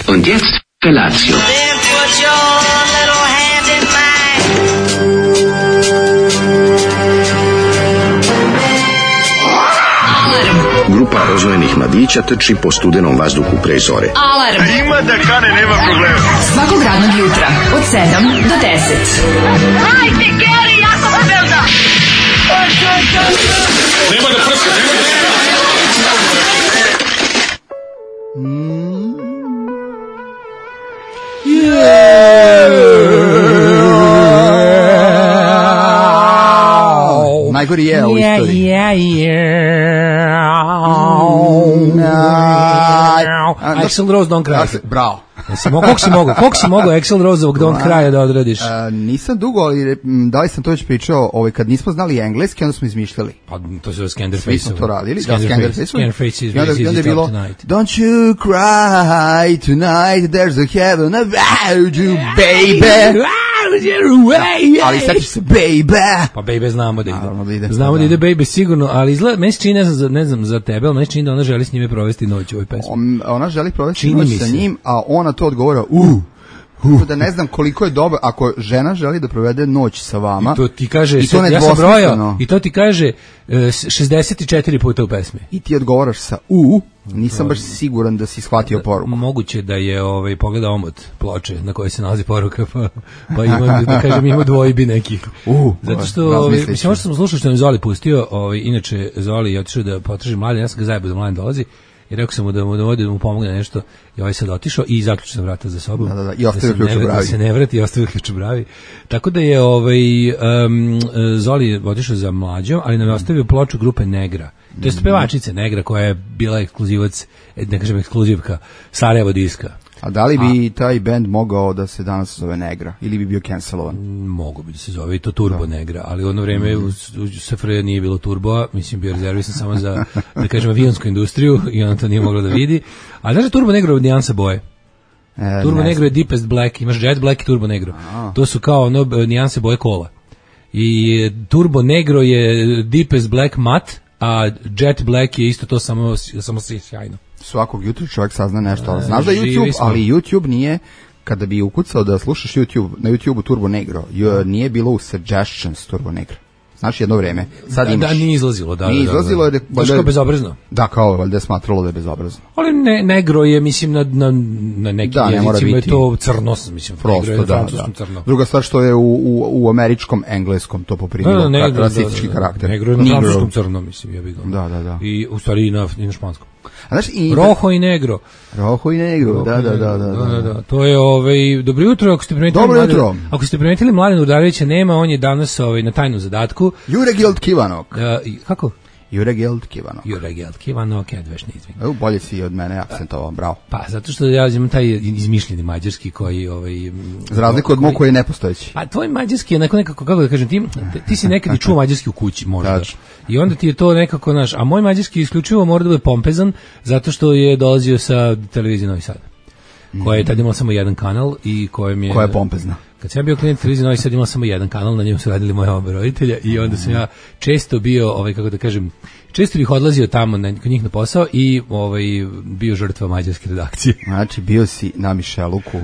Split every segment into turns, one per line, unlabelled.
Und jetzt Felatio.
Then put your little hand in mine.
Grupa rozvojenih mladića trči po studenom vazduhu pre zore.
Alarm!
Ima da kane, nema problema.
Svakog radnog jutra, od 7 do 10.
Hajde, Geri, jako se velda!
Nema da prska, nema da prska.
Najgori je u istoriji.
Axl Rose Don't Cry.
Bravo.
Koliko si mogao Axl Roseovog Don't Cry da odradiš?
Nisam dugo, ali da li sam to već pričao, kad nismo znali engleski, onda smo izmišljali.
Pa to se Scanderface.
Svi smo to radili.
Scanderface is
onda je bilo
tonight.
Don't you cry tonight, there's a heaven about you, baby. Ali setiš se, baby.
Pa baby znamo da ide.
Ide.
Znamo da ide baby sigurno, ali izgleda, meni se čini, ne znam za tebe, ali meni se čini da ona želi s njime provesti noć u ovoj pesmi.
Ona želi provesti
Čini
noć
mi
sa
se.
njim, a ona to odgovara, da ne znam koliko je dobro, ako žena želi da provede noć sa vama.
I to ti kaže,
i to
ja sam brojao, i to ti kaže 64 puta u pesmi.
I ti odgovaraš sa nisam baš siguran da si shvatio poruku.
Moguće da je pogleda omot ploče na kojoj se nalazi poruka, pa ima, da kažem, ima dvojbi nekih. Zato što, mislim, možda sam slušao što nam Zoli pustio, inače Zoli je otišao da potraži Mladen, ja sam ga zajebao da Mladen dolazi, i rekao sam mu da mu pomogne nešto, i ovaj sad otišao i zaključio sam vrata za sobom.
I ostavio ključ u bravi.
Da se ne vrati i ostavio ključ u bravi. Tako da je Zoli je otišao za Mlađom, ali nam je ostavio ploču grupe Negra. To je pevačice Negra koja je bila ekskluzivac, ne kažem ekskluzivka, Sarajevo diska.
A da li bi taj bend mogao da se danas zove Negra ili bi bio cancelovan?
Mogu bi da se zove i to Turbo Negra, ali u ono vreme u SFRJ nije bilo turboa, mislim bio rezervisan samo za, da kažem, avionsku industriju i ona to nije mogla da vidi. A znaš da Turbo Negro je nijansa boje? Turbo Negro je Deepest Black, imaš Jet Black i Turbo Negro. To su kao nijanse boje kola. I Turbo Negro je Deepest Black mat, a Jet Black je isto to samo sjajno.
Svakog jutra čovjek sazna nešto, ali znaš da YouTube, ali YouTube nije, kada bi ukucao da slušaš YouTube, na YouTubeu Turbo Negro, nije bilo u suggestions Turbo Negro. Znaš, jedno vreme. Sad imaš.
Da, nije izlazilo.
Nije izlazilo jer je...
Kao bezobrazno.
Da, kao valjda je smatralo da je bezobrazno.
Ali Negro je, mislim, na nekim jezicima je to crno, mislim.
Prosto,
negro je
da.
crno.
Druga stvar što je u američkom engleskom to poprimilo rasistički karakter.
Negro je na francuskom crno, mislim, ja bih ga.
Da.
I u stvari i na španskom.
Rojo
i negro.
Rojo i negro, da.
To je dobro jutro, ako ste primetili.
Dobro jutro.
Ako ste primetili, Mladen Udarevića nema, on je danas na tajnom zadatku.
Juregeld Kivanok.
Kako?
Juregeld Kivanok.
Juregeld Kivanok, Edvešni izvin.
Bolje si od mene akcentovao, bravo.
Pa, zato što ja imam taj izmišljeni mađarski koji...
za razliku od mog koji je nepostojeći.
Pa, tvoj mađarski je nekako, kako da kažem, ti si nekad i čuo mađarski u kući, možda. I onda ti je to nekako naš... A moj mađarski isključivo mora da bude pompezan, zato što je dolazio sa televizije Novi Sad, koja je tad imala samo jedan kanal i kojem je...
Koja je pompezna.
Kad sam ja bio klijent televizije Novi Sad, imala samo jedan kanal, na njemu su radili moje oba roditelja i onda sam ja često bio, kako da kažem, često bih odlazio tamo kod njih na posao i bio žrtva mađarske redakcije.
Znači, bio si na Mišeluku,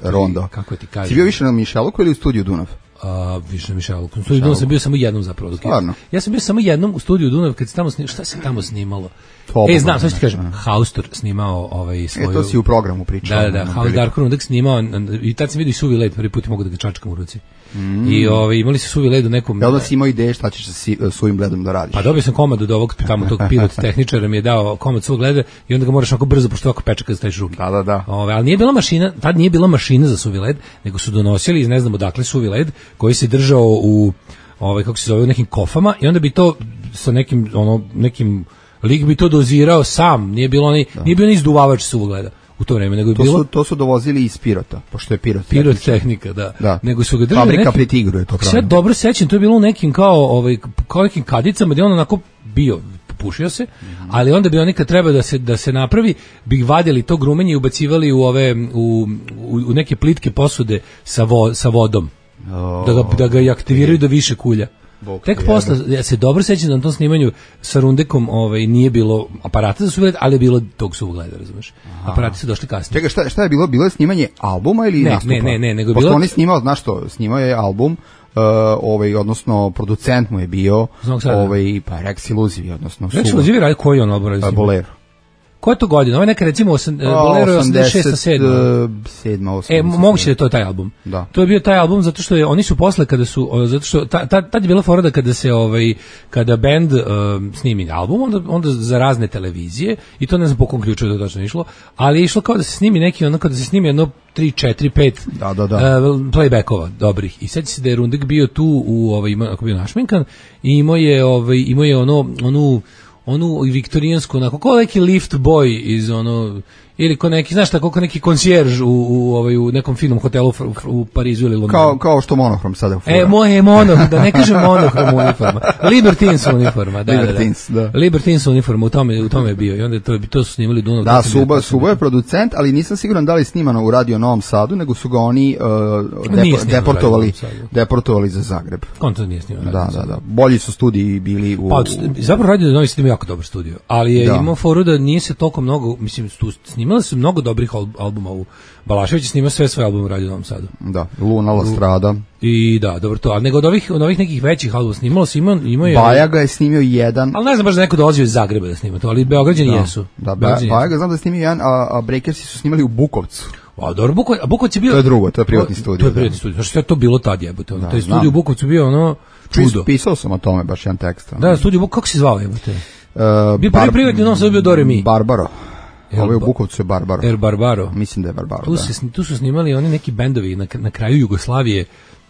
Rondo.
Kako ti kažem?
Si bio više na Mišeluku ili u studiju Dunav?
Više na Mišeluku. U studiju Dunav sam bio samo jednom zapravo. Ja sam bio samo jednom u studiju Dunav kad se tamo snimalo. Šta se tamo snimalo? Znam, sad ću ti kažem. Haustor snimao svoju...
to si u programu pričao.
Da, House Dark Room snimao i tad sam vidio i suvi led, prvi put mogu da ga čačkam u ruci. I imali su suvi led u nekom...
Ja onda si imao ideje šta ćeš sa suvim ledom da radiš?
Pa dobio sam komad od ovog tamo tog pilot tehničara, mi je dao komad svog leda i onda ga moraš onako brzo, pošto ovako peče kad staviš ruke.
Da.
Ali nije bila mašina, tad nije bila mašina za suvi led, nego su donosili iz ne znam odakle suvi led koji se držao u kako se zove, u nekim kofama i onda bi to sa nekim lik bi to dozirao sam, nije bio ni izduvavač suvog leda u to vreme, nego je bilo...
To su dovozili iz Pirota, pošto je
pirotehnika, da. Nego su ga držali
fabrika pri Tigru je to
pravno. Sve dobro sećam, to je bilo u nekim kao nekim kadicama gdje on onako bio, pušio se, ali onda bi oni kad treba da se napravi, bi vadili to grumenje i ubacivali u neke plitke posude sa vodom, da ga aktiviraju do više kulja. Tek posle, ja se dobro sećam da na tom snimanju sa Rundekom nije bilo aparata za suvogled, ali je bilo tog suvogleda, razumeš. Aparati su došli kasnije.
Čekaj, šta je bilo? Bilo je snimanje albuma ili nastupa?
Ne, nego je
bilo...
Pošto
on je snimao, znaš što, snimao je album, odnosno producent mu je bio pa Rex Illuzivi, odnosno
Rex Illuzivi radi koji on album radi?
Bolero.
Koja je to godina? Ovo je neka recimo Bolero je 86.
7.
Moguće da je to taj album.
Da.
To je bio taj album zato što oni su posle kada su zato što tad je bila fora da kada se kada bend snimi album onda za razne televizije i to ne znam po kom ključu da točno išlo, ali je išlo kao da se snimi neki kada se snimi jedno 3, 4, 5 playbackova dobrih. I sad se da je Rundek bio tu ako bio našminkan i imao je onu viktorijansku, onako, kao neki lift boy iz ili ko neki, znaš tako, kao neki konsjerž u nekom finom hotelu u Parizu ili Londonu.
Kao što Monohrom sada fura.
Da ne kažem Monohrom uniforma. Libertines uniforma, da. Libertines uniforma, u tome je bio. I onda to su snimali Dunav.
Da, Subo je producent, ali nisam siguran da li snimano u Radio Novom Sadu, nego su ga oni deportovali za Zagreb.
On to nije snimano.
Da. Bolji su studiji bili u...
Pa, zapravo Radio Novi Sad ima jako dobar studio, ali je imao foru da nije se toliko mnogo, mislim, snimali su mnogo dobrih albuma u Balašević, snima sve svoje albume u Radio Novom Sadu.
Da, Luna, La Strada.
I da, dobro to, ali nego od ovih nekih većih albuma snimalo se imao je...
Bajaga je snimio jedan.
Ali ne znam baš da neko dolazio iz Zagreba da snima to, ali Beograđani jesu.
Da, Bajaga znam da je snimio jedan, a Breakersi su snimali u Bukovcu.
A dobro, Bukovac je bio...
To je drugo, to je privatni studio.
To je privatni studio, znači sve to bilo tad jebote. Taj studio u Bukovcu bio čudo.
Pisao sam o tome, baš jedan tekst.
Da, studio Bukovac, kako se zvao jebote? Bio prvi privatni u Novom Sadu bio Do Re Mi.
Barbaro. Ovo je u Bukovcu je Barbaro.
Barbaro.
Mislim da je Barbaro,
Tu su snimali oni neki bendovi na kraju Jugoslavije,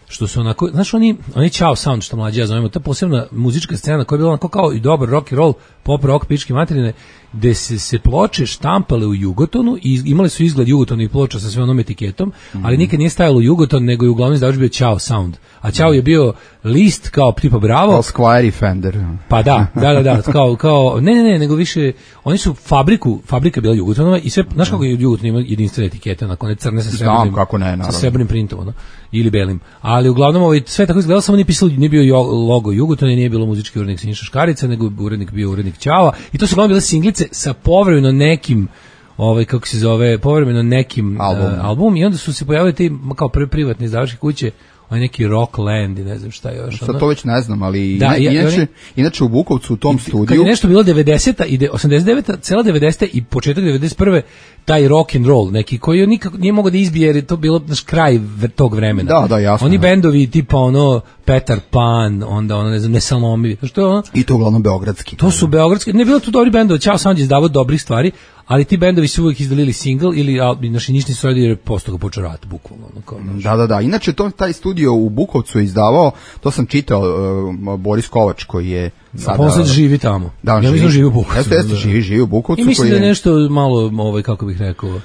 što su onako, znaš, oni Ćao Sound, što mlađi ja zovemo, ta posebna muzička scena koja je bila onako kao i dobar rock and roll, pop rock, pičke materine, gde se ploče štampale u Jugotonu i imali su izgled Jugotonih ploča sa sve onom etiketom, ali nikad nije stajalo Jugoton, nego je uglavnom izdavač bio Ćao Sound. A Ćao je bio list kao tipa Bravo.
Kao Squire i Fender.
Pa da, kao, ne, nego više, oni su fabrika bila Jugotonova i sve, znaš kako je Jugoton ima jedinstvene etikete, onako ne crne sa srebrnim printom, ili belim. Ali uglavnom sve tako izgledalo, samo nije bio logo Jugotona i nije bilo muzički urednik Siniša Škarica, nego bio urednik Ćava i to su uglavnom bile singlice sa povremeno nekim povremeno nekim albumom i onda su se pojavili ti kao prvi privatni izdavačke kuće, neki Rockland i ne znam šta još.
Sad to već ne znam, ali inače u Bukovcu u tom studiju...
Kad je nešto bilo 90-a i 89-a, cela 90-a i početak 91-e, taj rock and roll neki koji nikako nije mogao da izbije jer je to bilo kraj tog vremena.
Da, jasno.
Oni bendovi tipa Petar Pan, onda ne znam, Nesalomivi. Što je
I to uglavnom beogradski.
To su beogradski. Ne bilo tu dobri bendovi, Ćao Sound je izdavao dobrih stvari, ali ti bendovi su uvijek izdalili single ili naši nišni su radili jer posto ga počeo rat, bukvalno.
Da. Inače, taj studio u Bukovcu je izdavao, to sam čitao, Boris Kovač koji je sada...
On sad živi tamo.
Da,
ja mislim živi u Bukovcu.
Jeste, živi u Bukovcu.
I mislim da je nešto malo, kako bih rekao...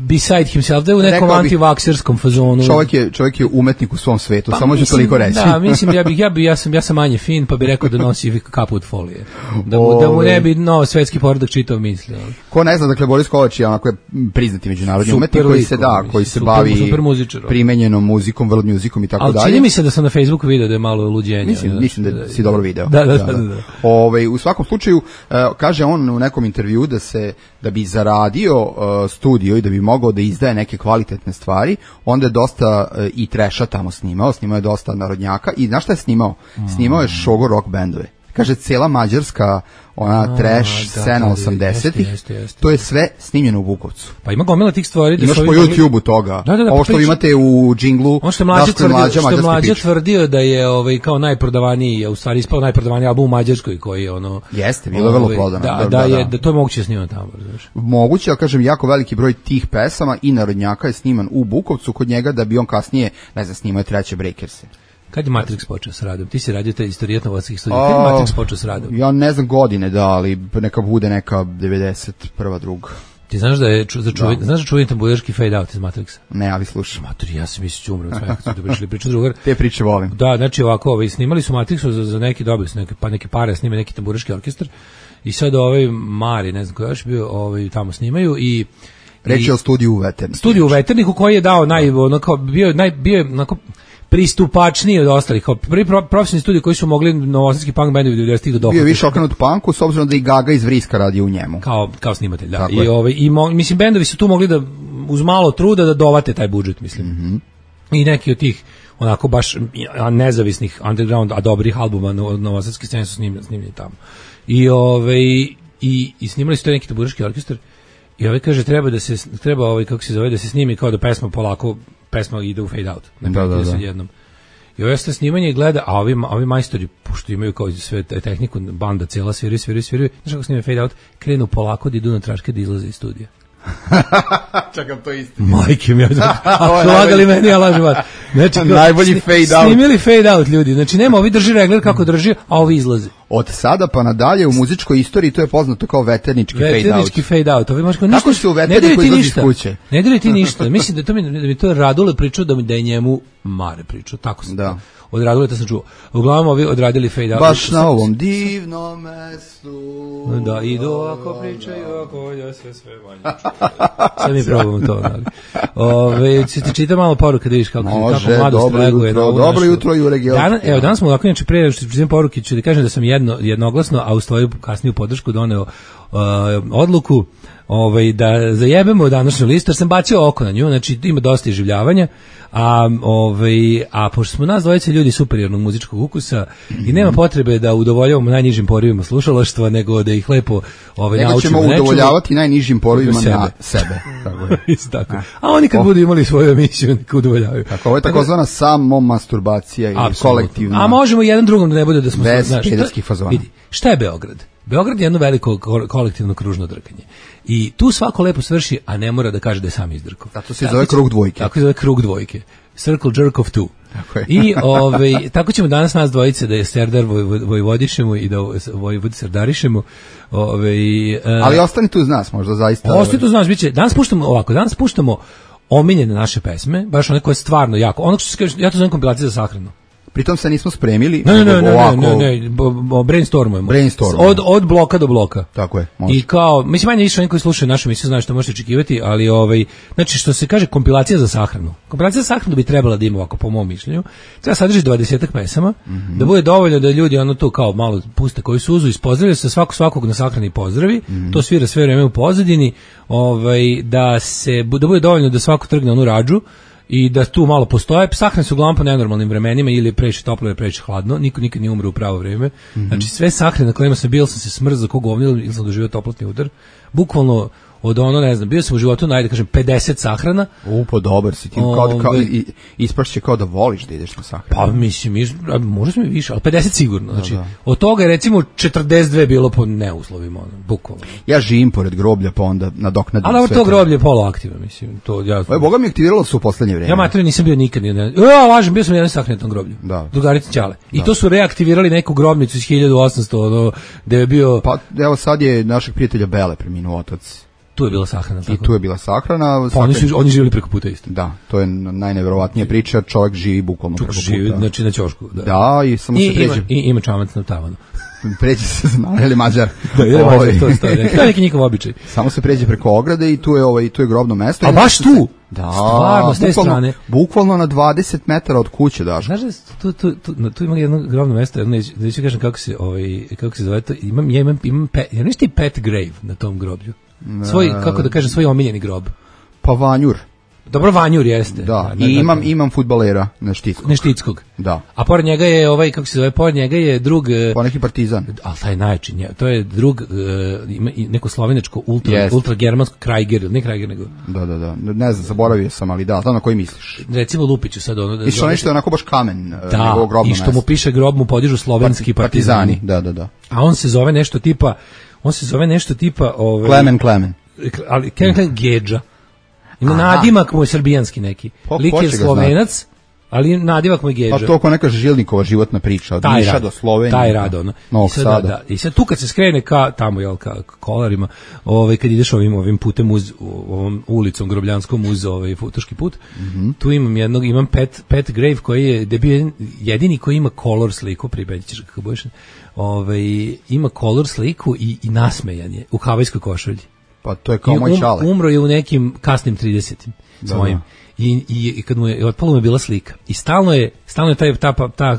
beside himself, da je u nekom antivakserskom fazonu.
Čovjek je umetnik u svom svetu, samo ću toliko reći.
Da, mislim, ja sam manje fin, pa bih rekao da nosi kapu od folije. Da mu ne bi svetski poredak čitao misli.
Ko ne zna, dakle, Boris Kovač je onako priznati međunarodni umetnik koji se bavi primenjenom muzikom, world musicom i tako dalje.
Ali čini mi se da sam na Facebooku video da je malo luđenje.
Mislim da si dobro video.
Da.
U svakom slučaju, kaže on u nekom intervju da bi zaradio studio i da bi mogao da izdaje neke kvalitetne stvari, onda je dosta i treša tamo snimao je dosta narodnjaka i znaš šta je snimao? Snimao je šogo rock bendove. Kaže, cela mađarska trash scena 80-ih, to je sve snimljeno u Bukovcu.
Pa ima gomila tih stvari.
Imaš po YouTube-u toga. Ovo što imate u džinglu.
On što je mlađe tvrdio da je kao najprodavaniji, u stvari ispao najprodavaniji album u Mađarskoj koji je
Jeste, bilo je vrlo prodano.
Da to je moguće snimati tamo.
Moguće, ali kažem, jako veliki broj tih pesama i narodnjaka je sniman u Bukovcu kod njega da bi on kasnije, ne znam, snimao treće Breakerse.
Kad je Matrix počeo s radom? Ti si radio taj istorijat novosadskih studija. Kad je Matrix počeo s radom?
Ja ne znam godine, ali neka bude neka 91. druga.
Ti znaš da je čuveni tamburaški fade out iz Matrixa?
Ne, ali slušaj.
Matori, ja sam mislio umro od svega, da prišli priču drugar.
Te priče volim.
Da, znači ovako, snimali su Matrixu za neki dobili su neke pare, snime neki tamburaški orkestar i sad Mari, ne znam ko još bio, tamo snimaju i
reći o studiju u Veterniku.
Studiju u Veterniku koji je dao bio pristupačniji od ostalih. Kao prvi profesionalni studij koji su mogli novosadski punk bendovi 90-ih da dohvate.
Bio je više okrenut punku, s obzirom da i Gaga iz Vriska radi u njemu.
Kao snimatelj, da.
Tako
Mislim, bendovi su tu mogli da, uz malo truda, da dovate taj budžet, mislim. I neki od tih, onako baš nezavisnih underground, a dobrih albuma novosadske scene su snimljeni tamo. I snimali su to neki taburaški orkestar. I kaže treba kako se zove, da se snimi kao da pesma ide u fade out. Da. Jednom. I ovo ste snimanje gleda, a ovi majstori, pošto imaju kao sve tehniku, banda cijela sviri, znaš kako snime fade out, krenu polako da idu na traške da izlaze iz studija.
Čekam, to istina.
Majke mi, ako lagali meni, ja lažem vas. Znači,
najbolji fade out.
Snimili fade out ljudi, znači nema, ovi drži regler kako drži, a ovi izlaze.
Od sada pa nadalje u muzičkoj istoriji to je poznato kao veternički fade out.
Veternički fade out.
Kako su veterni koji izlazi iz kuće?
Ne diri ti ništa. Mislim da mi to Radule pričao, da je njemu Mare pričao. Tako sam to. Od Raduleta sam čuo. Uglavnom ovi odradili fade out.
Baš na ovom divnom mestu.
Da, idu ako pričaju, ako ja se sve manje čuo. Sad mi probamo to. Ti čita malo poruka da vidiš kako mlado streguje.
Dobro jutro, Jure Georg.
Evo, danas smo ovako, inače pre što čitam poruke, ću da kažem da sam jednoglasno, a u svoju kasniju podršku doneo odluku da zajebemo današnju listu, jer sam bacio oko na nju, znači ima dosta iživljavanja, a pošto smo nas dvojice ljudi superiornog muzičkog ukusa i nema potrebe da udovoljavamo najnižim porivima slušalaštva, nego da ih lepo naučimo.
Nego ćemo udovoljavati najnižim porivima na sebe.
Tako. A oni kad budu imali svoju emisiju, neka udovoljavaju.
Tako, ovo je takozvana samomasturbacija ili kolektivna.
A možemo jedan drugom da ne bude da smo...
Bez pederskih fazona.
Vidi, šta je Beograd? Beograd je jedno veliko kolektivno kružno drkanje. I tu svako lepo svrši, a ne mora da kaže da je sam izdrkao.
Zato se zove krug dvojke.
Tako se zove krug dvojke. Circle jerk of two. I tako ćemo danas nas dvojice da je Serdar vojvodišemo i da vojvodi serdarišemo.
Ali ostani tu uz nas, možda zaista.
Ostani tu uz nas, biće. Danas puštamo omiljene naše pesme, baš one koje stvarno jako. Ono što se kaže, ja to zovem kompilacija za sahranu.
Pritom se nismo spremili.
Ne, brainstormujemo. Od bloka do bloka.
Tako je, može.
I kao, mislim, manje više oni koji slušaju našu emisiju znaju što možete očekivati, ali znači što se kaže kompilacija za sahranu. Kompilacija za sahranu bi trebala da ima ovako, po mom mišljenju. Treba sadrži 20-ak pesama, da bude dovoljno da ljudi tu kao malo puste koju suzu, ispozdravljaju se svakog na sahrani pozdravi, to svira sve vreme u pozadini, da bude dovoljno da svako trgne onu radžu, i da tu malo postoje. Sahrane su uglavnom po nenormalnim vremenima, ili je previše toplo ili previše hladno, niko nikad nije umre u pravo vrijeme. Znači sve sahrane na kojima sam bio, sam se smrzao kao govnilo ili sam doživio toplotni udar. Bukvalno od ne znam, bio sam u životu, 50 sahrana.
Pa dobar si ti, isprašće kao da voliš da ideš na sahranu.
Pa mislim, možda sam i više, ali 50 sigurno. Znači, od toga je recimo 42 bilo po neuslovima, bukvalno.
Ja živim pored groblja, pa onda nadoknadim sve.
Ali to groblje je poloaktivno, mislim.
Boga mi aktiviralo su u poslednje vrijeme.
Ja materiju nisam bio nikad. Lažem, bio sam na jednom sahrani na tom groblju. Drugarica Ćale. I to su reaktivirali neku grobnicu iz 1800, gde je bio...
Pa evo sad je našeg prijatelja Bele preminuo otac.
Tu je bila sahrana.
I tu je bila sahrana.
Pa oni živjeli preko puta isto.
Da, to je najneverovatnija priča, čovjek živi bukvalno preko puta.
Znači na ćošku.
Da, i samo se pređe.
I ima čamac na tavanu.
Pređe se, ili Mađar.
Da, ili Mađar, to stoji. To je neki njihov običaj.
Samo se pređe preko ograde i tu je grobno mesto.
A baš tu?
Da,
stvarno, s te strane.
Bukvalno na 20 metara od kuće, daš.
Znaš da tu ima jedno grobno mesto, da ću kažem kako se zove to, ja nešto i pet grave na tom groblju. Svoj, kako da kažem, svoj omiljeni grob.
Pa Vanjur.
Dobro, Vanjur jeste.
Da, i imam fudbalera Neštickog. Da.
A pored njega je kako se zove, pored njega je drug...
Pa neki Partizan.
Ali taj najjači, to je drug, ima neko slovenačko, ultragermansko Krajger, ne Krajger nego...
Da. Ne znam, zaboravio sam, ali da, na koji misliš?
Recimo Lupiću sad ono...
I što nešto je onako baš kamen.
Da, i što mu piše grob mu podižu slovenski partizani.
Da.
A on se zove nešto tipa...
Klemen.
Ali Klemen Gedža. Ima nadimak mu je srbijanski neki. Lik je Slovenac, ali nadimak mu je Gedža.
Pa to ko neka Žilnikova životna priča, od Niša do Slovenije.
Taj rad,
Novog Sada.
I sad tu kad se skrene tamo, ka Kolarima, kad ideš ovim putem ovom ulicom Grobljanskom uz Futoški put, tu imam pet grave koji je bio jedini koji ima color sliku, pribeđiš kako budeš, ima color sliku i nasmejan je u havajskoj košulji.
Pa to je kao moj čale.
Umro je u nekim kasnim 30-im svojim. I kad mu je otpalo, mu je bila slika. I stalno je ta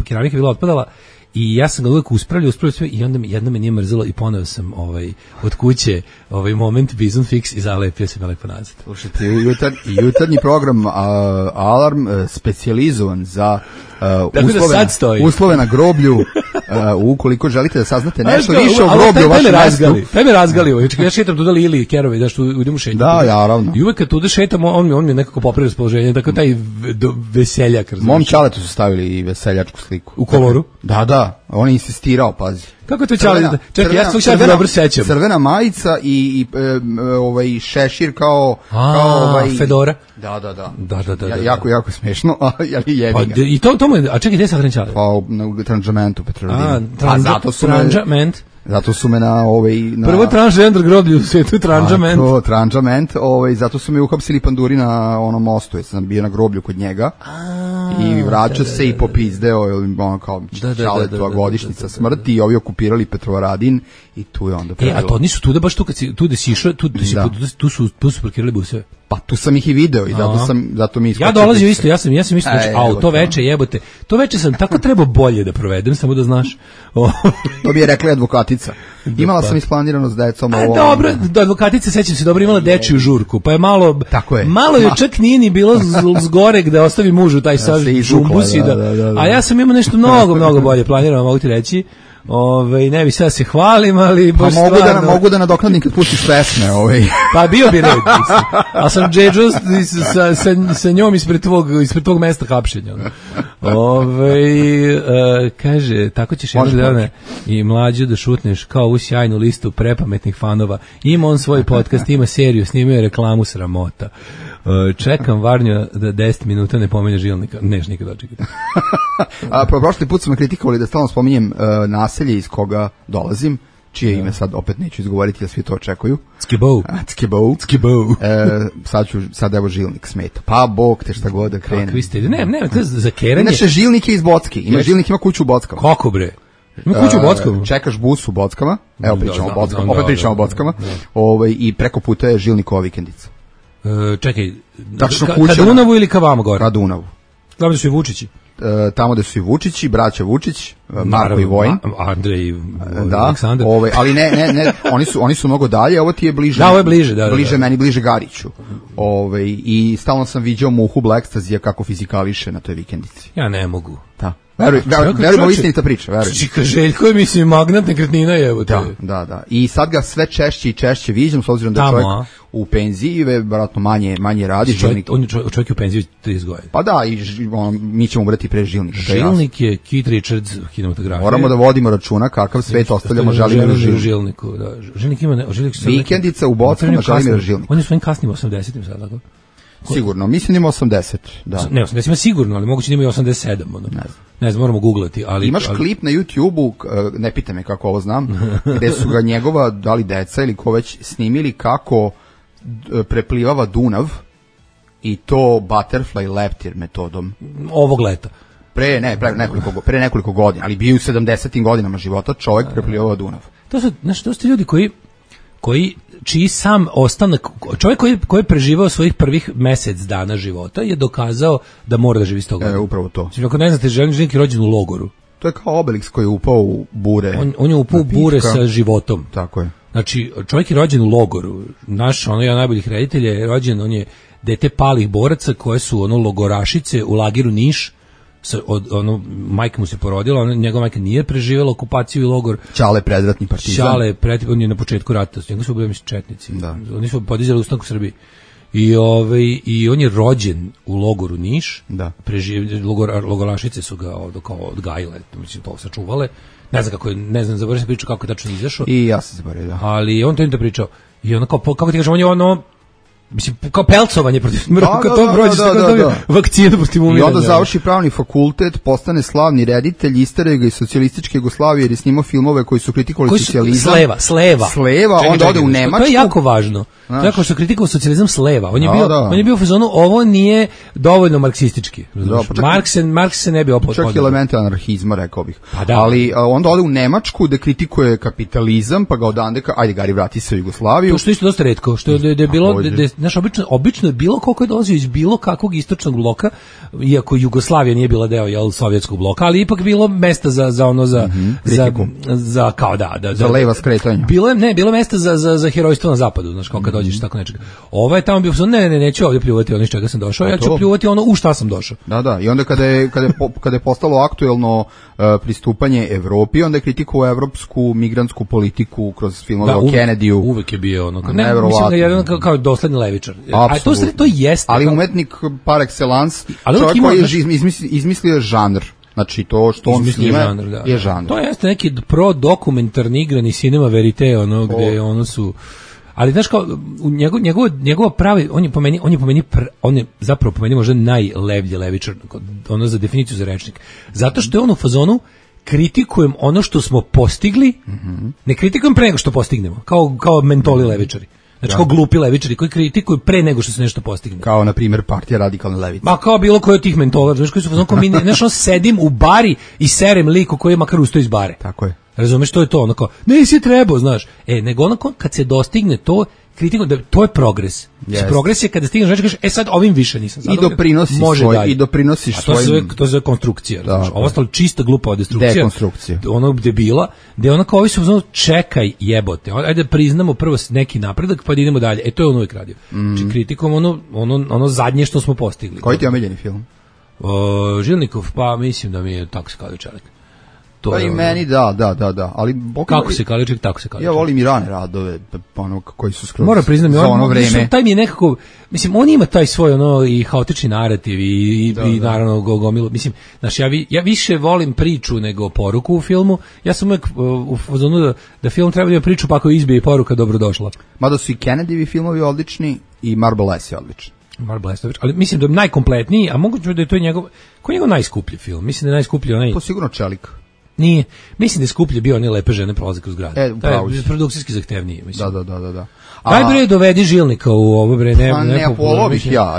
keramika bila otpadala. I ja sam ga uvijek uspravljao sve i onda jedno me nije mrzelo i poneo sam od kuće moment Bizon Fix i zalepio sam ga lepo nazad.
Slušajte, jutarnji program Alarm specijalizovan za uslove na groblju. Ukoliko želite da saznate nešto više o groblju u vašem mestu.
Taj me razgalio. Ja šetam tuda Lili i Kerove, da što idemo šetati.
Da, naravno.
I uvijek kad tuda šetamo, on mi nekako popravi raspoloženje, tako taj veseljak.
Mom čaletu su stavili i veseljačku sliku.
U koloru?
Da, on je insistirao, pazi.
Kako to čale? Čekaj, ja se dobro sećam.
Crvena majica i šešir kao
fedora.
Da. Jako smešno, ali jebi ga.
I to mu je, a čekaj, gde se hrančale?
Pa na Tranžamentu Petrovaradinu. Zato su me na
prvo transgender groblje u svetu, Tranžament.
Tranžament, zato su me uhapsili panduri na onom mostu, jer sam bio na groblju kod njega. I vraća se i popizdeo, ono kao čaletova godišnjica smrti, i ovi okupirali Petrovaradin i tu je onda pravilo.
A to nisu tuda, baš tu kad si, tu da si išao, tu su parkirali buseve.
Pa tu sam ih i video i zato mi iskočio.
Ja dolazio isto, ja sam isto, to veče jebote. To veče sam tako trebao bolje da provedem, samo da znaš.
To bi je rekla advokatica. Imala sam isplanirano s decom ovo.
Dobro, advokatica, sećam se, dobro, imala dečiju žurku, pa je malo je čak nije ni bilo zgoreg da ostavi mužu taj sav žumbus i da. A ja sam imao nešto mnogo bolje planirano, mogu ti reći. Ne bi sad se hvalim, ali
pa mogu da nadoknadim kad pustiš pesme,
Pa bio bi red, a sam džedžo sa njom ispred tvog mesta hapšenja. Kaže, tako ćeš jednog dana i mlađu da šutneš kao u sjajnu listu prepametnih fanova. Ima on svoj podcast, ima seriju, snimio je reklamu, sramota. Čekam Varnju da 10 minuta ne pomenje Žilnika. Neš nikad očekati.
Prošli put su me kritikovali da stalno spominjem naselje iz koga dolazim, čije ime sad opet neću izgovoriti, jer svi to očekuju. Skibou. Sad evo Žilnik smeta. Pa Bog te šta god da krene.
Kakvi ste? Ne, to je za keranje.
Inače Žilnik je iz Bocki. Žilnik ima kuću u Bockama.
Kako bre? Ima kuću u Bockama?
Čekaš bus u Bockama. Evo opet pričamo o Bockama. I preko puta je Žilnikova vikendica.
Čekaj, ka Dunavu ili ka vama gore?
Ka Dunavu.
Tamo gde su i Vučići?
Tamo gde su i Vučići, braća Vučić, Marko i Vojin.
Andrej i Aleksandar.
Ali ne, oni su mnogo dalje, ovo ti je bliže.
Da, ovo je bliže, da.
Meni bliže Gariću. I stalno sam viđao Muhu Blackstazija kako fizikališe na toj vikendici.
Ja ne mogu.
Da. Verujemo istinita priča, verujem.
Čika Željko je, mislim, magnat nekretnina je.
Da. I sad ga sve češće i češće viđam, s obzirom da je čovjek u penziji, vjerojatno manje radi.
Čovjek je u penziji 30 godina.
Pa da, i mi ćemo ubrati pre Žilnika.
Žilnik je Keith Richards kinematografije.
Moramo da vodimo računa kakav svet ostavljamo Želimiru
Žilniku. Žilnik ima...
Vikendica u Bockama, Želimir Žilnik.
On je svojim kasnim 80-im sad, tako?
Sigurno, mislim da ima 80. Da.
Ne, 80 ima sigurno, ali moguće da ima i 87. Ne znam, moramo googlati.
Imaš klip na YouTube-u, ne pita me kako ovo znam, gde su ga njegova, da li deca ili ko već snimili kako preplivava Dunav i to butterfly leftir metodom.
Ovog leta.
Pre nekoliko godina, ali bio u 70. godinama života, čovjek preplivava Dunav.
To su ljudi čiji sam ostanak, čovjek koji je preživao svojih prvih mesec dana života je dokazao da mora da živi 100 godina.
Upravo to.
Ako ne znate, Željnik je rođen u logoru.
To je kao Obelix koji je upao u bure.
On je upao u bure sa životom.
Tako je.
Znači, čovjek je rođen u logoru. Naš, jedan najboljih reditelja je rođen, on je dete palih boraca koje su logorašice u lageru Niš. Majka mu se porodila, njegova majka nije preživjela okupaciju i logor.
Čale predratni partizan.
On je na početku rata, njega su bili četnici.
Da.
Oni su podizali ustanak u Srbiji. I on je rođen u logoru Niš.
Da.
Logorašice su ga kao odgajile, mislim, to sačuvale. Ne znam, zaboravim se priču kako je tačno izašao.
I ja sam zaboravio, da.
Ali on to im da pričao. I ono kako ti kažem, on je mislim, kao pelcovanje protiv smrti, kad to
da,
prođeš,
da,
tako
da,
dobio
da.
vakcinu protiv umiranja.
I onda završi pravni fakultet, postane slavni reditelj, isteraju ga iz socijalističke Jugoslavije jer je snimao filmove koji su kritikovali socijalizam.
Sleva.
Onda ode u Nemačku.
To je jako važno.
Znaš.
To je kao što kritikovao socijalizam s leva. On je
Da,
bio,
da.
on je bio u fazonu, ovo nije dovoljno marksistički.
Da, pa čak-
Marks se ne bi opod.
Čak i elemente anarhizma, rekao bih.
Pa da.
Ali onda ode u Nemačku da kritikuje kapitalizam, pa ga odande ajde Gari, vrati se u Jugoslaviju.
To što je isto dosta retko, što je bilo,
Takođe.
znaš, obično je bilo koliko je dolazio iz bilo kakvog istočnog bloka, iako Jugoslavija nije bila deo sovjetskog bloka, ali ipak bilo mesta za ono za
kritiku.
za kao da
Za leva skretanja.
Bilo mesta za herojstvo na zapadu, znaš, kao kad dođeš tako nečega. Ovo je tamo bio neću ovdje pljuvati ono iz čega sam došao, ja ću
to.
pljuvati ono u šta sam došao.
Da, i onda kada je postalo aktuelno pristupanje Evropi, onda je kritikovao evropsku migrantsku politiku kroz filmove o Kennedyu.
Uvek je bio ono, mislim
Neverovatno.
da je jedan kao dosledni levičar. A to jeste.
Ali umetnik par excellence,
Ali
čovjek
ima,
koji je izmislio žanr. Znači to što on snima je žanr.
To jeste neki pro-dokumentarni igrani cinema verite, ono gde ono su... Ali znaš kao, njegova pravi, on je zapravo po meni možda najlevlji levičar, ono za definiciju za rečnik. Zato što je on u fazonu, kritikujem ono što smo postigli, ne kritikujem pre nego što postignemo, kao mentoli levičari. Znači kao glupi levičari koji kritikuju pre nego što se nešto postigne.
Kao, na primjer, partija radikalne levice.
Ma kao bilo koji od tih mentola, znaš koji su fazon, znaš, sedim u bari i serem liku koji je makar ustao iz bare.
Tako je.
Razumeš, to je to, ono kao, nisi trebao, znaš. Nego onako, kad se dostigne to, kritiku, da to je progres. Yes. Progres je kada stigneš, znači kažeš, sad ovim više nisam.
I doprinosiš svojim...
To je konstrukcija. Da, ovo ostalo čista glupa destrukcija.
Dekonstrukcija.
Ono debila, gde ono kao ovi su uzmano, čekaj jebote, ajde priznamo prvo neki napredak, pa da idemo dalje. To je on uvijek radio. Znači kritikom ono zadnje što smo postigli.
Koji ti je omiljeni film?
Žilnikov, pa mislim da mi je tako se kao čelik.
Pa i meni da, ali
kako se Kaliček, tako se Kaliček.
Ja volim i rane radove, ono koji su skroz
moram priznati,
za ono vreme.
Taj mi je nekako, mislim, on ima taj svoj ono i haotični narativ i naravno gomilu, mislim, znaš, ja više volim priču nego poruku u filmu. Ja sam uvijek u fazonu da film treba da ima priču, pa ako izbije poruka, dobrodošla.
Mada su i Kennedy-vi filmovi odlični i Marble S je odličan.
Ali mislim da je najkompletniji, a moguće da je to njegov najskuplji film. Mislim da je najskuplji onaj.
To sigurno Čelik.
Nije. Mislim da je skuplje bio one lepe žene prolaze kroz grad. To je produkcijski zahtevniji, mislim.
Da.
Daj bre, dovedi Žilnika u ovo bre,
ne polovih ja.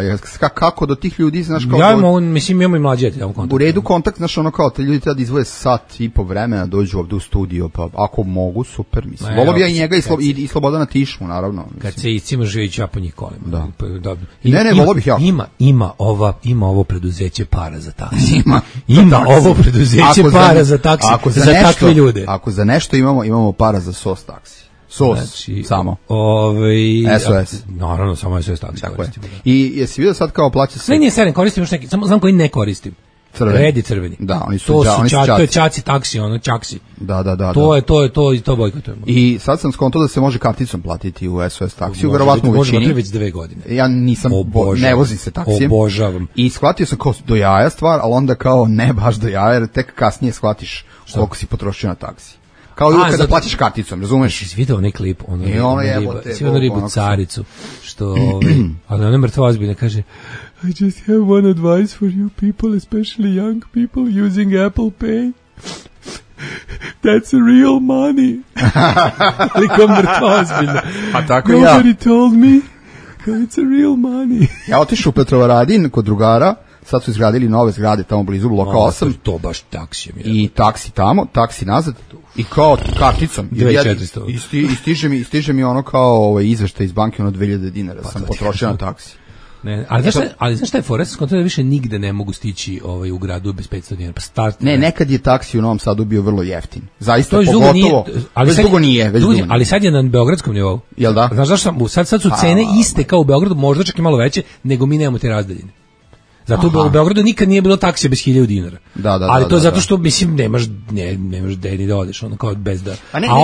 Kako do tih ljudi, znaš kao...
Ja mislim, imamo i mlađe tamo kontakt.
U redu kontakt, znaš ono kao, te ljudi treba da izvoje sat i po vremena, dođu ovdje u studio, pa ako mogu, super, mislim. Volio bi ja i njega i Slobodana Tišmu, naravno.
Kad se iscimaš i ja po njih kolima.
Da. Ne, volio bih ja.
Ima ovo preduzeće para za taksi. Ima ovo preduzeće para za taksi. Za takve ljude.
Ako za nešto imamo para za SOS taksi. Samo. SOS.
Naravno, samo SOS taksi koristimo.
I jesi vidio sad kao plaća se...
Sve nije seren, koristim još neki, samo znam koji ne koristim. Redi crveni.
Da, oni su
to je čaci taksi, ono čaksi.
Da.
To bojkotujemo.
I sad sam skontao da se može karticom platiti u SOS taksiju, verovatno u većini.
Može već 2 godine.
Ja nisam, ne vozim se taksijem.
Obožavam.
I shvatio sam kao do jaja stvar, ali onda kao ne baš do jaja, jer tek kasnije shvatiš koliko si potrošio na taksi. Kao i kada platiš karticom, razumeš?
Si vidio onaj klip, ono ribu caricu, što, ali ona mrtva ozbiljna, kaže, I just have one advice for you people, especially young people using Apple Pay. That's real money. Ali kao mrtva ozbiljna.
A tako
Nobody told me, it's real money.
Ja otišao u Petrovaradin kod drugara, sad su izgradili nove zgrade tamo blizu bloka 8.
To baš taksijem.
I taksi tamo, taksi nazad i kao karticom.
2400.
I stiže mi ono kao izveštaj iz banke, ono 2000 dinara sam potrošio na taksi.
Ne, ali znaš šta je fora? Sam da više nigde ne mogu stići u gradu bez 500 dinara.
Nekad je taksi u Novom Sadu bio vrlo jeftin. Zaista, pogotovo. Već dugo nije.
Ali sad je na beogradskom nivou.
Jel da?
Znaš zašto sad su cene iste kao u Beogradu, možda čak i malo veće, nego mi nemamo te razdaljine. Zato u Beogradu nikad nije bilo taksija bez 1000 dinara. Ali to je zato što, mislim, nemaš gde ni da odeš, ono kao bez da... A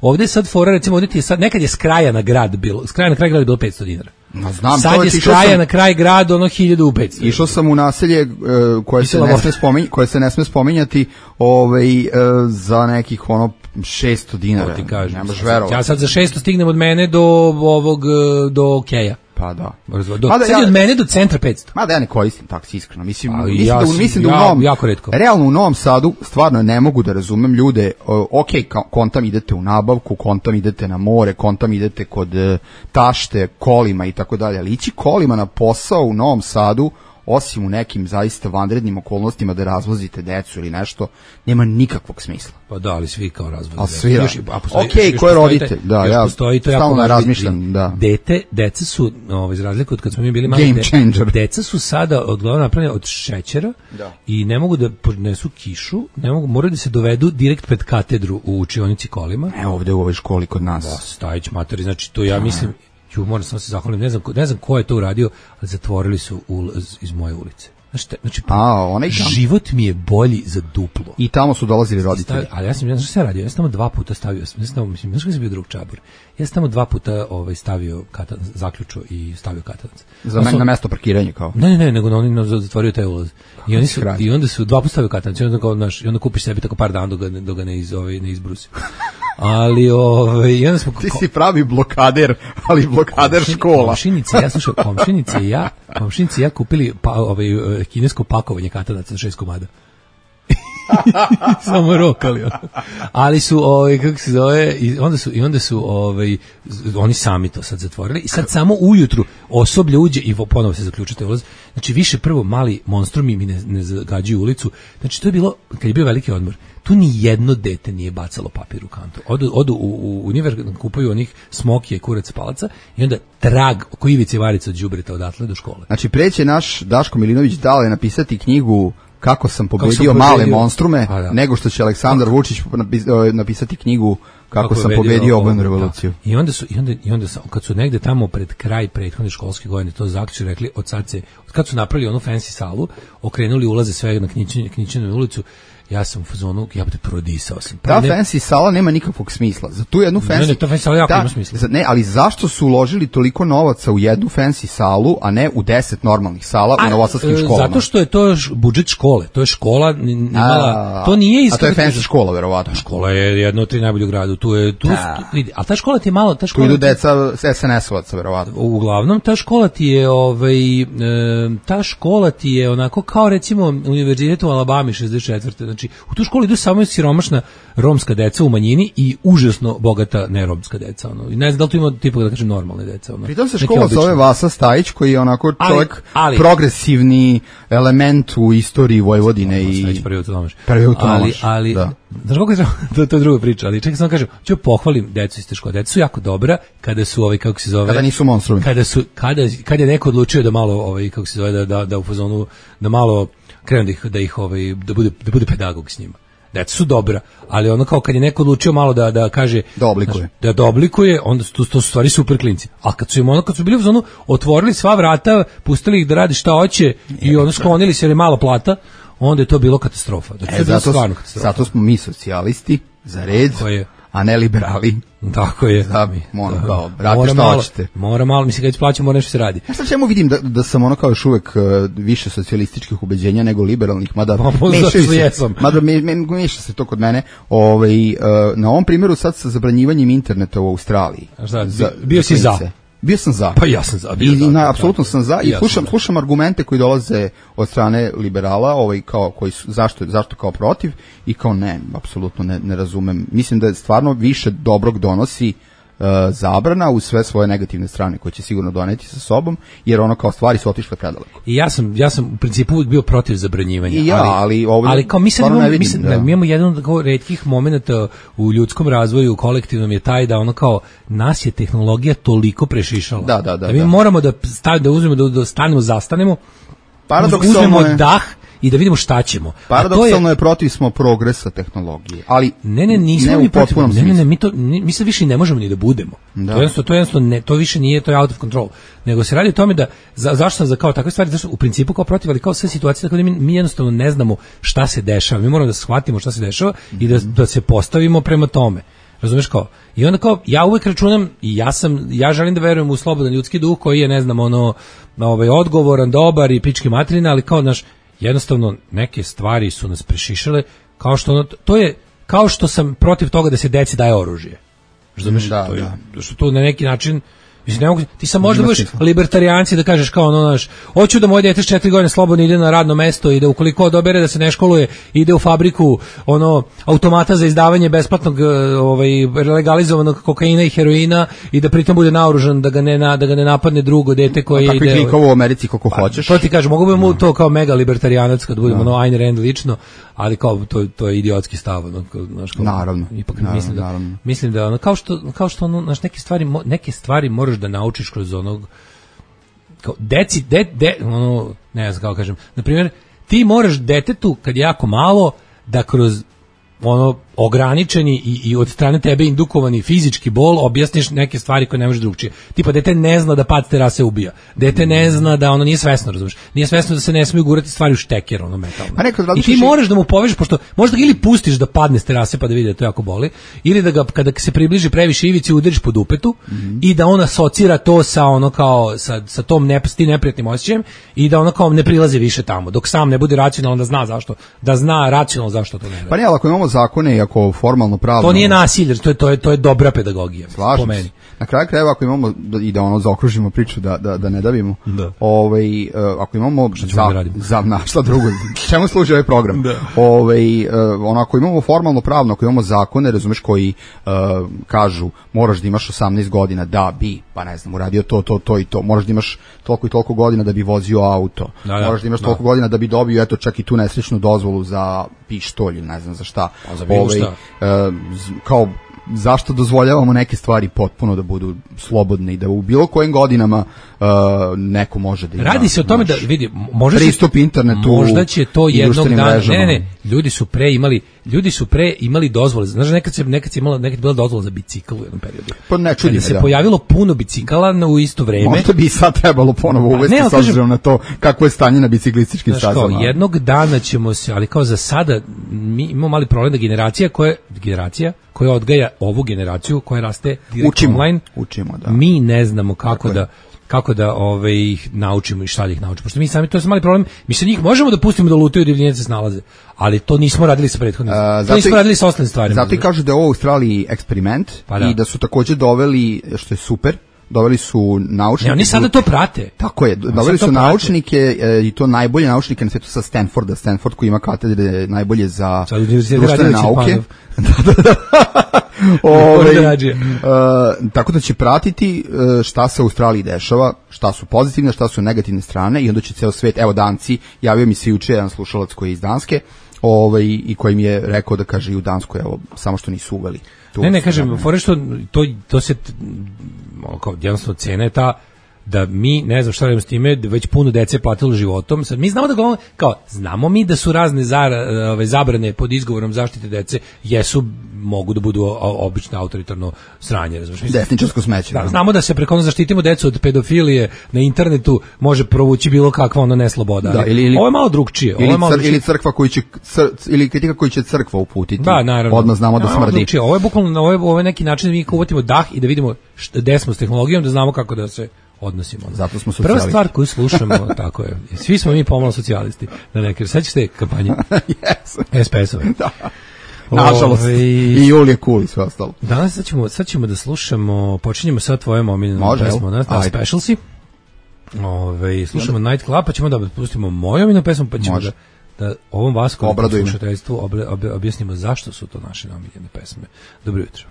ovde je sad fora, recimo, ovde ti je sad, nekad je s kraja na kraj grad je bilo 500 dinara. Sad je s kraja na kraj grad, ono 1500.
Išao sam u naselje koje se ne sme spominjati za nekih 600 dinara.
Nemaš verovati. Ja sad za 600 stignem od mene do Keja.
Pa da.
Sad od mene do centra 500.
Mada ja ne koristim taksi, iskreno. Mislim
mislim
da u Novom,
jako retko.
Realno u Novom Sadu stvarno ne mogu da razumem ljude, kontam idete u nabavku, kontam idete na more, kontam idete kod tašte, kolima i tako dalje, ali ići kolima na posao u Novom Sadu, osim u nekim zaista vanrednim okolnostima da razvozite decu ili nešto, nema nikakvog smisla.
Pa da, ali svi kao razvoze
decu. Svi ok, ko je roditelj? Da, ja stalno razmišljam.
Deca su, iz razlike od kad smo mi bili mali, deca su sada odglavno napravljene od šećera i ne mogu da podnesu kišu, moraju da se dovedu direkt pred katedru u učionici kolima.
Ovde u ovoj školi kod nas.
Da, Stajić materi, znači to ja mislim... moram samo se zahvalim, ne znam ko je to uradio, ali zatvorili su ulaz iz moje ulice. Znači, život mi je bolji za duplo.
I tamo su dolazili roditelji.
Ali ja sam šta radio? Ja sam tamo 2 puta stavio, znaš kada sam bio drug čabor, ja sam tamo 2 puta stavio zaključo i stavio katanac.
Na mesto parkiranja kao?
Ne, nego oni zatvorio taj ulaz. I onda su 2 puta stavio katanac i onda kupiš sebi tako par dana dok ga ne izbrusi. Ali
ti si pravi blokader, ali blokader škola.
Komšinici ja kupili kinesko pakovanje katanaca 6 komada. Samo rokali. Ali su kako se zove, i onda su oni sami to sad zatvorili i sad samo ujutru osoblje uđe i ponovo se zaključite ulaz. Znači više prvo mali monstrumi mi ne zagađuju ulicu. Znači to je bilo kad je bio veliki odmor. Tu ni jedno dete nije bacalo papir u kantu. Odu u univer, kupuju onih smokije, kurac, palaca i onda trag oko ivice varice od đubreta odatle do škole.
Znači preće naš Daško Milinović dale napisati knjigu Kako sam pobedio male monstrume, nego što će Aleksandar Vučić napisati knjigu Kako sam pobedio obojenu revoluciju.
I onda kad su negde tamo pred kraj prethodne školske godine to zaključili, rekli od kad su napravili onu fancy salu, okrenuli ulaze sve na Knićinu ulicu, ja sam u fazonu, ja bih prodisao sam.
Ta fancy sala nema nikakvog smisla. Za tu jednu fancy...
Ne, ta fancy sala jako ima smisla.
Ne, ali zašto su uložili toliko novaca u jednu fancy salu, a ne u 10 normalnih sala u novosadskim školama?
Zato što je to budžet škole. To je škola imala... To nije
a to je fancy škola, verovatno.
Škola je jedna od 3 najbolje u gradu. Ali ta škola ti je malo...
Tu idu deca SNS-ovaca, verovatno.
Uglavnom, ta škola ti je onako kao recimo univerzitet u Alabami 64. Znači, u tu školu idu samo siromašna romska deca u manjini i užasno bogata neromska deca. I ne znam da li tu ima tipa da kažem normalne deca.
Pritom se škola zove Vasa Stajić, koji je onako čovjek progresivni element u istoriji Vojvodine.
Stajić prvi autonomaš. Ali, znaš kako je to je druga priča, ali čekaj samo kažem, ću pohvalim decu iz te škole. Deca su jako dobra kada su kako se zove...
Kada nisu monstrumi.
Kada je neko odlučio da malo, kako se zove, da u fazonu, da malo krenu da bude pedagog s njima. Deca su dobra, ali ono kao kad je neko odlučio malo da kaže da oblikuje, onda to su stvari super klinci. A kad su bili u zonu, otvorili sva vrata, pustili ih da radi šta hoće i ono sklonili se jer je malo plata, onda je to bilo katastrofa.
Zato smo mi socijalisti za red, a ne liberali.
Tako je.
Radi što hoćete.
Mora malo, mislim kad plaćamo mora nešto se radi.
Ja sad čemu vidim da sam ono kao još uvek više socijalističkih ubeđenja nego liberalnih, mada meša se to kod mene. Na ovom primjeru sad sa zabranjivanjem interneta u Australiji.
Bio si za?
Bio sam za.
Pa ja sam za.
Apsolutno sam za i slušam argumente koji dolaze od strane liberala, kao koji su zašto kao protiv i kao ne, apsolutno ne razumem. Mislim da je stvarno više dobrog donosi zabrana uz sve svoje negativne strane koje će sigurno doneti sa sobom, jer ono kao stvari su otišle predaleko.
I ja sam u principu uvijek bio protiv zabranjivanja.
I
ali kao mi imamo jedan od retkih momenata u ljudskom razvoju, kolektivnom je taj da ono kao nas je tehnologija toliko prešišala. Da mi moramo da uzmemo, da stanemo, zastanemo, uzmemo dah i da vidimo šta ćemo.
Paradoksalno je protiv smo progresa tehnologije, ali
nismo mi protiv. Mi se više ne možemo ni da budemo. To jednostavno to više nije, to je out of control. Nego se radi o tome da zašto sam za kao takve stvari, zašto u principu kao protiv, ali kao sve situacije tako da mi jednostavno ne znamo šta se dešava. Mi moramo da shvatimo šta se dešava i da se postavimo prema tome. Razumeš kao? I onda kao ja uvek računam i ja želim da verujem u slobodan ljudski duh koji je ne znam odgovoran, dobar i pički materina, ali kao jednostavno neke stvari su nas prešišale, to je kao što sam protiv toga da se deci daje oružje. Razumeš? Što to na neki način Mislim, ne mogu, ti sam možda budeš libertarijanci da kažeš kao ono, znaš, hoću da moje dete s 4 godine slobodno ide na radno mesto i da ukoliko odobere da se ne školuje, ide u fabriku ono automata za izdavanje besplatnog legalizovanog kokaina i heroina i da pritom bude naoružan da ga ne napadne drugo dete koje ide.
Takvi klikovo u Americi koliko hoćeš.
To ti kažem, mogu bi mu to kao mega libertarijanac kad budemo ono Ayn Rand lično, ali kao to je idiotski stav, ono, znaš, kao,
naravno.
Ipak
naravno.
Mislim da ono kao što ono, znaš, neke stvari moraš da naučiš kroz onog kao deci ono, ne znam kako kažem, na primjer ti moraš detetu kad je jako malo da kroz ono ograničeni i od strane tebe indukovani fizički bol objasniš neke stvari koje ne možeš drugčije. Tipa dete ne zna da pad terase ubija. Dete ne zna da ono nije svesno, razumeš. Nije svesno da se ne smiju gurati stvari u šteker, ono metalno. I ti moraš da mu povežeš, pošto možda ga ili pustiš da padne s terase pa da vidi da to jako boli, ili da ga kada se približi previše ivici udariš po dupetu i da on asocira to sa ono kao sa tom neprijatnim osjećajem i da ono kao ne prilazi više tamo. Dok sam ne bude racionalan da zna racionalno zašto to ne radi.
Pa ne, ali ako imamo zakone i ako formalno pravno...
To nije nasilje, to je dobra pedagogija.
Slažem se. Na kraju krajeva ako imamo, i da ono zaokružimo priču, da ne davimo, ako imamo... Šta drugo? Čemu služi ovaj program? Ako imamo formalno pravno, ako imamo zakone, razumeš, koji kažu moraš da imaš 18 godina da bi, pa ne znam, uradio to i to, moraš da imaš toliko i toliko godina da bi vozio auto, moraš da imaš toliko godina da bi dobio, eto, čak i tu nesrećnu dozvolu za pištolj, ne znam za šta. Kao zašto dozvoljavamo neke stvari potpuno da budu slobodne i da u bilo kojim godinama neko može da ima.
Radi se o tome da vidi,
pristup internetu,
možda će to jednog dana. Ne, ljudi su pre imali dozvole. Znaš, nekad je bila dozvola za bicikl u jednom periodu.
Pa ne čudi me,
se pojavilo puno bicikala u isto vreme.
Možda bi sad trebalo ponovo uvesti s obzirom na to kako je stanje na biciklističkim stazama.
Jednog dana ćemo se, ali kao za sada mi imamo mali problem da generacija koja odgaja ovu generaciju koja raste direkt online.
Učimo, da.
Mi ne znamo kako da ih naučimo i šta da ih naučimo. Pošto mi sami, to je mali problem, mi se njih možemo da pustimo da lutaju, divljenje se snalaze, ali to nismo radili sa prethodnim. To nismo radili sa ostalim stvarima.
Zato i kažu da je ovo u Australiji eksperiment i da su također doveli, što je super, doveli su naučnike.
Ne, oni sada to prate.
Tako je, doveli su naučnike i to najbolje naučnike na svijetu sa Stanforda. Stanford koji ima katedre najbolje za društvene nauke. Tako da će pratiti šta se u Australiji dešava, šta su pozitivne, šta su negativne strane i onda će ceo svet, evo Danci, javio mi se juče jedan slušalac koji je iz Danske i koji mi je rekao da kaže i u Danskoj, evo, samo što nisu uveli.
Ne, kažem, fore što to se, kao jednostavno cena je ta da mi, ne znam šta radimo s time, da već puno dece je platilo životom. Sad, mi znamo znamo mi da su razne zabrane pod izgovorom zaštite dece, mogu da budu obično autoritarno sranje, razumiješ?
Desničarsko smeće.
Da, znamo da se preko zaštitimo decu od pedofilije na internetu može provući bilo kakva ono nesloboda. Da, ovo je malo drugčije.
Ili crkva ili kritika koji će crkva uputiti.
Da, naravno.
Odmah znamo da smrdi.
Ovo je bukvalno, ovo je neki način da mi uvatimo dah i da vidimo gde smo s tehnologijom, da znamo kako da se odnosimo.
Zato smo socijalisti.
Prva stvar koju slušamo, tako je, svi smo mi pomalo socijalisti. Sećaš te kampanje? SPS-ove.
Da. Nažalost, i Julije Kuli, sve ostalo.
Danas sad ćemo da slušamo, počinjemo sad tvojom omiljenom pesmom, na Specialsi. Slušamo Night Club, pa ćemo da pustimo moju omiljenu pesmu, pa ćemo da ovom Vaskom slušateljstvu objasnimo zašto su to naše omiljene pesme. Dobro jutro.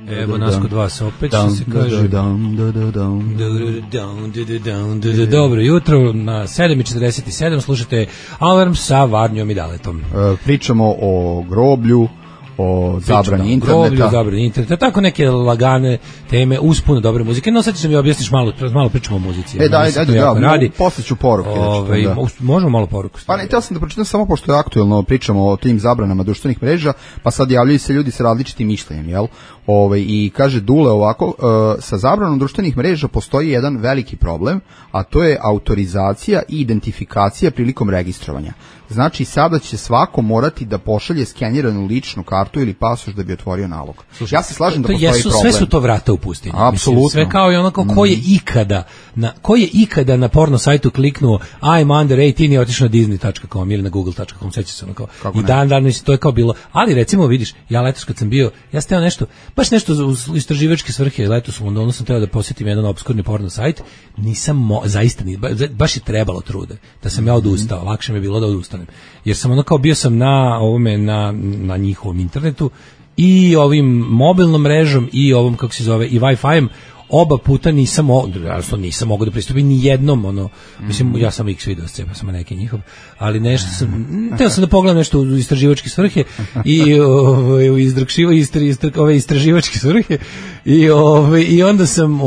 Evo nas kod vas opet, što se kaže. Dobro jutro, na 7:47 slušate Alarm sa Varnjom i Daletom.
Pričamo o groblju, o zabrani interneta.
Tako neke lagane teme uz puno dobre muzike. No sad ćeš mi objasniš malo pričamo o muzici.
Posle ću poruke.
Možemo malo poruku.
Pa ne, htio sam da pročitam samo pošto je aktuelno, pričamo o tim zabranama društvenih mreža, pa sad javljaju se ljudi sa različitim mišljenjem, jel? I kaže Dule ovako, sa zabranom društvenih mreža postoji jedan veliki problem, a to je autorizacija i identifikacija prilikom registrovanja. Znači, sada će svako morati da pošalje skeniranu ličnu kartu ili pasoš da bi otvorio nalog. Slušaj, ja se slažem da postoji problem.
Sve su to vrata u pustinji.
Apsolutno.
Sve kao i onako ko je ikada na porno sajtu kliknuo I'm under 18 i otišao na disney.com ili na google.com, seća se ono kao. I dan mislim, to je kao bilo. Ali recimo, vidiš, ja letos kad sam bio, ja sam teo nešto, baš nešto u istraživačke svrhe, letos u Londonu sam teo da posjetim jedan obskurni porno sajt, zaista baš je trebalo trude, da sam ja odustao, lakše mi je bilo da odustanem. Jer sam ono kao bio sam na njihovom internetu i ovim mobilnom mrežom i ovom kako se zove i Wi-Fi-em, oba puta nisam mogao da pristupim ni jednom, mislim, ja sam X video scepa sam neki njihov, ali nešto sam, teo sam da pogledam nešto u istraživačke svrhe i ove istraživačke svrhe i onda sam,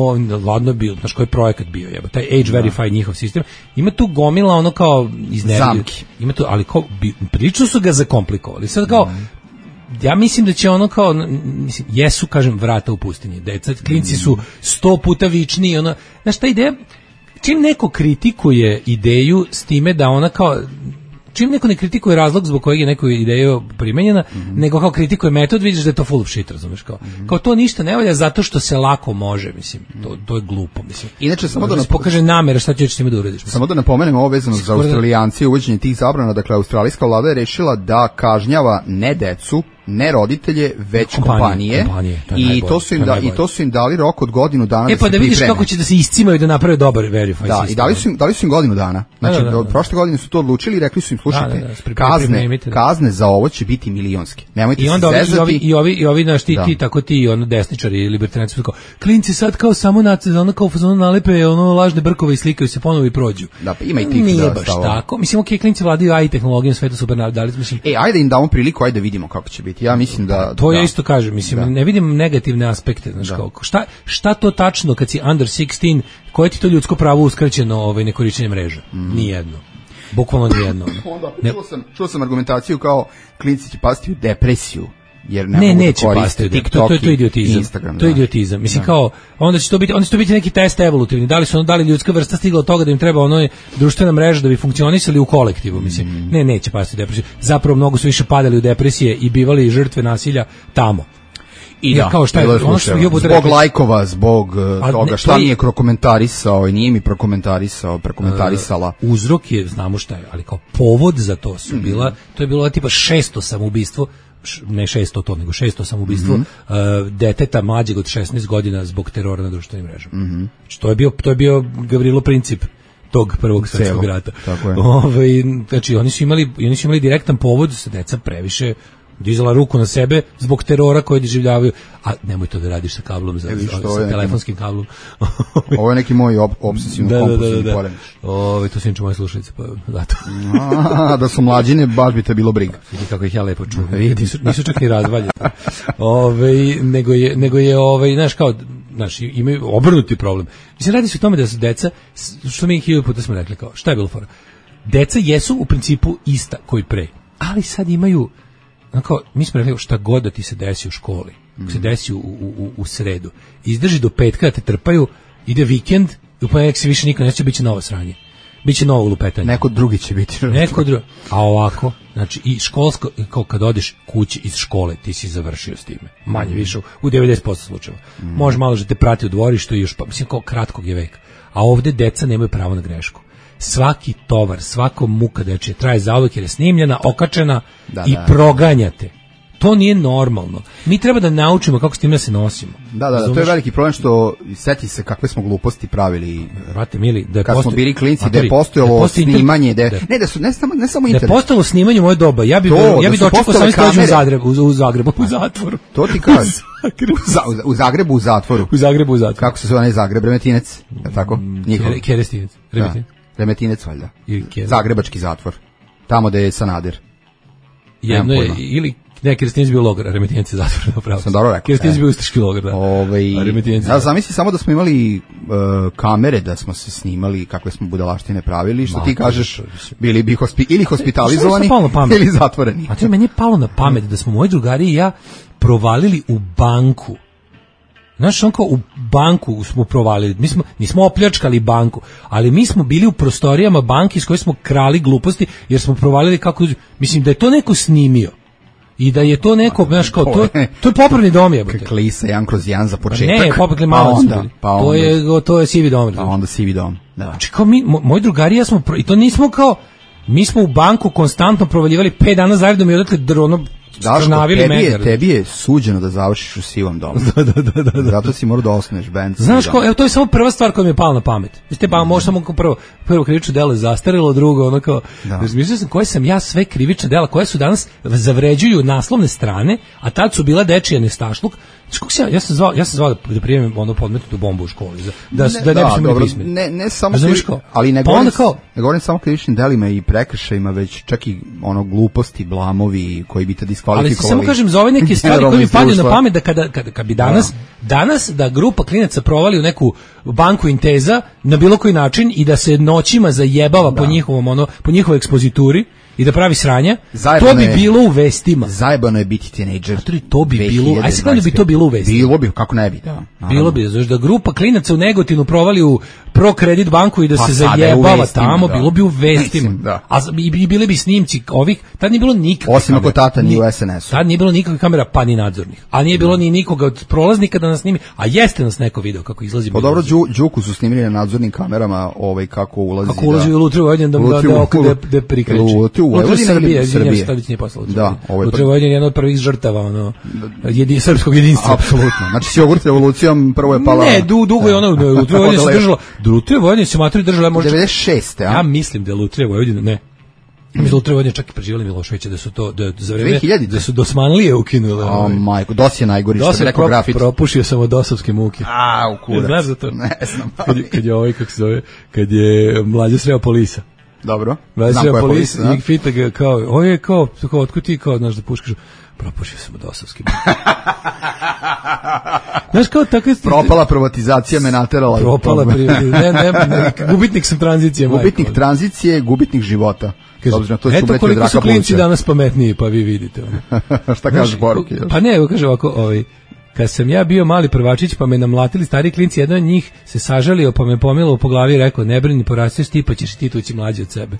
ladno bio, znaš koji projekat bio, taj Age Verify njihov sistem, ima tu gomila ono kao
zamki,
ima tu, ali kao, prilično su ga zakomplikovali, sad kao, ja mislim da će ono kao, jesu, kažem, vrata u pustinji, deca, klinci su 100 puta vičniji, znaš, ta ideja, čim neko kritikuje ideju s time da ona kao, čim neko ne kritikuje razlog zbog kojeg je neko ideja primenjena, nego kao kritikuje metod, vidiš da je to full of shit, razumeš, kao to ništa ne valja zato što se lako može, mislim, to je glupo, mislim.
Inače, samo da
pokaže namera šta ćeš s time da uradiš. Mislim.
Samo da napomenemo ovo vezano za Australijanci, uvođenje tih zabrana, dakle, australijska vlada je rešila da kažnjava ne decu, ne roditelje, već kompanije i to su im dali rok od godinu dana da se pripreme.
Da vidiš kako će da se iscimaju da naprave dobar verify sistem.
I dali su im godinu dana. Znači, prošle godine su to odlučili i rekli su im, slušajte, kazne za ovo će biti milionske. Nemojte se zezati.
I ovi naš ti tako ti desničari i libertarijanci kao klinci sad kao samo kao fazonu nalepe lažne brkove i slikaju se ponovo i prođu.
Da, pa ima i tih
nije baš tako. Mislim, klinci vladaju AI tehnologijom, sve to super dali, mislim.
Ajde im damo priliku, ajde da vidimo kako će biti. Ja mislim da
to ja isto kažem, mislim, ne vidim negativne aspekte, znači šta to tačno kad si under 16, koje ti to ljudsko pravo uskraćeno nekorišćenje mreža? Nijedno. Bukvalno nijedno.
Čuo sam argumentaciju kao klinci će pasti u depresiju. Jer
neće pasti TikTok, to je idiotizam. Instagram, to je idiotizam. Mislim kao onda će to biti neki test evolutivni. Da li ljudska vrsta stigla od toga da im treba društvena mreža da bi funkcionisali u kolektivu, mislim. Neće pasti u depresiju. Zapravo mnogo su više padali u depresije i bivali žrtve nasilja tamo.
I kao šta je zbog lajkova, zbog toga šta nije prokomentarisao i nije mi prokomentarisala.
Uzrok je, znamo šta je, ali kao povod za to su to je bilo tipa 600 samoubistvo, ne 600 to, nego 600 samoubistvo deteta mlađeg od 16 godina zbog terora na društvenim mrežama. To je bio Gavrilo Princip tog prvog svjetskog rata. Znači oni su imali direktan povod da se deca previše dizala ruku na sebe zbog terora koji doživljavaju, a nemoj to da radiš sa kablom, sa telefonskim kablom.
Ovo je neki moj obsesivno-kompulsivni poremećaj.
To su inače moje slušalice, pa zato.
Da su mlađine, baš bi te bilo briga.
Vidi kako ih ja lepo čuvam. Nisu čak ni razvaljeni. Nego je, znaš, imaju obrnuti problem. Mislim, radi se o tome da su deca, što mi 1000 puta smo rekli, kao, šta je bilo fora? Deca jesu u principu ista koji pre, ali sad imaju mi smo rekli šta god da ti se desi u školi, se desi u sredu, izdrži do petka da te trpaju, ide vikend i u ponedjeljak se više niko neće, bit će novo sranje, bit će novo lupetanje.
Neko drugi će biti.
A ovako, znači i školsko, kao kad odeš kući iz škole, ti si završio s time, manje više u 90% slučajeva. Može malo da te prati u dvorištu i još, mislim, kao kratkog je veka. A ovde deca nemaju pravo na grešku. Svaki tovar, svako muka dečija traje zauvek jer je snimljena, okačena i proganjate. To nije normalno. Mi treba da naučimo kako s tim da se nosimo.
Da, to je veliki problem što seti se kakve smo gluposti pravili.
Brate mili,
kad smo bili klinci, da je postojalo snimanje, ne samo internet.
Da je postojalo snimanje u moje doba, ja bi dočekao sam u Zagrebu, u zatvoru.
To ti kažem. U Zagrebu u zatvoru. Kako se zove onaj Zagreb, Remetinec, je tako?
Kerestinec,
Remetinec valjda. Zagrebački zatvor. Tamo gde je Sanader.
Jedno je, ili ne, Kerestinec bio logor, a Remetinec je zatvor, napravo.
Sam dobro rekao.
Kerestinec bio ustaški logor, da.
Ja zamisli samo da smo imali kamere, da smo se snimali kakve smo budalaštine pravili, što ti kažeš, bili bi ili hospitalizovani ili zatvoreni.
A to meni je palo na pamet da smo moji drugari i ja provalili u banku Znaš, on kao u banku smo provalili, nismo opljačkali banku, ali mi smo bili u prostorijama banke iz koje smo krali gluposti, jer smo provalili kako, mislim da je to neko snimio. I da je to neko, znaš, kao, to je popravni dom, jebote.
Klisa 1/1 za početak.
Ne, popravni malac. To je sivi dom.
Pa onda sivi dom, da.
Znači, kao moji drugari, ja smo, i to nismo kao, mi smo u banku konstantno provaljivali 5 dana zaredom i odatle
tebi je suđeno da završiš u sivom domu. Da. Zato si morao da osnuješ band.
Znaš ko, evo to je samo prva stvar koja mi je pala na pamet. Mislite, pa možda samo prvo krivično delo je zastarilo, drugo ono kao, mislio sam koje sam ja sve krivične dela koje su danas zavređuju naslovne strane, a tad su bila dečija nestašluk. Ja sam zvao da primim ono podmetnutu bombu u školi, da ne bismo imali pismeni.
Ne samo ali ne govorim samo krivičnim delima i prekršajima, već čak i ono gluposti, blamovi koji bi te diskvalifikovali.
Ali samo kažem za ove neke stvari koje mi padaju na pamet, da kad bi danas da grupa klinaca provali u neku banku Inteza na bilo koji način i da se noćima zajebava po njihovoj ekspozituri i da pravi sranja, to bi bilo u vestima.
Zajebano je biti tinejdžer.
To bi bilo, aj se bi to bilo u vestima.
Bilo bi, kako ne bi, da.
Bilo bi, znači da grupa klinaca u Negotinu provali u ProCredit banku i da se zajebava tamo, bilo bi u vestima. A i bili bi snimci ovih, tad nije bilo nikakvih.
Osim ako tata nije u SNS-u.
Tad nije bilo nikakvih kamera, pa ni nadzornih. A nije bilo ni nikoga od prolaznika da nas snimi, a jeste nas neko video kako izlazi.
Pa dobro, Đuku su snimili na nadzornim kamerama kako ulazi.
Kako ulazi u Lutriju Vojvodinu da prikreće. Srbije.
Da,
Lutrija Vojvodina je jedna od prvih žrtava srpskog jedinstva.
Apsolutno. Znači s jogurt revolucijom prvo je pala.
Ne, dugo je ono Lutrija Vojvodina se držala. Lutrija Vojvodina se materi držala možda
96.
Ja mislim da je Lutrija Vojvodina, ne. Mislim da Lutrija Vojvodina čak i preživjeli Miloševića, da su to za vreme da su Dosmanlije ukinule.
O majko, DOS je najgori, što bi rekao grafit.
Propušio sam od dosovske muke.
U kurac.
Znaš za to?
Ne znam.
Kad je kako se zove, kad je mlađe sreo Polisa.
Dobro.
Znam koja je Polisa. I pita ga kao, otkud ti kao, znaš da puškaš, propušio sam od osovskim. Znaš kao tako je...
Propala privatizacija me naterala.
Gubitnik sam tranzicije.
Gubitnik tranzicije, gubitnik života.
Eto koliko su klinci danas pametniji, pa vi vidite.
Šta kaže poruke?
Pa ne, kaže ovako, kad sam ja bio mali prvačić pa me namlatili stari klinci, jedan od njih se sažalio pa me pomilao po glavi i rekao, ne brini, porasteš ti pa ćeš ti tući mlađi od sebe.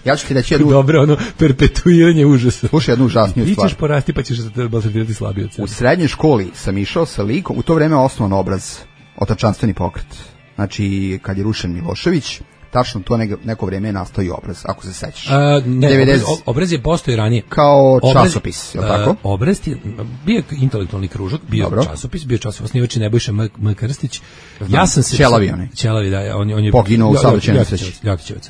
Ja ću ti reći jednu...
Dobro, perpetuiranje užasa.
Slušaj jednu užasniju stvar.
Ti ćeš porasti pa ćeš se balzatirati slabiji od sebe.
U srednjoj školi sam išao sa likom, u to vreme osnovan obraz, otačanstveni pokret. Znači, kad je rušen Milošević, tačno to neko vrijeme je nastao i obraz, ako se sećaš.
Obraz je postoji ranije.
Kao časopis, je li tako?
Obraz je bio intelektualni kružak, bio časopis, osnivač Nebojša M. Krstić. Ja sam se... Ćelavi, da, on je...
Poginuo u saobraćajnoj nesreći.
Ljotićevac.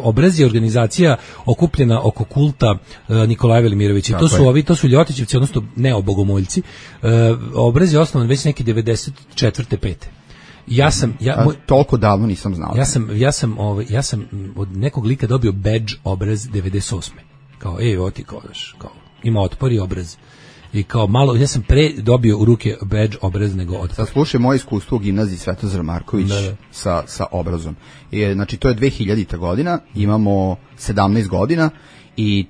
Obraz je organizacija okupljena oko kulta Nikolaja Velimirovića. To su Ljotićevci, odnosno neobogomolci. Obraz je osnovan već neki 94. 5.
Toliko davno nisam znao.
Ja sam od nekog lika dobio badge obraz 98. Kao, ima otpor i obraz. I kao malo, ja sam pre dobio u ruke badge obraz nego otpor.
Sad slušaj moje iskustvo u gimnaziji Svetozar Marković sa obrazom. Znači, to je 2000. godina, imamo 17 godina, i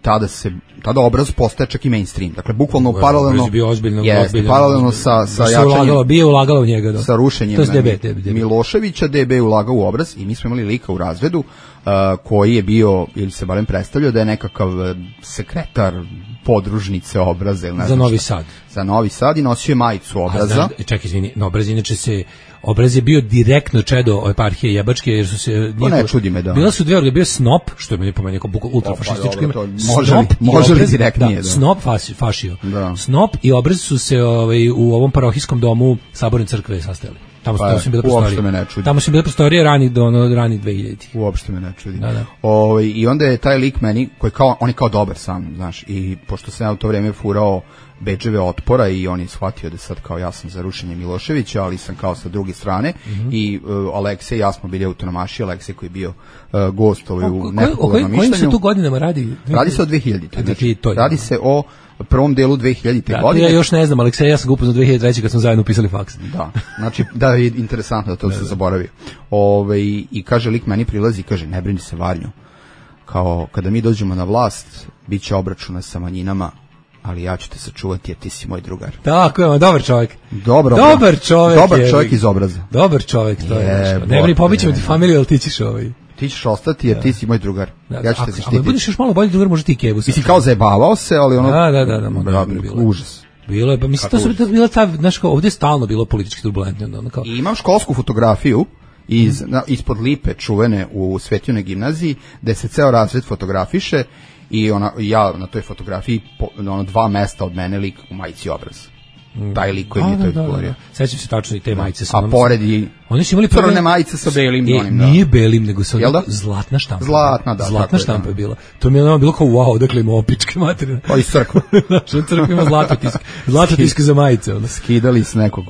tada obraz postaje čak i mainstream. Dakle, bukvalno paralelno paralelno sa jačanjem
bio ulagalo u njega,
sa rušenjem Miloševića, DB je ulagao u obraz i mi smo imali lika u razredu koji je bio, ili se barem predstavljao da je nekakav sekretar podružnice obraza ili
za Novi Sad.
Za Novi Sad i nosio je majicu obraza.
Čekaj, izvini, obraz inače obraz je bio direktno čedo eparhije Jebačke, jer su se...
To ne čudi me, da.
Bila su dvije orga, bio Snop, što je meni pomenio kao ultrafašističko ime.
Može li direktnije, da.
Snop fašio. Snop i obraz su se u ovom parohijskom domu Saborne crkve sastajali. Tamo su bile prostorije. Tamo su bile prostorije rani 2000.
Uopšte me ne čudi. I onda je taj lik meni, on je kao dobar sam, znaš, i pošto sam ja u to vrijeme furao bedževe otpora i on je shvatio da sad kao ja sam za rušenje Miloševića, ali sam kao sa druge strane i Aleksej i ja smo bili autonomaši, Aleksej koji je bio gost u nepopularnom mišljenju.
Kojim se tu godinama radi?
Radi se o 2000. Znači, radi se o prvom delu 2000. godine.
Ja još ne znam, Aleksej, ja sam ga upoznao 2003. kad smo zajedno upisali faks.
Da, znači, da je interesantno da to se zaboravio. I kaže, lik meni prilazi i kaže, ne brini se Varnju, kao kada mi dođemo na vlast, bit će obračuna sa manjinama ali ja ću te sačuvati jer ti si moj drugar.
Tako je, dobar čovjek.
Dobar čovjek iz obraza.
Dobar čovjek, to je. Ne bili pobićemo ti familiju, ali ti ćeš
Ti ćeš ostati jer ti si moj drugar. Ja ću te zaštititi.
Ako budeš još malo bolji drugar, može ti Kevu.
Mislim kao zajebavao se, ali ono...
Da,
užas.
Bilo je, pa mislim, to su bila ta, znaš kao, ovdje je stalno bilo politički turbulentno. Kao...
I imam školsku fotografiju ispod lipe čuvene u Svetljunoj gimnaziji, gde se ceo razred fotografiše i ja na toj fotografiji, 2 mesta od mene lik u majici obraz. Taj lik koji mi je to izgovorio.
Sećam se tačno i te majice.
A pored i
oni su imali
crne majice sa belim.
Nije belim, nego sa zlatna štampa. Zlatna štampa je bila. To mi je bilo kao wow, dakle ima opičke materine.
Pa iz crkva.
Znači, crkva ima zlatotisk za majice.
Skidali s nekog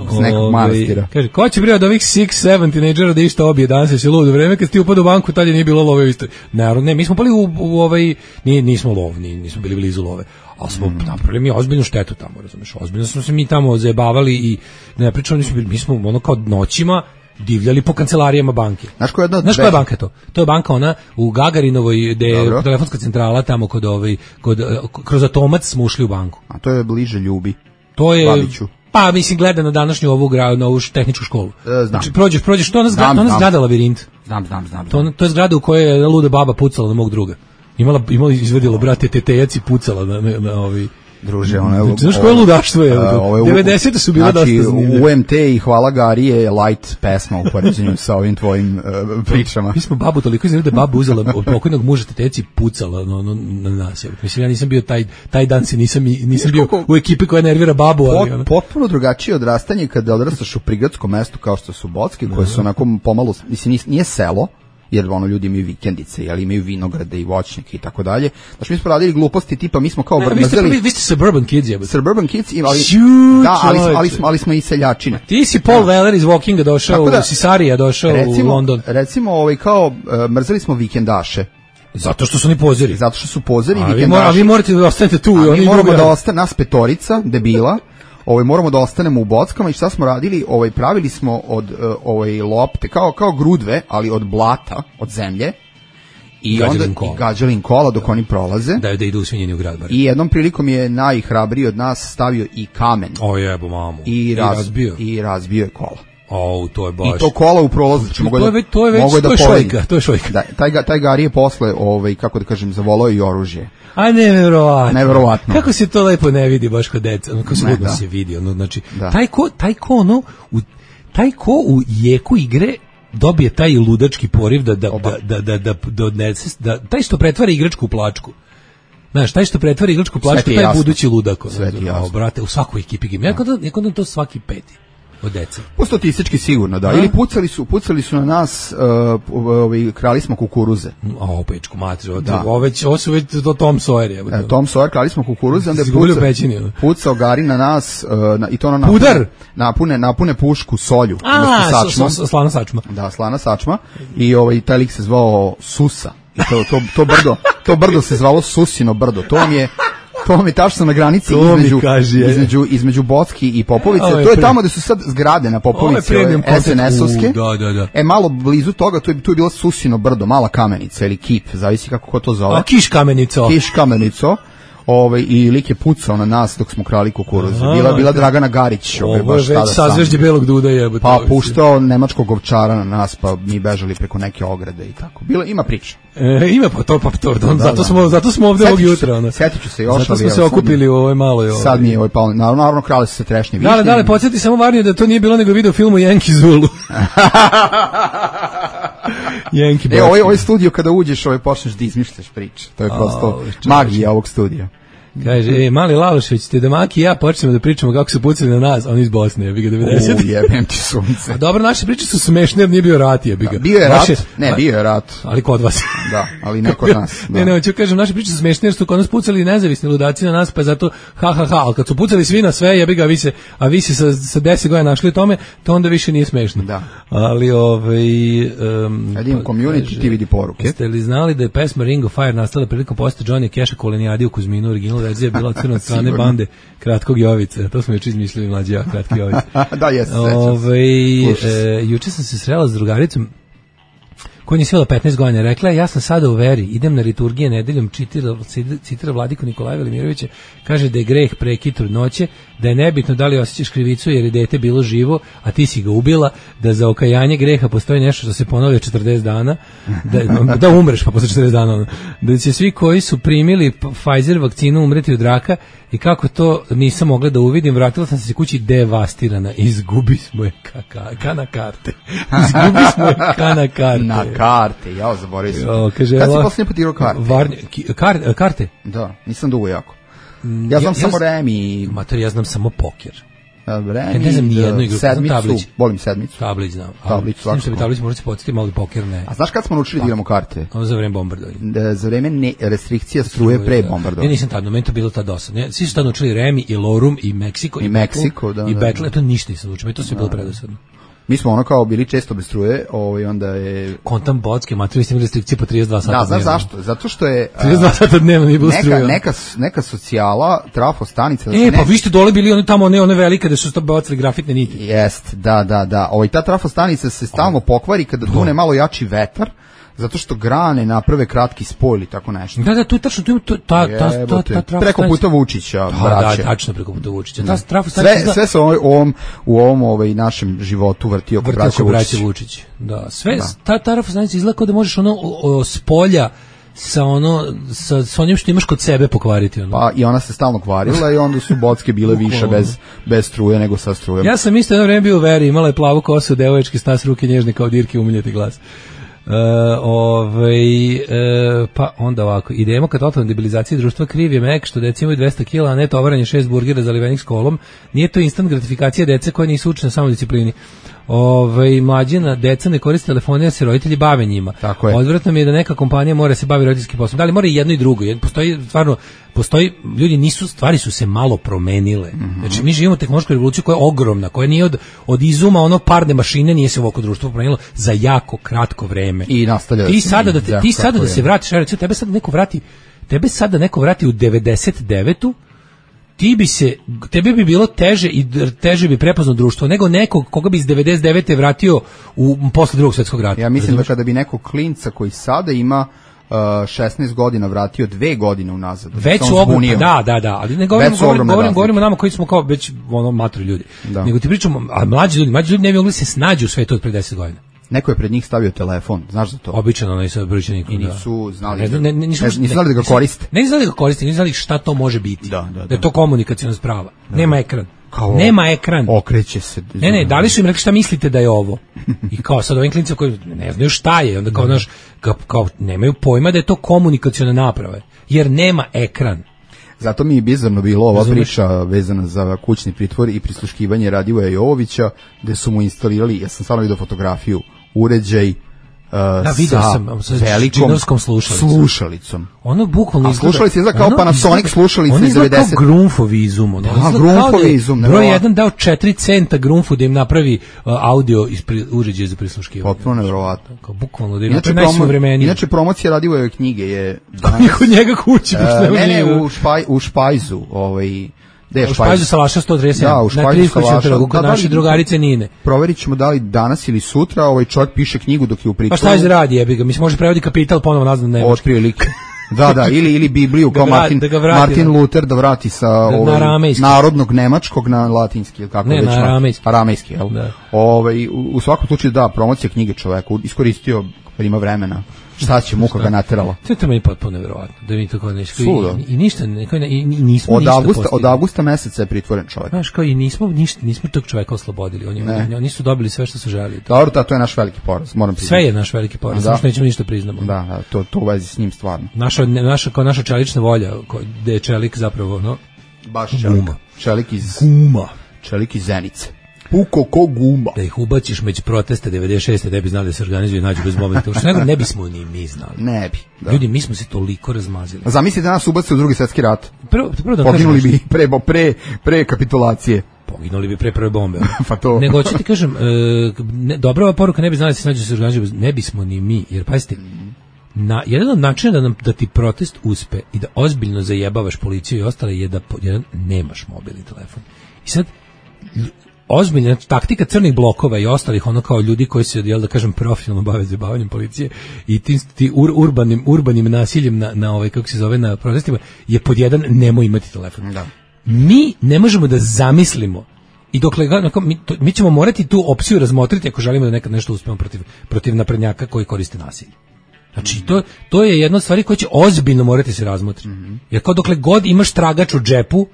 manastira.
Kaže, ko će bre od ovih 6-7 tinejdžera da išta obije danas se lud u vreme kad si ti upad u banku, tad je nije bilo love u istoj. Ne, mi smo pali u ovaj, nismo lovni, nismo bili blizu love. Ali smo napravili mi ozbiljnu štetu tamo, razumiješ, ozbiljno smo se mi tamo zajebavali i ne pričali, mi smo ono kao noćima divljali po kancelarijama banke. Znaš koja je banka to? To je banka ona u Gagarinovoj, gde je telefonska centrala tamo kroz Atomac smo ušli u banku.
A to je bliže Ljubi.
To je... Babiću. Pa, mislim, gleda na današnju ovu tehničku školu.
Znam.
Znači, prođeš, to je ona zgrada Labirint.
Znam.
To je zgrada u kojoj je luda baba pucala na mog druga. Imala izvedila, brate, tetejac i pucala na ovi...
Druže, ono...
Znaš koje ludaštvo je? 90. su bila dosta zanimljive.
Znači, UMT i Hvala Gari je light pesma u poređenju sa ovim tvojim pričama.
Mi smo babu toliko iznali da je babu uzela od pokojnog muža tetejac i pucala na nas. Mislim, ja nisam bio taj dan, nisam bio u ekipi koja nervira babu.
Potpuno drugačije odrastanje kada odrastaš u prigradskom mestu kao što su Bocki, koje su onako pomalo... Mislim, nije selo, jer ljudi imaju vikendice, ali imaju vinograde i voćnjake i tako dalje. Znači mi smo radili gluposti tipa, mi smo kao
mrzeli... Vi ste suburban kids, jebate.
Suburban kids, ali smo i seljačine.
Ti si Paul Weller iz Walkinga došao, si Sarija došao u London.
Recimo, kao mrzeli smo vikendaše.
Zato što su oni pozeri.
Zato što su pozeri i vikendaši.
A vi morate da ostanete tu.
Mi moramo da ostane, nas petorica, debila, moramo da ostanemo u Bockama i šta smo radili, pravili smo od lopte, kao grudve, ali od blata, od zemlje, i onda gađali im kola dok oni prolaze.
Da idu u svinjeni u grad.
I jednom prilikom je najhrabriji od nas stavio i kamen.
O jebo mamu.
I razbio je kola.
To je baš...
I to kola u prolazu.
To je šojka.
Taj Gari je posle, kako da kažem, zavolao i oružje.
A neverovatno. Kako se to lepo ne vidi baš kod deca, kako se ludno se vidi, znači taj ko u jeku igre dobije taj ludački poriv da odnese, da taj što pretvara igračku u plačku. Znaš, taj što pretvara igračku u plačku, taj budući ludak. Brate, u svakoj ekipi gim. Ja kod to svaki peti. Od deca.
Po statistički sigurno, da. Ili pucali su na nas, krali smo kukuruze.
Pečku mater, ovo su već Tom Sawyer je.
Tom Sawyer, krali smo kukuruze, onda je pucao Gari na nas, i to ono napune pušku solju.
Slana sačma.
Da, slana sačma. I taj lik se zvao Susa. I to brdo se zvalo Susino brdo. To vam je tačno na granici između Bocki i Popovice. To je tamo gde su sad zgrade na Popovici, SNS-ovske.
Da.
Malo blizu toga, tu je bila Susino brdo, mala kamenica ili kip, zavisi kako ko to zove.
Kiš
kamenico. I lik je pucao na nas dok smo krali kukuruzu. Bila Dragana Garić.
Ovo je već sazvežđe belog duda jebote.
Pa puštao nemačkog ovčara na nas, pa mi bežali preko neke ograde i tako. Ima priča.
Ima to. Zato smo ovde ovog jutra.
Sjetit ću se još.
Zato smo se okupili u ovoj maloj.
Sad mi je ovaj palo. Naravno, krali su se trešnje višnje.
Dale, podsjeti samo Varniju da to nije bilo nego video filmu Yankee Zulu.
Ovaj studio kada uđeš, počneš da izmišljaš priče. To je prosto magija ovog studija.
Kaže, mali Lalošević, te da Maki i ja počnemo da pričamo kako su pucali na nas, oni iz Bosne, jebi ga 90.
Jebem ti sunce.
A dobro, naše priče su smešne jer nije bio rat, jebi ga.
Bio je rat, bio je rat.
Ali kod vas.
Da, ali ne kod nas.
Ne, ću kažem, naše priče su smešne jer su kod nas pucali nezavisni ludaci na nas, pa zato ali kad su pucali svi na sve, jebi ga, a vi se sa 10 godina našli tome, to onda više nije smešno.
Da.
Ali
kad imam community, ti vidi poruke.
Jeste li znali da je pesma Ring of Fire nastala prilikom posjeta Johnny Cash-a Kolenijadi u Kuzminu, original verzija bila crna od strane bande Kratkog Jovice. To smo juče izmislili mlađi ja, Kratki Jovice.
Da, jes.
Juče sam se srela s drugaricom koja nije svela 15 godina, rekla je, ja sam sada u veri, idem na liturgije nedeljom, citira Vladiku Nikolaja Velimirovića, kaže da je greh prekid trudnoće, da je nebitno da li osjećaš krivicu jer je dete bilo živo, a ti si ga ubila, da za okajanje greha postoji nešto što se ponovi 40 dana, da umreš pa posle 40 dana, da će svi koji su primili Pfizer vakcinu umreti od raka i kako to nisam mogla da uvidim, vratila sam se kući devastirana, izgubi smo je kana karte. Izgubi smo je kana karte.
Na karte, ja zaboravio sam.
Kaže,
kad si posljednje potirao karte?
Karte?
Da, nisam dugo jako. Ja znam samo Remi.
Mater, ja znam samo poker.
Remi,
ne znam ni jednu igru.
Sedmicu, volim sedmicu.
Tablić znam.
Tablić,
svakako. Mislim da bi Tablić možda se podsjeti, malo poker ne.
A znaš kad smo naučili da igramo karte?
Za vreme bombardovanja.
Za vreme restrikcija struje pre bombardovanja.
Ja nisam tad, meni to bilo tad dosadno. Svi su tad naučili Remi i Lorum i Meksiko.
I Meksiko, da.
I Battle, to ništa nisam naučio, to sve bilo predosadno.
Mi smo ono kao bili često bez struje, onda je...
Kontam Bocke, mater, vi ste imali restrikcije po 32 sata dnevno.
Da, znaš zašto? Zato što je...
32 sata dnevno nije bilo struje.
Neka socijala, trafostanica...
Pa vi ste dole bili one velike da su bacili grafitne niti.
Jest, da. Ta trafostanica se stalno pokvari kada dune malo jači vetar, zato što grane naprave kratki spoj ili tako nešto.
Da, tu je tačno, ta
preko puta Vučića, braće.
Da, tačno preko puta Vučića.
Sve se u ovom našem životu vrti oko braće
Vučić. Da, sve, ta trafostanica izgleda kao da možeš s polja sa onim što imaš kod sebe pokvariti.
Pa i ona se stalno kvarila i onda su Bocke bile više bez struje nego sa strujom.
Ja sam isto jedno vreme bio u veri, imala je plavu kosu, devoječki stas, ruke nježne kao dirke, umiljati glas. Pa onda ovako, idemo ka totalnoj debilizaciji društva, kriv je Mek što deca imaju 200 kg, a ne tovaranje 6 burgera zalivenih s kolom. Nije to instant gratifikacija dece koja nisu učene samodisciplini. Mlađina deca ne koriste telefone, jer se roditelji bave njima. Odvratno mi je da neka kompanija mora se bavi roditeljskim poslom. Da li mora i jedno i drugo? Postoji, ljudi stvari su se malo promenile. Znači mi živimo tehnološku revoluciju koja je ogromna, koja nije od izuma parne mašine, nije se ovako društvo promenilo za jako kratko vreme.
I nastavlja.
Ti sada da se vratiš, recimo tebe sada neko vrati u 99. Tebi bi bilo teže i teže bi prepoznao društvo nego nekog koga bi iz 99. vratio posle Drugog svjetskog rata.
Ja mislim da kada bi nekog klinca koji sada ima 16 godina vratio 2 godine unazad.
Već su da, ali ne govorimo nama koji smo kao već maturi ljudi. Da. Nego ti pričamo, a mlađi ljudi ne bi mogli se snađu u svetu od pre 10 godina.
Neko je pred njih stavio telefon, znaš za to?
Obično onaj sa brojčanikom.
I nisu znali da ga koriste.
Ne znali da ga koriste, nisu znali šta to može biti. Da je to komunikaciona sprava. Nema ekran.
Nema ekran. Okreće se.
Ne, da li su im rekli šta mislite da je ovo? I kao sad ovim klincima koji ne znaju šta je, onda kao nemaju pojma da je to komunikaciona naprava, jer nema ekran.
Zato mi je bizarno bilo ova priča vezana za kućni pritvor i prisluškivanje Radivoja Jovovića, gde su mu instalirali, ja sam stvarno vidio fotografiju, uređaj sa velikom slušalicom.
Ono bukvalno
izgleda... A slušalica izgleda kao Panasonic slušalica iz 90.
Ono izgleda kao Grunfov izum.
Grunfov izum.
Broj 1 dao 4 centa Grunfu da im napravi audio uređaj za prisluškivanje.
Potpuno nevjerovatno.
Bukvalno da im napravi najsuvremenije.
Inače promocija Radivojeve knjige je...
Kod njega kući.
Ne, u Špajzu.
U Špajzu Salaša 137.
Da, u Špajzu Salaša.
Kod naše drugarice Nine.
Proverit ćemo da li danas ili sutra čovjek piše knjigu dok je u pritvoru.
Pa šta je radi, jebi ga? Mislim, može prevodi Kapital ponovo nazad na nemački.
Otprilike. Da, ili Bibliju kao Martin Luther da vrati sa narodnog nemačkog na latinski, ili kako već.
Ne, na
aramejski, jel? U svakom slučaju da, promocija knjige čoveku, iskoristio jer ima vremena. Šta će, muka ga naterala.
To je meni potpuno nevjerovatno, da mi tako nešto i ništa, i nismo ništa postigli.
Od avgusta meseca je pritvoren čovjek.
Znaš, kao i nismo tog čovjeka oslobodili, oni su dobili sve što su želeli.
Dobro, to je naš veliki poraz, moram priznati.
Sve je naš veliki poraz, samo što nećemo ništa priznamo.
Da, to u vezi s njim stvarno.
Naša čelična volja, gde je čelik zapravo,
baš čelik. Čelik iz Zenice. Puko ko guma.
Da ih ubaciš među proteste 96. da bi znali da se organizuju i nađu bez mobilnih. Što ne bismo ni mi znali.
Ne bi. Da.
Ljudi, mi smo se toliko razmazili.
Zamisli da nas ubace u Drugi svjetski rat.
Prvo da
poginuli bi pre kapitulacije.
Poginuli bi pre prve bombe.
Pa to.
Nego ću ti kažem, dobra ova poruka, ne bi znali da se nađu da se organizuju, ne bismo ni mi, jer pazite, jedan od načina da ti protest uspe i da ozbiljno zajebavaš policiju i ostale je da nemaš mobilni telefon. I sad ozbiljna taktika crnih blokova i ostalih ono kao ljudi koji se da kažem profesionalno bave zabavanjem policije i ti urbanim nasiljem na ovaj kako se zove na protestima je pod jedan nemoj imati telefon. Da. Mi ne možemo da zamislimo i dokle mi ćemo morati tu opciju razmotriti ako želimo da nekad nešto uspemo protiv naprednjaka koji koriste nasilje. Znači to je jedna od stvari koja će ozbiljno morati se razmotriti. Jer kao dokle god imaš tragač u džepu,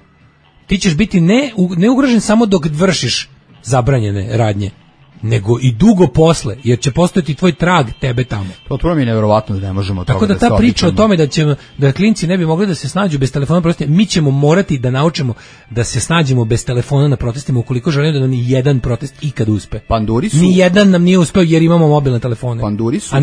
ti ćeš biti ne ugrožen samo dok vršiš zabranjene radnje, nego i dugo posle, jer će postojati tvoj trag tebe tamo.
To mi je nevjerovatno da ne možemo
tako da ta priča o tome da klinci ne bi mogli da se snađu bez telefona na protestima, mi ćemo morati da naučimo da se snađemo bez telefona na protestima ukoliko želimo da nam ni jedan protest ikad uspe.
Panduri su
ni jedan nam nije uspeo jer imamo mobilne telefone.
Panduri su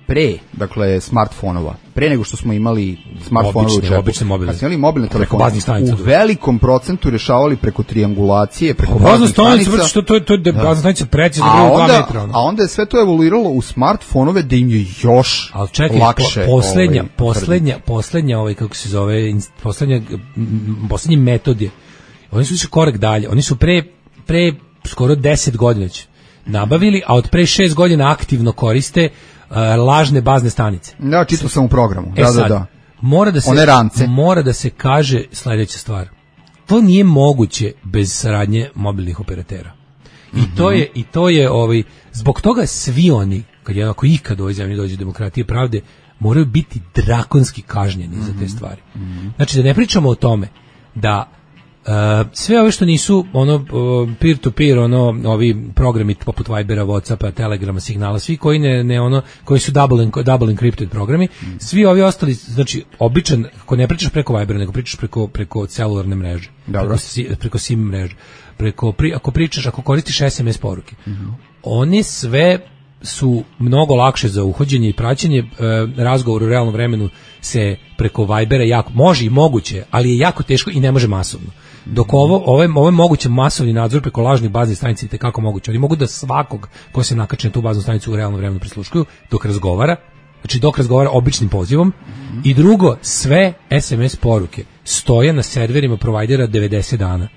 pre, dakle smartfonova. Pre nego što smo imali smartfonove u džepu, kad smo imali mobilne telefone, u velikom procentu rešavali preko triangulacije, preko baznih stanica.
Što to je bazna stanica precizno
bilo 2 metra. A onda je sve to evoluiralo u smartfonove da im je još lakše.
Poslednja kako se zove, poslednji metod je, oni su išli korak dalje, oni su pre skoro 10 godina nabavili, a od pre 6 godina aktivno koriste lažne bazne stanice.
Da, čitao sam u programu. Da.
Mora da se kaže sledeća stvar. To nije moguće bez saradnje mobilnih operatera. I to je zbog toga svi oni, ako ikad u ovoj zemlji dođe demokratije pravde, moraju biti drakonski kažnjeni za te stvari. Znači da ne pričamo o tome da sve ove što nisu peer to peer, ovi programi poput Vibera, Whatsappa, Telegrama, Signala, svi koji koji su double encrypted programi, svi ovi ostali, znači običan, ako ne pričaš preko Vibera, nego pričaš preko celularne mreže, preko SIM mreže, ako koristiš SMS poruke, oni sve su mnogo lakše za uhođenje i praćenje. Razgovor u realnom vremenu se preko Vibera može i moguće, ali je jako teško i ne može masovno. Dok ovo je moguće masovni nadzor preko lažnih baznih stanica i tekako moguće. Oni mogu da svakog ko se nakače na tu baznu stanicu u realnom vremenu prisluškuju dok razgovara, običnim pozivom. I drugo, sve SMS poruke stoje na serverima provajdera 90 dana.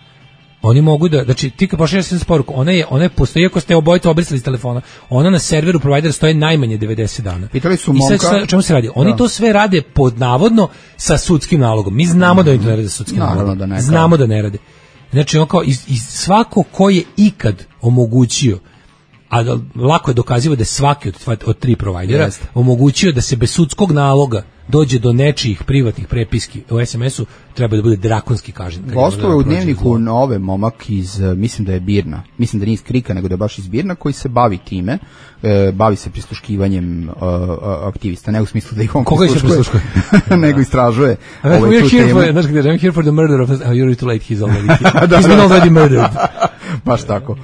Oni mogu da, znači ti kad pošalješ SMS poruku, ona postoji ako ste obojica obrisali iz telefona, ona na serveru provajdera stoji najmanje 90 dana.
Pitali su momka.
I sad o čemu se radi? Oni to sve rade pod navodno sa sudskim nalogom. Mi znamo da oni to ne rade sa sudskim nalogom. Znamo da ne rade. Znači i svako ko je ikad omogućio, a lako je dokazivo da je svaki od 3 provajdera omogućio da se bez sudskog naloga dođe do nečijih privatnih prepiski u SMS-u, treba da bude drakonski kažnjen.
Gostuje u dnevniku Nove momak iz, mislim da je Birna, mislim da nije iz Krika, nego da je baš iz Birna, koji se bavi time, bavi se prisluškivanjem aktivista, ne u smislu da ih on prisluškuje, nego istražuje.
I'm here for the murder of... You're too late, he's been already murdered.
Baš tako.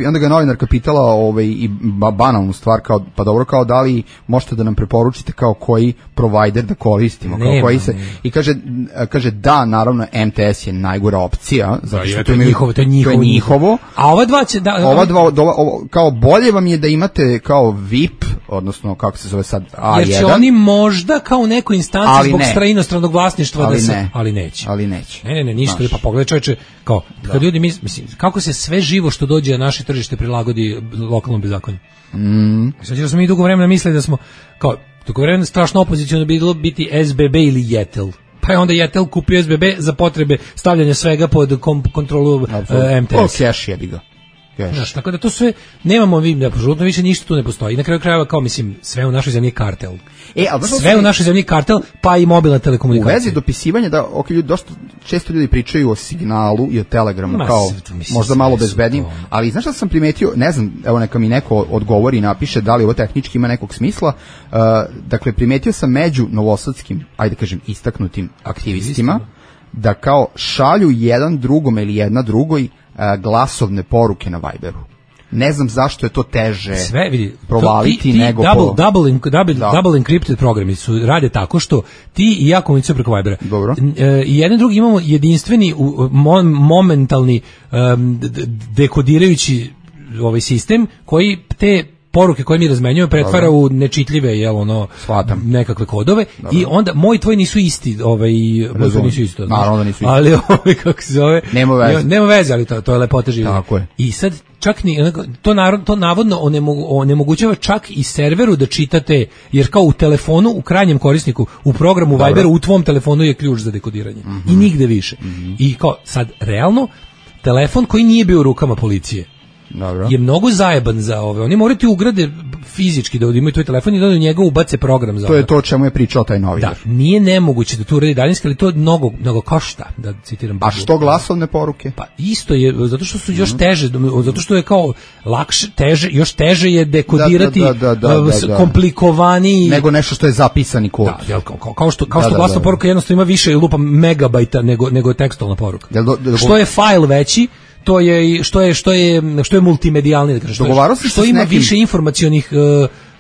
Onda ga novinarka pitala i banalnu stvar, pa dobro, kao da li možete da nam preporučite kao koji provider da koristimo, kao koji se... I kaže da, naravno, MTS je najgora opcija, zato što to je njihovo.
A ova dva će...
Kao bolje vam je da imate kao VIP, odnosno kako se zove sad A1.
Jer će oni možda kao u nekoj instanciji zbog inostranog vlasništva ali neće. Ne, ništa. Pa pogledaj čovječe, kao, kad ljudi mislim, kako se sve živo što dođe na naše tržište prilagodi lokalnom bezakonju. Sad jer smo mi dugo vremena mislili da smo, kao, dugo vremena strašno opoziciono bilo biti SBB ili Jetel. Pa je onda Jetel kupio SBB za potrebe stavljanja svega pod kontrolu MTS.
Cash je ga.
Znaš, tako da to sve, nemamo apsolutno više ništa tu ne postoji. I na kraju krajeva, kao mislim, sve u našoj zemlji je kartel. Sve u našoj zemlji je kartel, pa i mobilna telekomunikacija.
U vezi dopisivanja, dosta često ljudi pričaju o Signalu i o Telegramu, kao možda malo bezbednijim, ali znaš šta sam primetio, ne znam, evo neka mi neko odgovori i napiše da li ovo tehnički ima nekog smisla, dakle primetio sam među novosadskim, ajde kažem, istaknutim aktivistima, da kao šalju jedan drugom ili jedna drugoj glasovne poruke na Viberu. Ne znam zašto je to teže provaliti nego
double encrypted programi su rade tako što ti i ja komunicujemo preko Vibera.
Dobro.
I jedan drugi imamo jedinstveni momentalni dekodirajući sistem koji te poruke koje mi razmenjujemo pretvara u nečitljive,
Shvatam.
nekakve kodove.
Dobro.
I onda moj tvoj nisu isti, moj tvoj nisu isto.
Naravno da nisu isti.
Ali kako se zove?
Nema veze,
ali to je lepota života.
Tako je.
I sad čak to navodno onemogućava čak i serveru da čitate, jer kao u telefonu, u krajnjem korisniku, u programu Viberu, u tvom telefonu je ključ za dekodiranje. I nigde više. I kao sad realno telefon koji nije bio u rukama policije je mnogo zajeban za ove. Oni moraju ti ugrade fizički da imaju tvoj telefon i da u njega ubace program za
to. Je to o čemu je pričao taj novinar.
Da, nije nemoguće da to uradi daljinski, ali to mnogo košta, da citiram.
A što glasovne poruke?
Pa isto je, zato što su još teže, zato što je kao lakše, još teže je dekodirati komplikovaniji
nego nešto što je zapisani kod.
Da, kao što glasna poruka jednostavno ima više lupa megabajta nego tekstualna poruka. Što je fajl veći, to je što je multimedijalni, da kažem, što ima više informacionih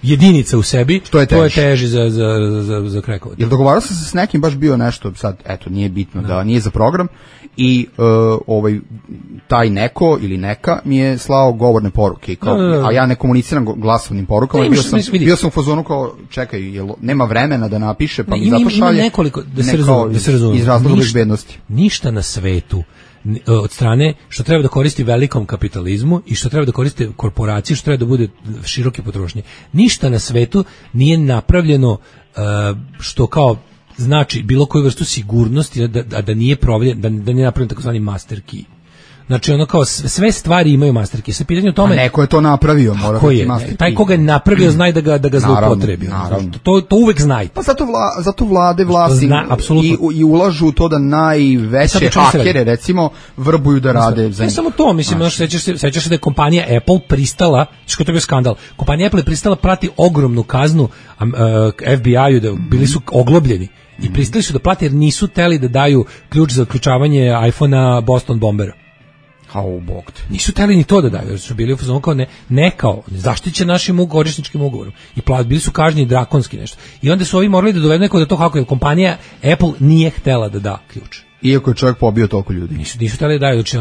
jedinica u sebi, to je teži za krekovanje.
Jel dogovarao sam se s nekim, baš bio nešto, sad, eto, nije bitno da nije za program, i taj neko ili neka mi je slao govorne poruke, a ja ne komuniciram glasovnim porukama, bio sam u fazonu kao, čekaj, nema vremena da napiše, pa mi zato šalje.
Ima nekoliko, da se razume,
iz razloga bezbednosti.
Ništa na svetu od strane što treba da koristi velikom kapitalizmu i što treba da koriste korporacije, što treba da bude široke potrošnje. Ništa na svetu nije napravljeno što kao znači bilo koju vrstu sigurnosti da nije proveden, da nije napravljen takozvani master key. Znači ono kao sve stvari imaju master key. Sa pitanjem o tome,
neko je to napravio, mora biti master key.
Taj koga je napravio znaj da ga zloupotrebi. To uvek znaj.
Pa zato vlade vlasti i ulažu u to da najveće hakere recimo vrbuju da rade za njih.
Ne samo to, mislim, sećaš se da je kompanija Apple pristala, što je bio skandal. Kompanija Apple je pristala prati ogromnu kaznu FBI-u, da bili su oglobljeni. I pristali su da plate jer nisu teli da daju ključ za uključavanje iPhone-a Boston Bombera. Nisu teli ni to da daju, jer su bili u fazonu kao kao zaštićen našim korisničkim ugovorom. I bili su kažnjeni drakonski nešto. I onda su ovi morali da dovedu neko da to kako je kompanija Apple nije htela da da ključ.
Iako je čovjek pobio toliko ljudi.
Nisu hteli da daju, znači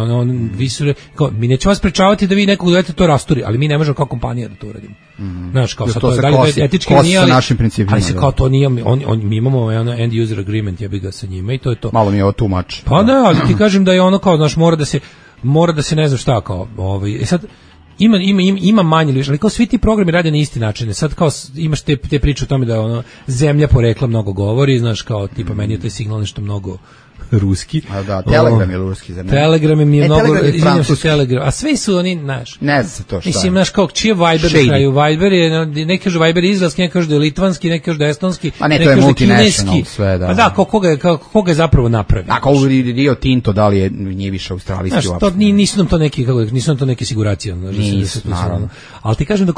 mi nećemo vas sprečavati da vi nekog dovedete to rasturi, ali mi ne možemo kao kompanija da to uradimo. Znaš, kao sad to je etički nije, ali se kao to nije, mi imamo end user agreement, ja bih ga sa njima i to je to.
Malo mi je ovo too much.
Pa da, ali ti kažem da je ono kao, znaš, mora da se ne znam šta kao, sad ima manje ili više, ali kao svi ti programi rade na isti način. Sad kao imaš te priče o tome da zemlja porekla mnogo govori, znaš, kao tipa meni je taj signal nešto mnogo ruski.
A da, Telegram je ruski, zar ne?
Telegram je mi je mnogo, Telegram, a sve su oni, znaš.
Ne znam se to šta.
Mislim, znaš, kao čiji je Viber na kraju? Viber je, neki kažu Viber je izraelski, neki kažu da je litvanski, neki kažu da je estonski,
neki kažu da je kineski. Sve, da.
Pa da, koga je zapravo napravio?
A kao Rio Tinto, da li je nije više australijski uopšte?
Znaš, nisu nam to neke siguracije.
Naravno.
Ali ti kažem da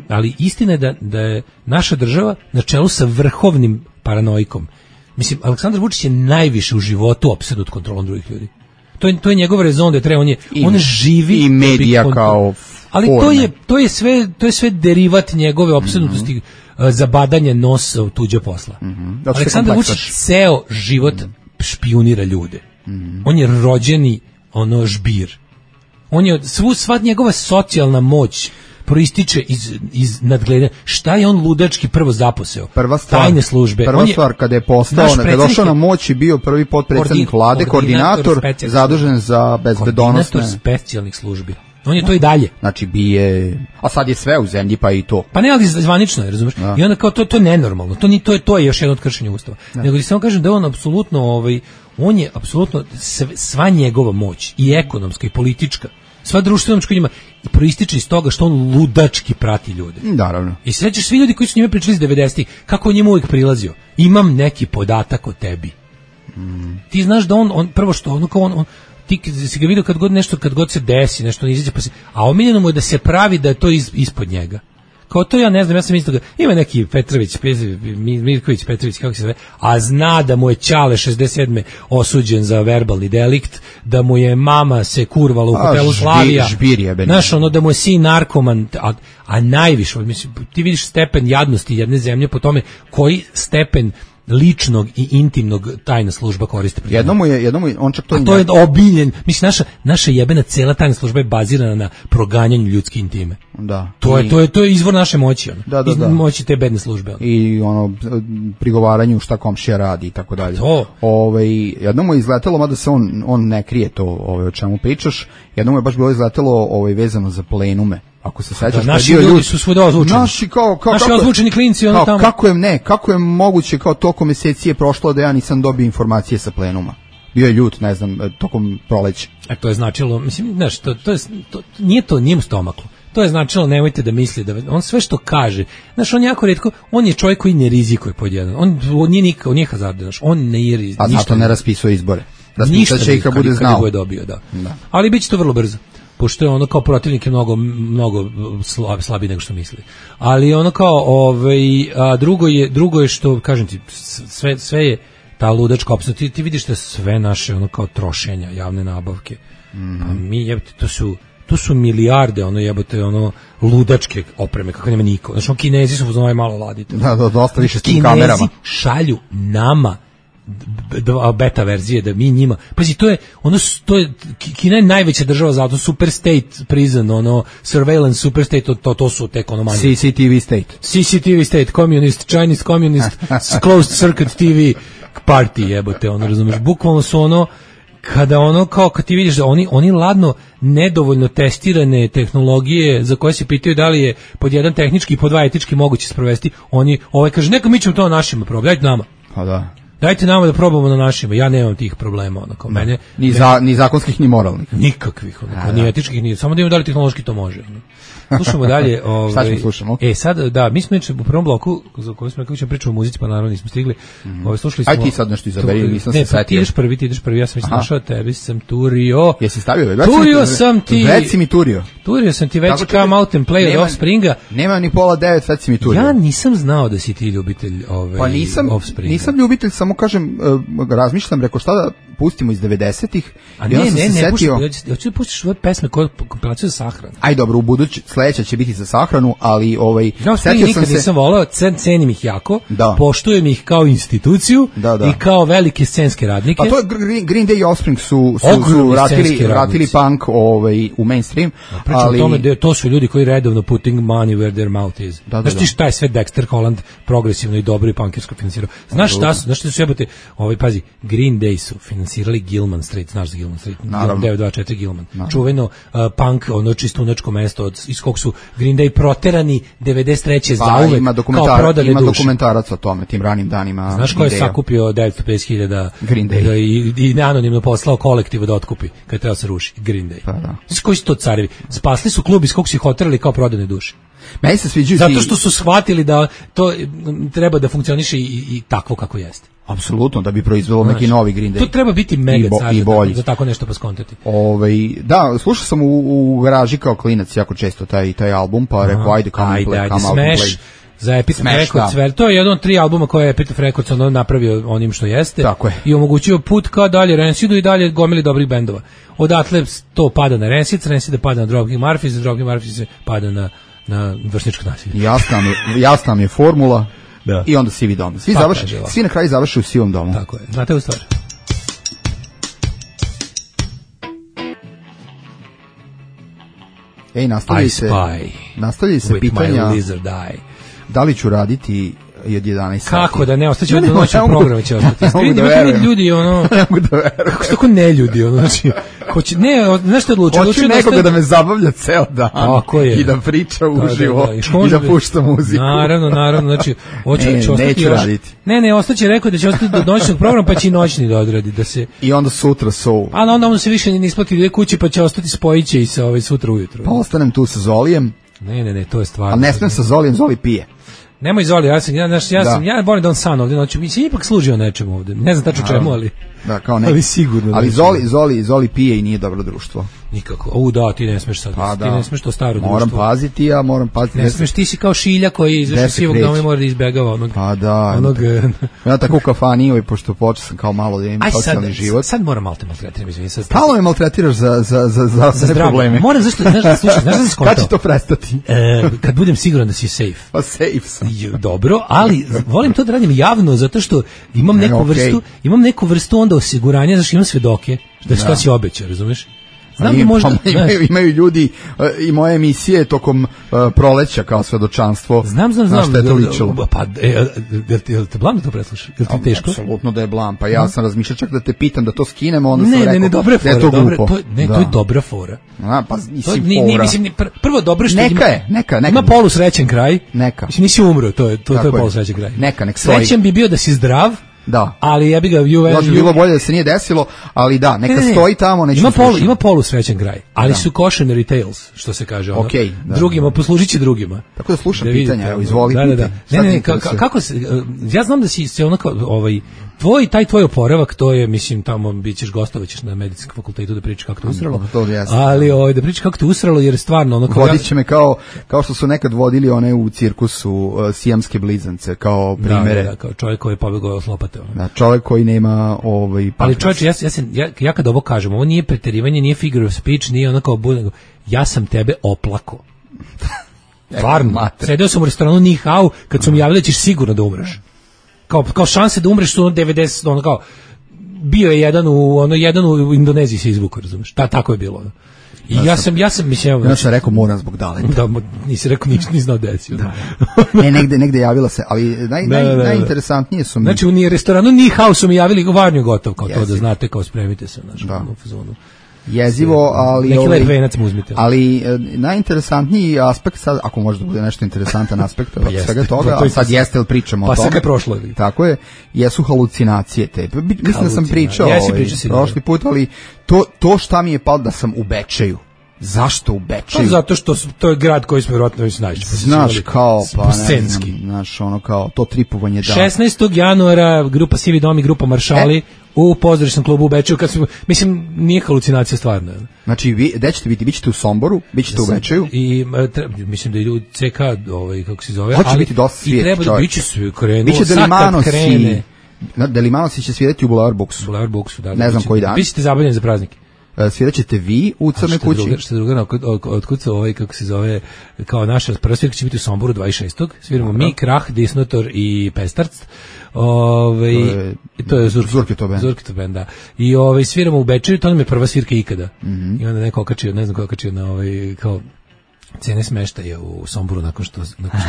ali istina je da je naša država na čelu sa vrhovnim paranoikom. Mislim, Aleksandar Vučić je najviše u životu opsednut kontrolom drugih ljudi. To je njegov rezon da treba, on živi
i medija kao
ali to je sve derivat njegove opsednutosti za badanje nosa u tuđe posla. Aleksandar Vučić ceo život špijunira ljude. On je rođeni žbir. On je sva njegova socijalna moć proističe iz nadgledanja. Šta je on ludački prvo zaposeo? Tajne službe.
Prva stvar, kada je postao, kada je došao na moć i bio prvi potpredsjednik vlade, koordinator zadužen za bezbedonosne.
Koordinator specijalnih službi. On je to i dalje.
Znači a sad je sve u zemlji, pa i to.
Pa ne, ali zvanično je, razumeš? I onda kao to je nenormalno. To je još jedno od kršenja Ustava. Nego ti samo kažem da je on apsolutno, on je apsolutno sva njegova moć, i ekonomska i politička, sva društvena moć koja ima, proističe iz toga što on ludački prati ljude.
Naravno.
I sećaš svi ljudi koji su njime pričali iz 90-ih, kako on njima uvijek prilazio. Imam neki podatak o tebi. Ti znaš da on prvo što on ti si ga vidio kad god se desi, nešto ne izađe, a omiljeno mu je da se pravi da je to ispod njega. Kao to ja ne znam, ja sam mislio da ima neki Mirković Petrović, kako se zove, a zna da mu je ćale 67. osuđen za verbalni delikt, da mu je mama se kurvala u hotelu Slavija, znaš, da mu je sin narkoman, a najviše, mislim, ti vidiš stepen jadnosti jedne zemlje po tome koji stepen ličnog i intimnog tajna služba koristi.
Jednom je, on čak to...
A to je obiljen. Mislim, naša jebena cela tajna služba je bazirana na proganjanju ljudske intime.
Da.
To je izvor naše moći.
Da.
Moći te bedne službe.
I prigovaranju šta komšija radi i tako dalje. Jednom mu je izletelo, mada se on ne krije to o čemu pričaš, jednom mu je baš bilo izletelo vezano za plenume. Ako se sećaš,
naši ljudi su svuda ozvučeni.
Naši
ozvučeni klinci tamo.
Kako je moguće kao tokom meseci je prošlo da ja nisam dobio informacije sa plenuma. Bio je ljut, ne znam, tokom proleća.
To je značilo, mislim, znaš, nije mu stomaklo. To je značilo, nemojte da misli da on sve što kaže, znaš, on jako retko, on je čovjek koji ne rizikuje pod jedan. On nije hazardan, znaš, on ne je rizikuje.
A zato ne raspisuje izbore. Raspisat će i kad bude znao.
Bude dobio, da. Ali bit će to vrlo brzo. Pošto je ono kao protivnik je mnogo slabiji nego što misli. Ali ono kao, drugo je što, kažem ti, sve je ta ludačka opcija. Ti vidiš da sve naše ono kao trošenja, javne nabavke. A mi jebate, to su milijarde ludačke opreme, kako nema niko. Znači, Kinezi su uzmano malo ladite.
Da, dosta više s tim kamerama.
Kinezi šalju nama beta verzije da mi njima. Pazi, Kina je najveća država zato super state prison, surveillance super state, to su tek manje. CCTV state, communist, Chinese communist, closed circuit TV party, jebote, razumeš, bukvalno su kada kad ti vidiš da oni ladno nedovoljno testirane tehnologije za koje se pitaju da li je pod jedan tehnički i pod dva etički moguće sprovesti, kaže, neka mi ćemo to na našima probati, dajte nama.
Pa da.
Dajte nama da probamo na našima, ja nemam tih problema, mene.
Ni zakonskih, ni moralnih.
Nikakvih, ni etičkih, ni, samo da imamo da li tehnološki to može. Slušamo dalje.
Šta ćemo slušamo?
Sad, da, mi smo u prvom bloku, za koji smo rekli ćemo pričati o muzici, pa naravno nismo stigli. Slušali smo...
Aj ti sad nešto izaberi, nisam se setio.
Ti ideš prvi, ja sam već našao, tebi sam turio.
Jesi stavio?
Turio sam ti.
Već si mi turio.
Turio sam ti već Come Out and Play od Offspringa.
Nema ni pola 9, već si mi turio.
Ja nisam znao da si ti ljubitelj Offspringa.
Nisam ljubitelj, samo kažem, razmišljam, rekao šta da pustimo iz 90-ih.
A ne, hoću da pustiš ove pesme koje kompilaciju za sahranu.
Aj dobro, sledeća će biti za sahranu, ali
setio sam se... Nisam volao, cenim ih jako, poštujem ih kao instituciju i kao velike scenske radnike.
Pa to je Green Day i Offspring su vratili punk u mainstream.
Pričam o tome, to su ljudi koji redovno putting money where their mouth is. Znaš ti šta je sve Dexter Holland progresivno i dobro i punkersko finansirao? Znaš šta su jebote, pazi, Green Day su finansirali Gilman Street, znaš za Gilman Street, 924 Gilman, čuveno punk, čistunačko mesto iz kog su Green Day proterani 93. zauvek kao prodane duše.
Ima dokumentarac o tome, tim ranim danima.
Znaš ko je sakupio 950.000
Green Day
i anonimno poslao kolektivu da otkupi kad treba se ruši? Green Day.
Pa da.
Koji su to carevi? Spasli su klub iz kog su ih oterali kao prodane duše.
Meni se sviđaju
zato što su shvatili da to treba da funkcioniše i takvo kako jeste.
Apsolutno, da bi proizvelo neki novi Green Day.
To treba biti mega za tako nešto paskontati.
Da, slušao sam u garaži kao klinac jako često taj album, pa rekao ajde come out and play.
Za Epitaph Records, to je jedan od 3 albuma koje je Epitaph Records napravio onim što jeste.
Tako je.
I omogućio put ka dalje Rancidu i dalje gomili dobrih bendova. Odatle to pada na Rancid pada na Dropkick Murphys, Dropkick Murphys se pada na vršničko nasilje.
Jasna mi je formula. Da. I onda sivi dom. Svi na kraju završe u sivom domu.
Tako je. Znate u stvar.
nastavljaju se pitanja da li ću raditi i od 11 sati.
Kako da ne, ostaće od noćnog programa će ostati. Ljudi,
ne mogu da verujem.
Kako što ne ljudi, znači, nešto odlučio.
Hoću nekoga da me zabavlja ceo dan i da priča uživo i da pušta muziku.
Naravno, znači,
neću raditi.
Ne, ostaće rekao da će ostati do noćnog programa, pa će i noćni da odradi.
I onda sutra soul.
A onda se više ne isplati ide kući, pa će ostati spojiće i sa sutra ujutro.
Pa ostanem tu sa Zolijem.
Ne, to je stvarno.
Ali ne smijem sa Zolijem, Zoli pije.
Nemoj Zoli, ja volim da on san ovdje noću, mi se ipak služio nečemu ovdje, ne znam tačno čemu, ali...
Da, kao ne.
Ali sigurno.
Ali Zoli pije i nije dobro društvo.
Nikako. Da, ti ne smeš sad.
Pa
ti ne smeš to staro društvo.
Moram paziti,
Ne smeš, ti si kao Šilja koji izašao sivog doma i mora da izbegava onog.
Pa da. Ja tako u kafani, pošto počeo sam kao malo da imam socijalni život.
Sad moram malo te maltretirati.
Stalo me maltretiraš za probleme.
Moram, zašto, znaš da sam skontao?
Kad će to prestati?
Kad budem siguran da si safe.
Pa safe sam.
Dobro, ali volim to da radim javno, zato što imam neku vrstu onda osiguranja, zašto imam svedoke, da šta si obećao, razumeš? Znam da možda...
Imaju ljudi i moje emisije tokom proleća kao svedočanstvo.
Znam.
Na što je to ličilo.
Pa, jel te blam da to preslušaš? Jel ti teško?
Apsolutno da je blam. Pa ja sam razmišljao čak da te pitam da to skinemo, onda sam
rekao
dobra
fora,
da je to glupo.
To je dobra fora.
Pa mislim fora.
Prvo dobro što
neka.
Ima polusrećen kraj.
Neka.
Mislim, nisi umro, to je polusrećen kraj.
Nek stoji.
Srećen bi bio da si zdrav.
Da.
Ali ja bih ga
bilo bolje da se nije desilo, ali da, neka stoji tamo, neće.
Ima polusrećen kraj, ali su cautionary tales, što se kaže ono. Drugima poslužiće drugima.
Tako da slušam pitanja, evo izvoli.
Da. Ne, kako se ja znam da si se onako tvoj oporavak, to je, mislim, tamo bićeš gostovaćeš na medicinskom fakultetu da pričaš kako te usralo. Ali da pričaš kako te usralo, jer stvarno ono
vodit će me kao što su nekad vodili one u cirkusu sijamske blizance kao primere.
Da, kao čovjek koji je pobegao s lopate.
Da, čovjek koji nema
ali čovječe, ja kad ovo kažem, ovo nije preterivanje, nije figure of speech, nije ono kao ja sam tebe oplako. Stvarno, sedeo sam u restoranu Ni Hao kad su mi javili da ćeš sigurno da umreš. Kao šanse da umreš su 90, ono kao bio je jedan u Indoneziji se izvukao, razumeš? Tako je bilo. I ja sam mislim,
ja sam rekao moram zbog daleta.
Da, nisi rekao ništa, ni znao desio.
Negde javila se, ali najinteresantnije su mi.
Znači u restoranu Ni Hao su mi javili varnju gotov, kao to da znate, kao spremite se u fazonu.
Jezivo, ali najinteresantniji aspekt sad, ako može da bude nešto interesantan aspekt od svega toga, a sad jeste li pričamo o tome.
Pa sad je prošlo.
Tako je, jesu halucinacije te. Mislim da sam pričao prošli put, ali to šta mi je palo da sam u Bečeju. Zašto u Bečeju?
Zato što to je grad koji smo vjerojatno već najviše.
Znaš kao, pa ne znam, znaš ono kao, to tripovanje da.
16. januara grupa Sivi dom i grupa Maršali u pozorišnom klubu u Bečeju, mislim, nije halucinacija stvarno.
Znači, gde ćete biti? Bićete u Somboru, bićete u Bečeju?
I mislim da idu CK, kako se zove.
Hoće biti dosta svijet,
čovjek. I treba da biće sve krenulo,
biće Delimanosi će svidjeti u Boulevard Booksu.
Da.
Ne znam koji dan.
Bićete zabavljeni za praznik.
Svirat ćete vi u Crnoj kući.
Što druga, otkud se kako se zove, kao naša prva svirka će biti u Somboru 26. Sviramo mi, Krah, Disnotor i Pestarc. To je
Zurkito
band, da. I sviramo u Bečeju, to nam je prva svirka ikada. I onda neko okačio, ne znam ko okačio na kao cene smeštaja u Somboru nakon što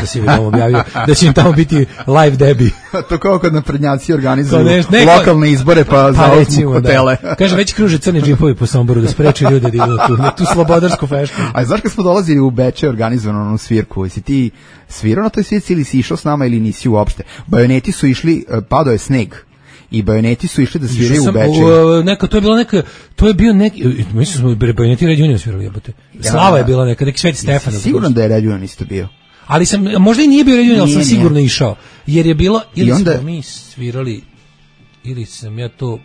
si vidim objavio da će im tamo biti live debi.
To kao kad naprednjaci organizuju lokalne izbore pa zauzmu hotele.
Kaže, već kruže crni džipovi po Somboru da spreči ljude da idu na tu slobodarsku feštu.
A znaš kad smo dolazili u Bečej organizovanu onu svirku, jesi ti svirao na toj svirci ili si išao s nama ili nisi uopšte? Bajoneti su išli, padao je sneg. I Bajoneti su išli da sviraju u Bečeju.
To je bio neki, mislim smo Bajoneti Red Union svirali, jebote. Slava je bila neki Sveti Stefan.
Sigurno da je Red Union isto bio.
Ali možda i nije bio Red Union, ali sam sigurno išao. Jer je bilo, ili smo mi svirali, ili sam ja to...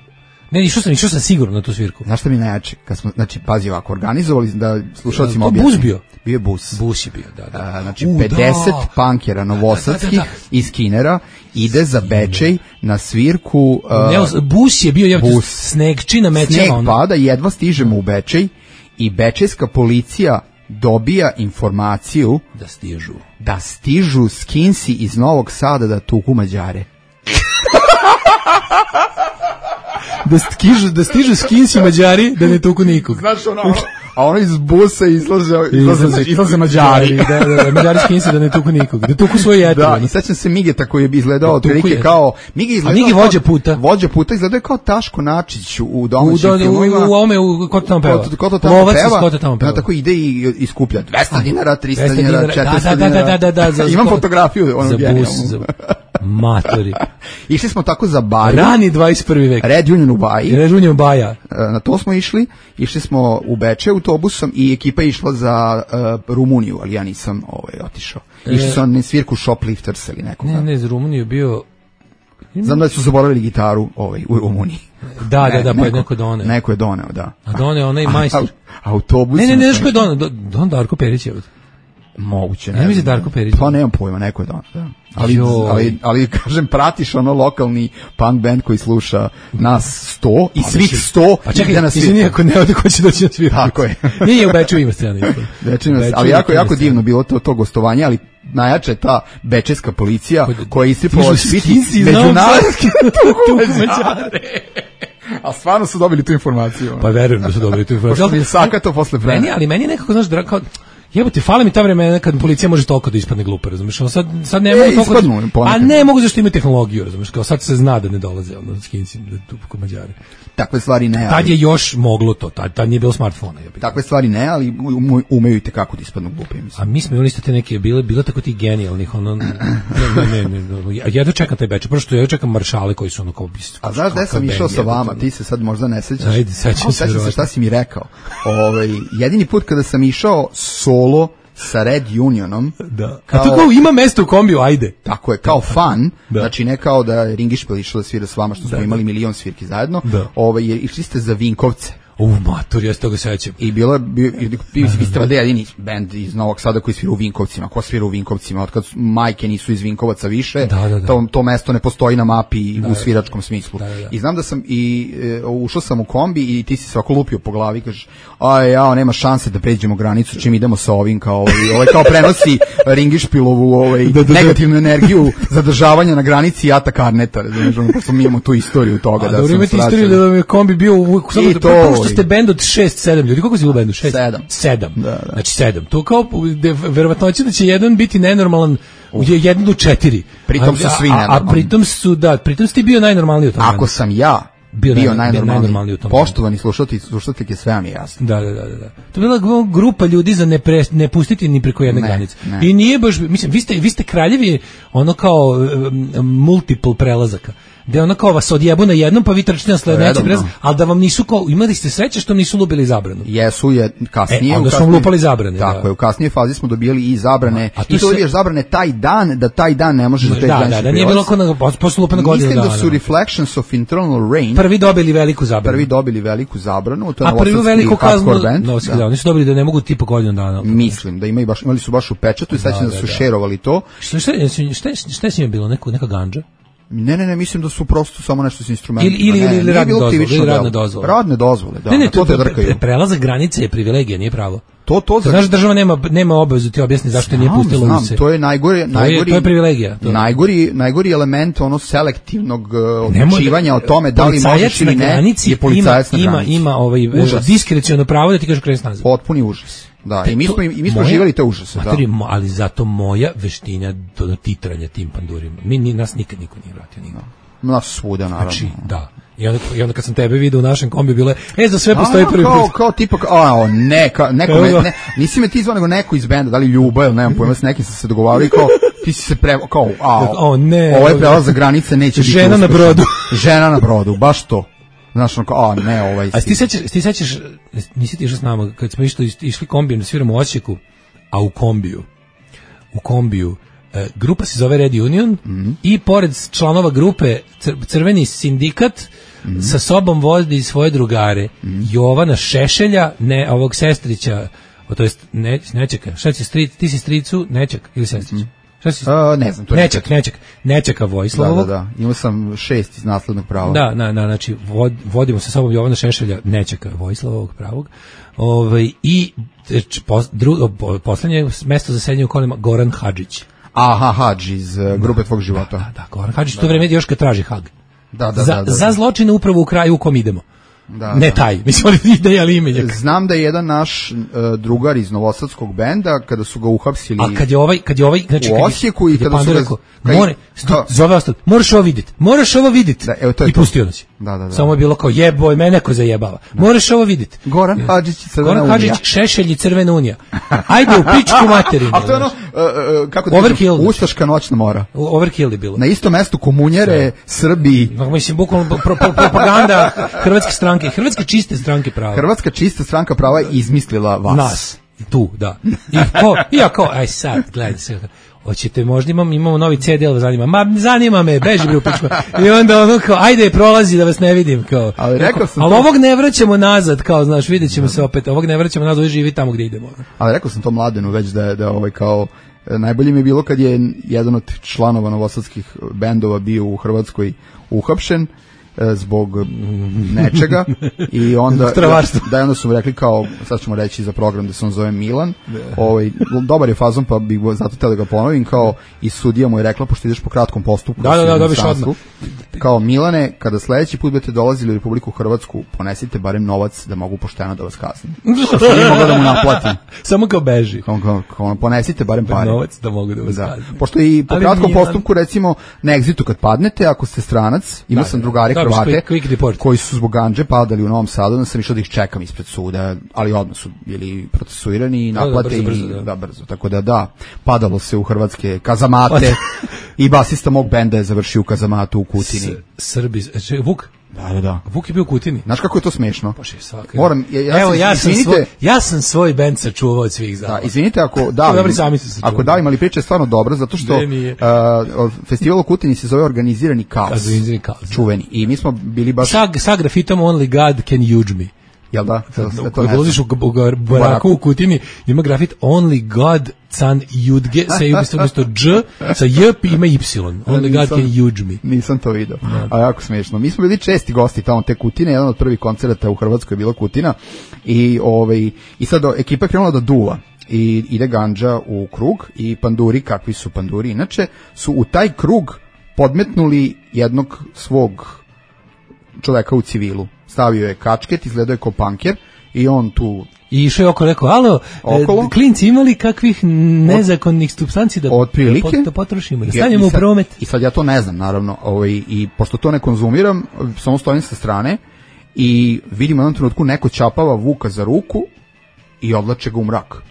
Ne, išao sam sigurno na tu svirku.
Znaš šta mi najjače? Znači, pazi ovako, organizovali da slušalcima objasnim.
Bus bio?
Bio je bus.
Bus je bio, da.
Znači, 50 punkera novosadskih iz Kinera ide za Bečej na svirku.
Bus je bio, snegčina mećama.
Sneg pada, jedva stižemo u Bečej i bečejska policija dobija informaciju da stižu skinsi iz Novog Sada da tuku Mađare.
Da stižu skinsi Mađari da ne tuku nikog.
Znaš a ono iz busa izlaze Mađari.
Da, Mađari skinsi da ne tuku nikog. Da tuku svoje jete.
Da, i sećam se Migeta koji je izgledao otprilike kao...
Migi vođa puta.
Vođa puta izgledao kao Taško Načić u domaćim filmovima.
Ko to tamo peva.
Lovac ko to tamo peva. Tako ide i iskuplja 200 dinara, 300 dinara, 400 dinara.
Da.
Imam fotografiju onog genijalnog.
Matori.
Išli smo tako za Baju.
Rani 21. vek.
Red Union u Baji.
Red Union Baja.
Na to smo išli smo u Bečej autobusom i ekipa je išla za Rumuniju, ali ja nisam otišao. Išli su na svirku Shoplifters ili nekog.
Ne, za Rumuniju bio...
Znam da su zaboravili gitaru u Rumuniji.
Da, pa je neko doneo.
Neko je doneo, da.
A doneo onaj majstor.
Autobus.
Ne, znaš ko je doneo? Don Darko Perić je.
Moguće.
Ne mislim Darko Perić.
Pa nemam pojma, neko je doneo. Da. Ali kažem, pratiš ono lokalni punk band koji sluša nas 100 i svih 100.
Pa čekaj, izvini ako ne ode ko će doći na svirku.
Tako je.
Nije u Beču ima scena.
Ali jako divno bilo to gostovanje, ali najjača je ta bečejska policija koja je istripala biti međunarodski tukumađare. A stvarno su dobili tu informaciju.
Pa verujem da su dobili tu informaciju.
Pošto mi je sakato posle vremena.
Ali meni je nekako, znaš, kao jebote, fale mi ta vremena kad policija može toliko da ispadne glupa, razumiješ? Sad ne mogu toliko. A ne mogu zašto ima tehnologiju, razumiješ? Kao sad se zna da ne dolaze skinci tu kod Mađari.
Takve stvari ne.
Tad je još moglo to, tad nije bilo smartfona.
Takve stvari ne, ali umeju i tekako da ispadnu glupe, mislim.
A mi smo imali isto te neke, bilo tako ti genijalnih, ja da čekam taj Beč, prosto ja čekam maršale koji su ono kao...
A znaš gde sam išao sa vama, ti se sad možda ne sećaš.
Ajde, sećam se
šta si mi rekao. Jedini put kada sam išao solo sa Red Unionom.
Da. A to kao ima mesto u kombiju, ajde.
Tako je, kao fan, znači ne kao da je Ringišpil išao da svira s vama, što smo imali milion svirki zajedno, išli ste za Vinkovce.
Matur, ja se toga sećam.
I vi ste vade jedini band iz Novog Sada koji svira u Vinkovcima. Ko svira u Vinkovcima? Otkad majke nisu iz Vinkovaca više, to mesto ne postoji na mapi u sviračkom smislu. I znam da sam ušao sam u kombi i ti si svako lupio po glavi i kažeš, nema šanse da pređemo granicu čim idemo sa ovim, kao kao prenosi Ringišpilovu negativnu energiju zadržavanja na granici i atak Arneta. Pošto mi imamo tu istoriju toga.
Dobro, imate istoriju da je kombi bio što ste bend od 6-7 ljudi. Koliko si bilo bendu? 7. Znači 7. To kao verovatnoće da će jedan biti nenormalan u 1 do 4.
Pritom su svi nenormalni.
A pritom si ti bio najnormalniji u tom.
Ako sam ja bio najnormalniji u tom. Poštovani slušateljke, sve vam je jasno.
Da. To je bila grupa ljudi za ne pustiti ni preko jedne granice. I nije baš, mislim, vi ste kraljevi ono kao multiple prelazaka. Da ono kao vas odjebu na jednom, pa vi trčite na sledeći prelaz, ali da vam nisu kao, imali ste sreće što nisu lupili zabranu.
Jesu je kasnije.
Onda smo lupali zabrane.
Tako je, u kasnije fazi smo dobijali i zabrane. I to dobiješ zabrane taj dan ne možeš da te granični.
Da, nije bilo posle lupana godina.
Mislim da su Reflections of Internal Rain
prvi dobili veliku
zabranu.
A prvi veliku kaznu, oni su dobili da ne mogu tipa godinu dana.
Mislim da imali su baš u pečatu i sad da su šerovali to.
Šta je s njima bilo, neka ganđa?
Ne, mislim da su prosto samo nešto s instrumentima.
Ili radne dozvole.
Radne dozvole, da.
Ne, prelazak granice je privilegija, nije pravo.
Znaš,
država nema obavezu ti objasni zašto je nije pustila use.
To je
to je privilegija.
Najgori element selektivnog odlučivanja o tome da li možeš ili ne je policajac na granici.
Ima diskreciono pravo da ti kažeš kreni nazad.
Potpuni užas. Da, i mi smo živjeli te užase.
Ali zato moja veština do titranja tim pandurima. Nas nikad niko nije vratio.
Nas svuda, naravno.
Znači, da. I onda kad sam tebe vidio u našem kombi bile, za sve postoji prvi put.
Kao tipa, nisi me ti zvao nego neko iz benda, da li Ljuba ili nemam pojma, s nekim sam se dogovarao i kao, ti si se ovo je prelaz za granice, neće biti
žena na brodu.
Žena na brodu, baš to. Znaš, ovaj...
A ti sećaš, nisi ti išao s nama, kad smo išli kombijem da sviramo u Osijeku, a u kombiju, grupa se zove Red Union i pored članova grupe Crveni sindikat sa sobom vodi svoje drugare. Jovana Šešelja, ovog sestrića, to jest Nečeka, šta će ti si stricu Nečak ili sestrić?
Ne znam, to
je Nečaka Vojslavog.
Da, imao sam 6 iz naslednog prava.
Da, znači vodimo sa sobom Jovana Šešelja, Nečaka Vojslavog pravog. I poslednje mesto za sedenje u kolima Goran Hadžić.
Hadž iz grupe tvog života.
Da, Goran Hadžić, to vreme još kad traži Hag.
Da.
Za zločine upravo u kraju u kom idemo. Ne taj, mislim ali imenjak.
Znam da je jedan naš drugar iz novosadskog benda, kada su ga uhapsili
a kad je ovaj znači,
u Osijeku i kada su ga...
Zove ostalo, moraš ovo vidjeti. I pustio nas.
Da.
Samo je bilo kao jeboj, mene ko zajebava. Moraš ovo vidjeti.
Goran Hadžić,
Šešelj i Crvena unija. Ajde u pičku materinu.
A to je ono, kako da kažem, ustaška noćna mora.
Overkill je bilo.
Na istom mestu komunjere, Srbi.
Mislim, bukvalno propaganda Hrvatske stranke, Hrvatske čiste stranke prava.
Hrvatska čista stranka prava je izmislila vas.
Nas. Tu, da. Aj sad, gledaj se. hoćete možda imamo novi CD, ali zanima. Ma zanima me, beži bre u pičku. I onda ono kao, ajde prolazi da vas ne vidim kao.
Ali rekao sam
ali ovog ne vraćamo nazad, kao znaš, videćemo se opet. Ovog ne vraćamo nazad, živi tamo gdje idemo.
Ali rekao sam to Mladenu već da ovaj kao najbolje mi je bilo kad je jedan od članova novosadskih bendova bio u Hrvatskoj uhapšen zbog nečega i onda onda su rekli kao, sad ćemo reći za program da se on zove Milan, dobar je fazon pa bih zato htio da ga ponovim, kao i sudija mu je rekla, pošto ideš po kratkom postupku,
dobiš odmah,
kao Milane, kada sledeći put budete dolazili u Republiku Hrvatsku, ponesite barem novac da mogu pošteno da vas kaznim. Što nije mogla da mu naplatim.
Samo kao beži.
Kao ponesite barem pare.
Novac da mogu da vas kaznim.
Pošto i po kratkom postupku, recimo, na egzitu kad padnete, ako ste stranac, imao sam drugari Hrvate koji su zbog gandže padali u Novom Sadu, onda sam išao da ih čekam ispred suda, ali odmah su bili procesuirani i naplate brzo. Tako da, padalo se u hrvatske kazamate i basista mog benda je završio u kazamatu u Kutini.
Srbi, Vuk?
Da.
Vuk je bio u Kutini.
Znaš kako je to smešno?
Moram, ja sam svoj bend sačuvao od svih zala.
Da, izvinite ako davim, ali priča je stvarno dobra, zato što festival u Kutini se zove Organizirani kaos. Čuveni. I mi smo bili baš...
Sa grafitom Only God Can Judge Me.
Jel da?
Kad ulaziš u baraku u Kutini, ima grafit Only God Can Judge, sa umjesto Dž, sa J ima Y. Only God Can Judge Me.
Nisam to video, a jako smiješno. Mi smo bili česti gosti tamo te Kutine, jedan od prvih koncerata u Hrvatskoj je bila Kutina i sad ekipa je krenula da duva i ide gandža u krug i panduri, kakvi su panduri inače, su u taj krug podmetnuli jednog svog čoveka u civilu. Stavio je kačket, izgledao je kao panker i on tu...
I išao je rekao, alo, klinci imali kakvih nezakonnih supstanci da potrošimo, da stavljamo u promet?
I sad ja to ne znam, naravno, i pošto to ne konzumiram, samo stojim sa strane i vidim u jednom trenutku neko čapava Vuka za ruku i odlače ga u mrak.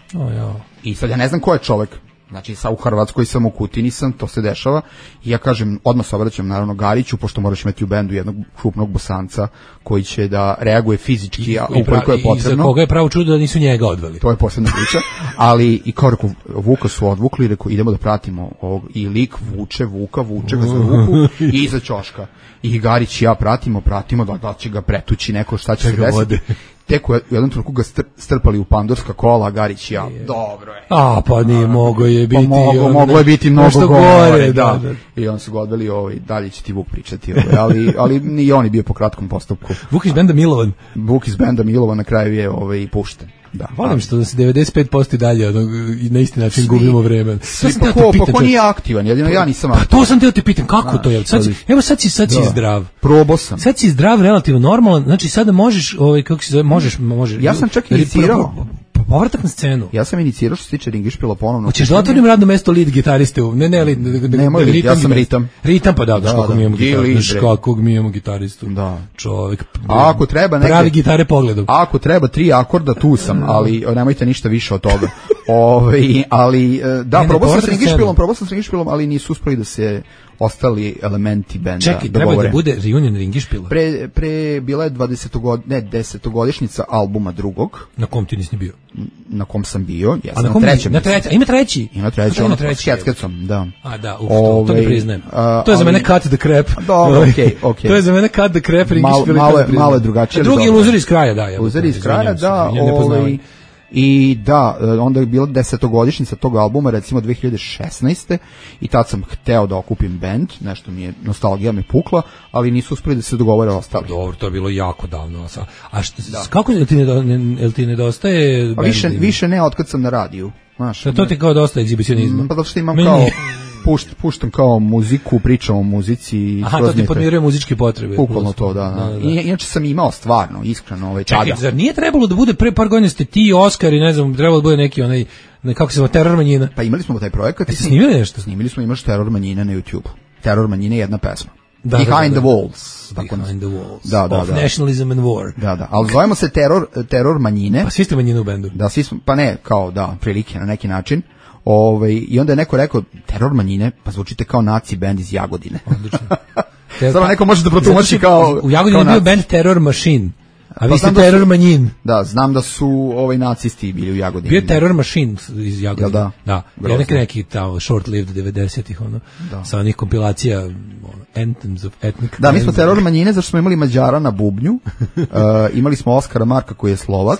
I sad ja ne znam ko je čovek. Znači, u Hrvatskoj sam, u Kutini sam, to se dešava i ja kažem, odmah se obraćam naravno Gariću, pošto moraš imati u bendu jednog krupnog Bosanca koji će da reaguje fizički, ukoliko je potrebno.
I za koga je pravo čudo da nisu njega odveli.
To je posebna priča, ali i kao rekao, Vuka su odvukli i rekao, idemo da pratimo ovog, i lik vuče ga za ruku i iza ćoška. I Garić i ja pratimo, da će ga pretući neko, šta će se desiti. Tek u jednom trenutku ga strpali u pandurska kola, Garić i ja. Dobro je.
Pa nije mogo je biti.
Moglo je biti mnogo gore, da. I on su ga odveli, dalje će ti Vuk pričati, ali i on je bio po kratkom postupku.
Vuk iz benda Milovan.
Vuk iz benda Milovan na kraju je pušten. Da,
volim što da se 95% i dalje na isti način gubimo vreme.
Pa ko nije aktivan, jedino ja nisam aktivan.
Pa to sam te pitam, kako to je? Evo sad si zdrav.
Probao sam.
Sad si zdrav, relativno normalan, znači sada možeš, kako se zove, možeš.
Ja sam čak inicirao.
Povratak na scenu.
Ja sam inicirao što se tiče Ringišpila ponovno.
Hoćeš da otvorim radno mesto lead gitariste?
Ja sam ritam.
Ritam, pa da, kakvog mi imamo gitaristu.
Da.
Čovjek.
A ako treba
pravi gitare pogledom.
Ako treba 3 akorda, tu sam, ali nemojte ništa više od toga. Ali da, probao sam s Ringišpilom, ali nisu uspeli da se ostali elementi benda.
Čekaj, treba da bude reunion Ringišpila.
Bila je 10-godišnjica albuma drugog.
Na kom ti nisi bio?
Na kom sam bio,
ja sam na trećem. Ima treći?
Ima treći, ono s Keckecom, da.
A da, to ne priznajem. To je za mene cut the crap.
Dobro, okej.
To je za mene cut the crap, Ringišpila.
Malo je drugačije.
Drugi je Loser iz kraja, da.
Loser iz kraja, da. I da, onda je bila 10-godišnjica tog albuma, recimo 2016. I tad sam hteo da okupim band, nešto mi je, nostalgija me pukla, ali nisu uspeli da se dogovore ostali.
Dobro, to je bilo jako davno. A kako jel ti nedostaje band?
Više ne, otkad sam na radiju.
To ti kao dosta egzibicionizma?
Pa zato što imam kao... Puštam kao muziku, pričam o muzici.
Aha, to ti podmiruje muzičke potrebe.
Bukvalno to, da. Inače sam imao stvarno, iskreno, tada.
Čekaj, zar nije trebalo da bude pre par godina ste ti, Oskar i ne znam, trebalo da bude neki kako se zove, Teror manjina?
Pa imali smo taj projekat.
Jeste snimili nešto?
Snimili smo, imaš Teror manjine na YouTube. Teror manjine je jedna pesma. Behind the Walls.
Behind the Walls.
Da.
Of Nationalism and War.
Da. Ali zovemo se Teror manjine.
Pa svi ste manjine u bendu.
Da, svi smo, pa ne, kao da, prilike na neki način. I onda je neko rekao, Teror manjine, pa zvučite kao naci bend iz Jagodine.
Odlično.
Samo neko može da protumači kao...
U Jagodini je bio band Terror Machine. A vi ste teror manjin.
Da, znam da su nacisti bili u Jagodini.
Bio je teror machine iz Jagodine.
Da?
Da.
Grozno.
Neki short-lived 90-ih, sa onih kompilacija, Anthems of Ethnic.
Da, mi smo teror manjine, zašto smo imali Mađara na bubnju, imali smo Oskara Marka koji je Slovak.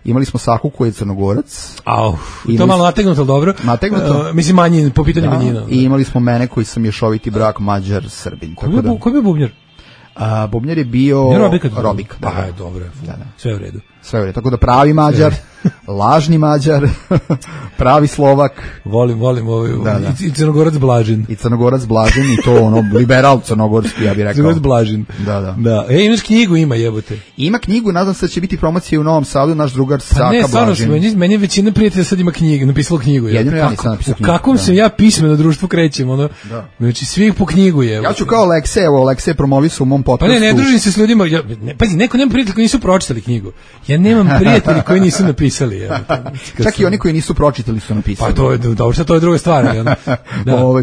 Imali smo Saku koji je Crnogorac.
To je malo nategnuto, ali dobro.
Nategnuto?
Mislim manjin, po pitanju manjina.
I imali smo mene koji sam mješoviti brak Mađar-Srbin.
Ko je bio bubnjar?
Bubnjar je bio Robik.
Da, dobro, sve u redu.
Tako da pravi Mađar, lažni Mađar, pravi Slovak.
Volim i Crnogorac Blažin.
I Crnogorac Blažin i to liberal crnogorski, ja bih rekao.
Crnogorac Blažin.
Da.
Imaš knjigu, jebote.
Ima knjigu, nadam se da će biti promocija u Novom Sadu, naš drugar Saka Blažin.
Ne, stvarno, meni je većina prijatelja sad ima knjige, napisalo knjigu.
Jedino ja nisam napisao knjigu.
U kakvom se ja pismeno društvu krećem, znači svih po knjigu je.
Ja ću kao Alekse promovisu u mom podcastu.
Pa ne družim se s ljudima, pazi, neko nema prijatelja koji nisu pročitali knjigu. Ja nemam prijatelji koji nisu napisali.
Čak i oni koji nisu pročitali su napisali.
Pa to je dobro, to je druga stvar.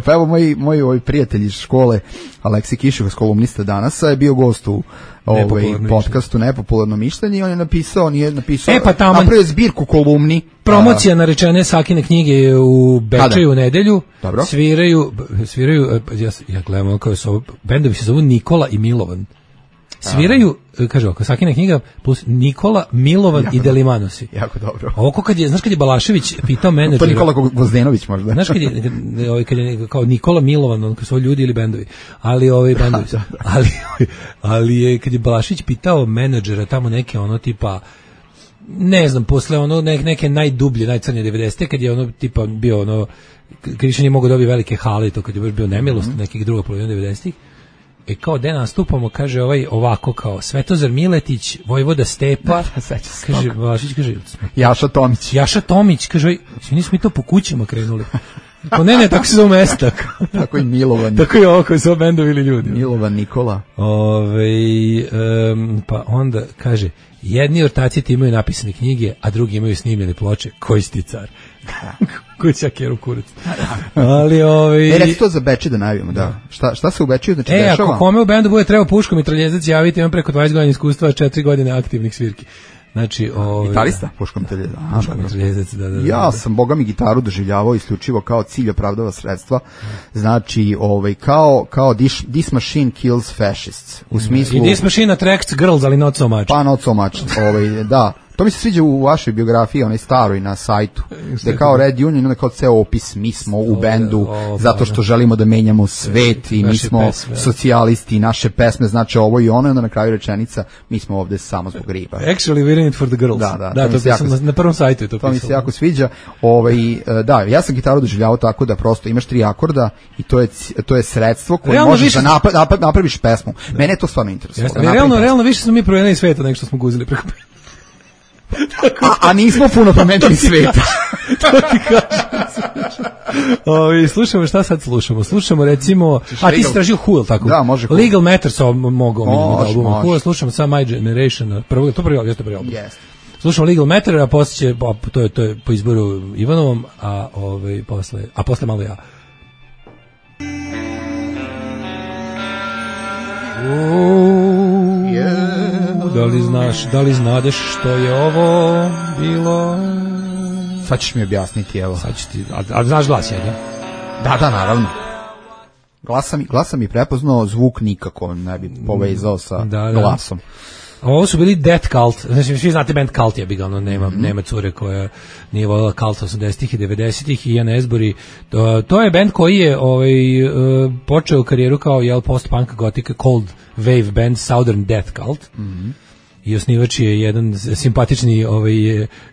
Pa evo moj prijatelj iz škole, Aleksi Kiševac, kolumnista Danasa, je bio gost u podcastu Nepopularno mišljenje i on je napisao, napravio zbirku kolumni.
Promocija narečene Sakine knjige u Bečeju u nedelju.
Dobro.
Sviraju, ja gledam kao su bendovi se zovu Nikola i Milovan. Sviraju, kaže ovako, Sakina knjiga plus Nikola, Milovan i Delimanosi.
Jako dobro.
Ovo kad je Balašević pitao menadžera.
To Nikola Gvozdenović možda.
Znaš kad je kao Nikola Milovan, kad su ljudi ili bendovi. Ali bendovi. Ali je kad je Balašević pitao menadžera tamo neke tipa ne znam, posle neke najdublje, najcrnje 90-te, kad je tipa bio kad više nije mogao dobiti velike hale, to kad je baš bio nemilost nekih druga polovina 90-ih. Kao da nastupamo, kaže ovako kao Svetozar Miletić, Vojvoda Stepa, kaže Vlašić, kaže Jaša Tomić, kaže nismo mi to po kućama krenuli. Pa ne, tako se zove mesta.
Tako i Milovan.
Tako i ovo koji su bendovi ili ljudi.
Milovan Nikola.
Pa onda kaže, jedni ortaci imaju napisane knjige, a drugi imaju snimljene ploče. Koji si ti car? Koji će Keru kurac. Ali
reci to za Beče da najavimo, da. Šta se u Bečiju znači dešava?
Ako kome u bendu bude trebao puško mitraljezac javiti, imam preko 20 godina iskustva, 4 godine aktivnih svirki. Znači,
gitarista, puško
mitraljezac, da.
Ja sam boga mi gitaru doživljavao isključivo kao cilj opravdava sredstva. Znači, kao this machine kills fascists. U smislu
i this machine attracts girls, ali not so much.
Pa not so much. Da. To mi se sviđa u vašoj biografiji, onaj staroj na sajtu, gde kao Red Union, onda kao ceo opis, mi smo u bendu zato što želimo da menjamo svet i mi smo socijalisti, naše pesme znači ovo i ono, i onda na kraju rečenica, mi smo ovde samo zbog riba.
Actually we're in it for the girls. Da, to sam na prvom sajtu je to pisalo.
To mi se jako sviđa. Da, ja sam gitaru doživljavao tako da prosto imaš 3 akorda i to je sredstvo koje možeš da napraviš pesmu. Mene je to stvarno interesovalo.
Realno više smo mi promenili sveta nego što smo guzili preko.
A nismo puno promenili sveta.
To ti kažem. Slušamo, šta sad slušamo? Slušamo recimo, ti si tražio Who, tako?
Da, može Who.
Legal Matters mogu albuma Who, slušamo sam My Generation, prvi album.
Yes.
Slušamo Legal Matter, a posle to je po izboru Ivanovom, a posle malo ja. Da li znadeš što je ovo bilo?
Sad ćeš mi objasniti, evo.
Sad ću ti, a znaš glas, je,
da? Da, naravno. Glasa mi prepoznao, zvuk nikako ne bi povezao sa glasom.
Ovo su bili Death Cult, znači svi znate band Cult, ja bih nema cure koja nije voljela Cult 80-ih i 90-ih i Ian Asbury. To je band koji je počeo karijeru kao post-punk gothic cold wave band Southern Death Cult. I osnivač je jedan simpatični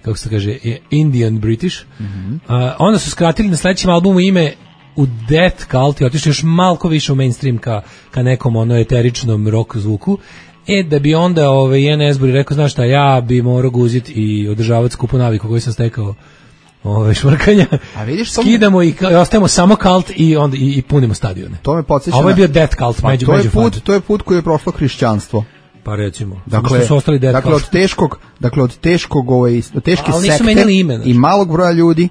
kako se kaže Indian British. Onda su skratili na sledećem albumu ime u Death Cult i otišli još malko više u mainstream ka nekom eteričnom rock zvuku. Da bi onda Ian Asbury rekao, znaš šta, ja bi morao guziti i održavati skupu naviku koju sam stekao švrkanja.
A vidiš,
skidamo i ostajemo samo Cult i onda i punimo stadione.
To me podsjeća.
Ovo je bio Death Cult,
to je put koji je prošlo hrišćanstvo.
Pa recimo.
Dakle, od teške sekte i malog broja ljudi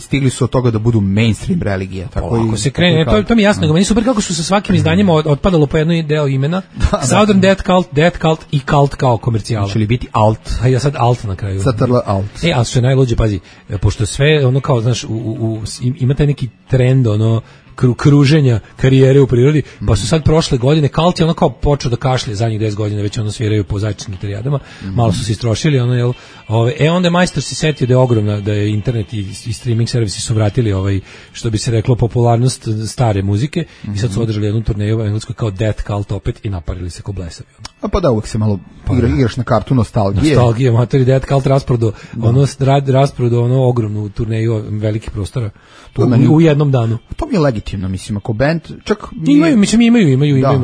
stigli su od toga da budu mainstream religija. Tako
Ako se krene, to mi je jasno, meni super kako su sa svakim izdanjima otpadalo po jedno deo imena. Southern Death Cult i Cult kao komercijala.
Će li biti alt?
A ja sad alt na kraju.
Satrl alt.
Ali što je najluđe, pazi, pošto sve ono kao, znaš, ima taj neki trend, ono, kruženja karijere u prirodi, pa su sad prošle godine Cult je ono kao počeo da kašlje zadnjih 10 godina, već ono sviraju po zajedničkim terijadama, malo su se istrošili, ono, jel, onda je majstor se setio da je ogromna, da je internet i streaming servisi su vratili što bi se reklo, popularnost stare muzike i sad su održali jednu turneju u Engleskoj kao Death Cult opet i naparili se ko blesavi.
A pa da, uvek se malo igraš na kartu nostalgije.
Nostalgije, matori, Death Cult rasprodo ono ogromnu turneju velikih prostora u jednom danu.
To mi je legitimno, mislim, ako band čak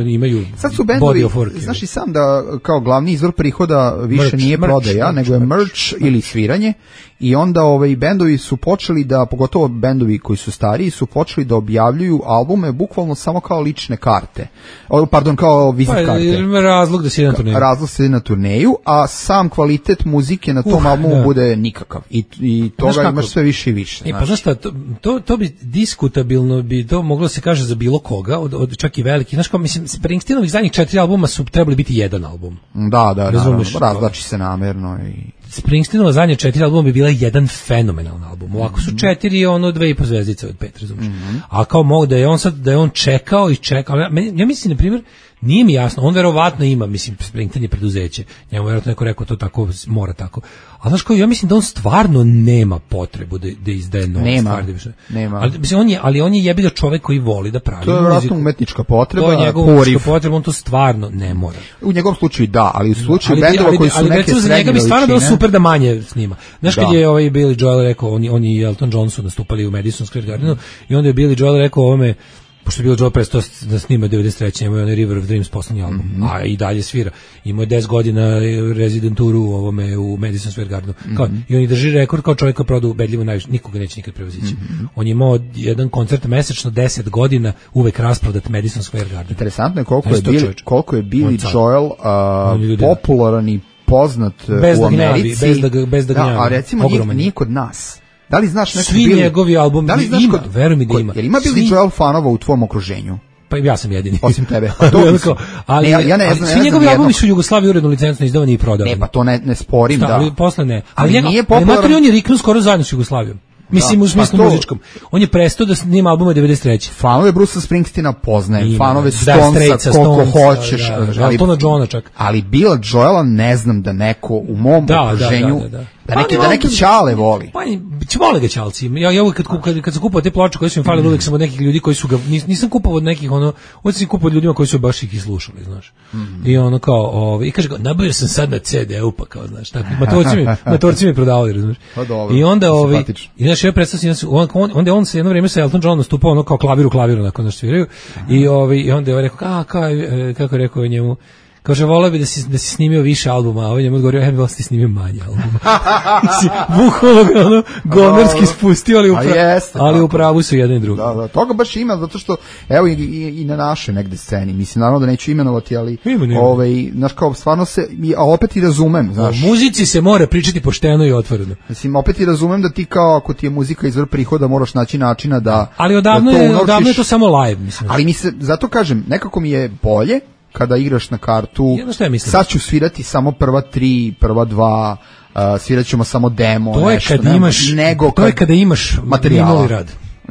imaju sad su bendovi, znaš i sam da kao glavni izvor prihoda više nije prodaja, nego je merch ili sviranje, i onda bendovi su počeli da, pogotovo bendovi koji su stariji, su počeli da objavljuju albume bukvalno samo kao lične karte. Kao vizit karte.
Razlog da se ide na turneju.
Razlog se ide na turneju, a sam kvalitet muzike na tom albumu bude nikakav. I toga imaš sve više i više.
Pa znaš šta, to bi diskutabilno bi to moglo se kaže za bilo koga, od čak i veliki. Znaš kao, mislim, Springsteenovih zadnjih 4 albuma su trebali biti jedan album.
Da, razlači se namerno i...
Springsteenova zadnje 4 albuma bi bila jedan fenomenalan album. Ovako su 4, 2,5 zvezdice od 5, razumiješ. A kao mogu da je on čekao i čekao. Ja mislim, na primjer, nije mi jasno, on verovatno ima, mislim, Springsteen je preduzeće, njemu verovatno neko rekao to tako, mora tako. A znaš kao, ja mislim da on stvarno nema potrebu da izdaje nove stvari.
Nema.
Ali on je jebi ga čovek koji voli da pravi muziku.
To je verovatno umetnička potreba.
To je njegova umetnička potreba, on to stvarno ne mora.
U njegovom slučaju da, ali u slučaju bendova koji su neke srednje veličine. Ali za njega bi stvarno bilo super da manje snima. Znaš kad je Billy Joel rekao, oni i Elton John su nastupali u Madison Square Gardenu i onda je Billy Joel rekao ovome, pošto je Billy Joel prestao da snima 93. imao je onaj River of Dreams poslednji album, a i dalje svira. Imao je 10 godina rezidenturu u Madison Square Gardenu. I on i drži rekord kao čovjek koji prodao ubedljivo najviše, nikoga neće nikad prevazići. On je imao jedan koncert mesečno 10 godina, uvek rasprodat Madison Square Garden. Interesantno je koliko je Billy Joel popularan i poznat u Americi.
Bez da gnjavi.
A recimo nije kod nas. Da li znaš neko
svi njegovi albumi ima, veruj mi da ima.
Jel ima Billy Joel fanova u tvom okruženju?
Pa ja sam jedini.
Osim tebe.
Ali ja ne znam. Svi njegovi albumi su u Jugoslaviji uredno licencno izdavani i prodavani.
Ne, pa to ne sporim, da.
Ali posle ne.
Ali nije popularan.
On je riknuo skoro zajedno s Jugoslavijom. Mislim, u smislu muzičkom. On je prestao da snima albume 93.
Fanove Bruce'a Springsteena poznajem, fanove Stonesa, koliko hoćeš.
Eltona Johna čak.
Ali Billa Joela ne znam da neko u mom okruženju, da neki ćale voli.
Pa, vole ga ćalci. Ja uvijek kad sam kupovao te ploče koje su mi falili, uvijek sam od nekih ljudi koji su ga, nisam kupovao od nekih, uvijek sam kupovao od ljudima koji su baš ih slušali, znaš. I ono kao, i kaže, nabavio sam sad na CD-u, pa kao, znaš, tako, matorci mi prodavali, znaš.
I
onda, i znaš, ja predstavljam, onda on se jedno vrijeme sa Elton Johnom nastupao ono kao klaviru nakon da sviraju, i onda je rekao, kako je rekao njemu, kaže, voleo bi da si snimio više albuma, a ovaj njemu odgovorio, ja bih voleo da si snimio manje albuma. Bukvalno ga gomerski spustio, ali u pravu su jedan i drugi.
Da, toga baš ima, zato što, evo i na našoj negde sceni, mislim, naravno da neću imenovati, ali, znaš kao, stvarno se, a opet i razumem, znaš.
O muzici se mora pričati pošteno i otvoreno.
Mislim, opet i razumem da ti kao, ako ti je muzika izvor prihoda, moraš naći načina da...
Ali odavno je to samo live, mislim.
Ali zato kažem, nekako mi je bolje kada igraš na kartu, sad ću svirati samo prva 3, prva 2, svirat ćemo samo demo,
to je kada imaš minuli rad.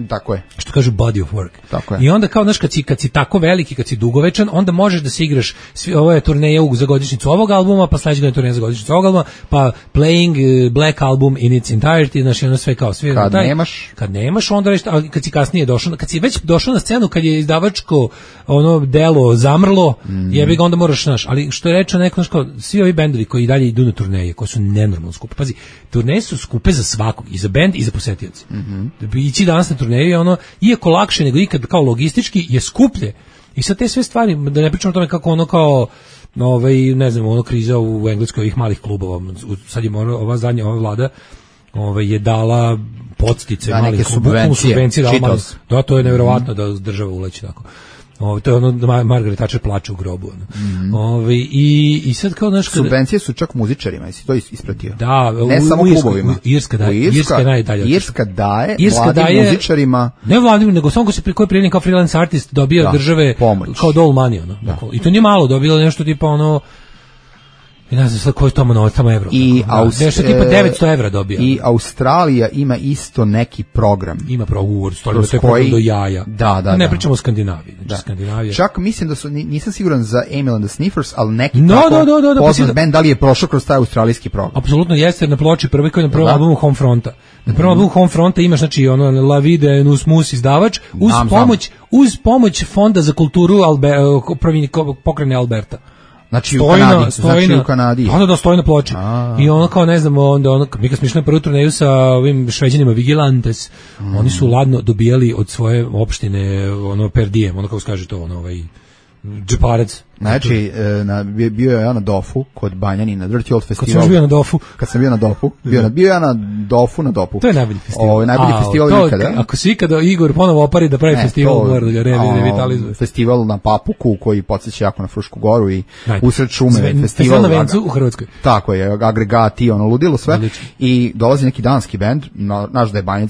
Tako je.
Što kažu body of work.
Tako je.
I onda kao, znaš, kad si tako veliki, kad si dugovečan, onda možeš da se igraš, ovo je turneja za godišnjicu ovog albuma, pa sledeća je turneja za godišnjicu ovog albuma, pa Playing Black Album in its entirety, znaš, ono sve kao sve. Kad nemaš, onda reći, ali kad si kasnije došao, kad si već došao na scenu, kad je izdavačko ono delo zamrlo, jebi ga, onda moraš, znaš, ali što je rečeno neko, znaš, kao, svi ovi bendovi koji i dalje idu na turneje, koji su nenormalno skupe. Pazi, turneje su skupe za svakog, i za bend i za posetioce. Ići danas na turneju je ono, iako lakše nego ikad, kao logistički, je skuplje. I sad te sve stvari, da ne pričamo o tome kako ono kao, ne znam, ono kriza u Engleskoj ovih malih klubova, sad je ova vlada je dala podstice malih klubova, subvencije dala malih, da, to je nevjerovatno da država uleći tako. To je ono da Margaret Thatcher plače u grobu. I sad kao znaš kada...
Subvencije su čak muzičarima, jesi to ispratio?
Da,
ne samo klubovima.
Irska je najdalje.
Irska daje mladim muzičarima...
Ne mladim, nego samo ko je prijavljen kao freelance artist dobija države
pomoć.
Kao dole money. I to nije malo, dobila nešto tipa ono... I ne znam sad koji je tamo evro. Nešto tipa 900 evra dobija.
I Australija ima isto neki program.
Ima program, to je program do jaja.
Da.
Ne pričamo o Skandinaviji. Skandinavija.
Čak mislim da su, nisam siguran za Emil and the Sniffers, ali neki poznat band, da li je prošao kroz taj australijski program.
Apsolutno jeste, jer na ploči prvi koji je na prvom albumu Homefronta. Na prvom albumu Homefronta imaš, znači, ono, La Vide Nus Mus izdavač, uz pomoć Fonda za kulturu pokrajine Alberta.
Znači
u Kanadi. Da, stoji na ploči. I ono kao, ne znam, onda mi kad smo išli na prvu turneju sa ovim Šveđanima Vigilantes, oni su ladno dobijali od svoje opštine ono per diem, ono kako se kaže to, ono džeparac.
Znači, bio je ja na Dofu, kod Banjanina, Dirty Old Festival.
Kad sam bio na Dofu.
Bio ja na Dofu.
To je najbolji festival.
Najbolji festival ikada.
Ako si ikada Igor ponovo opari da pravi festival, mora da ga revitalizuje.
Festival na Papuku, koji podsjeća jako na Frušku goru i usred šume.
Festival na Vencu u Hrvatskoj.
Tako je, agregati, ludilo sve. I dolazi neki danski bend, naš da je Banjanin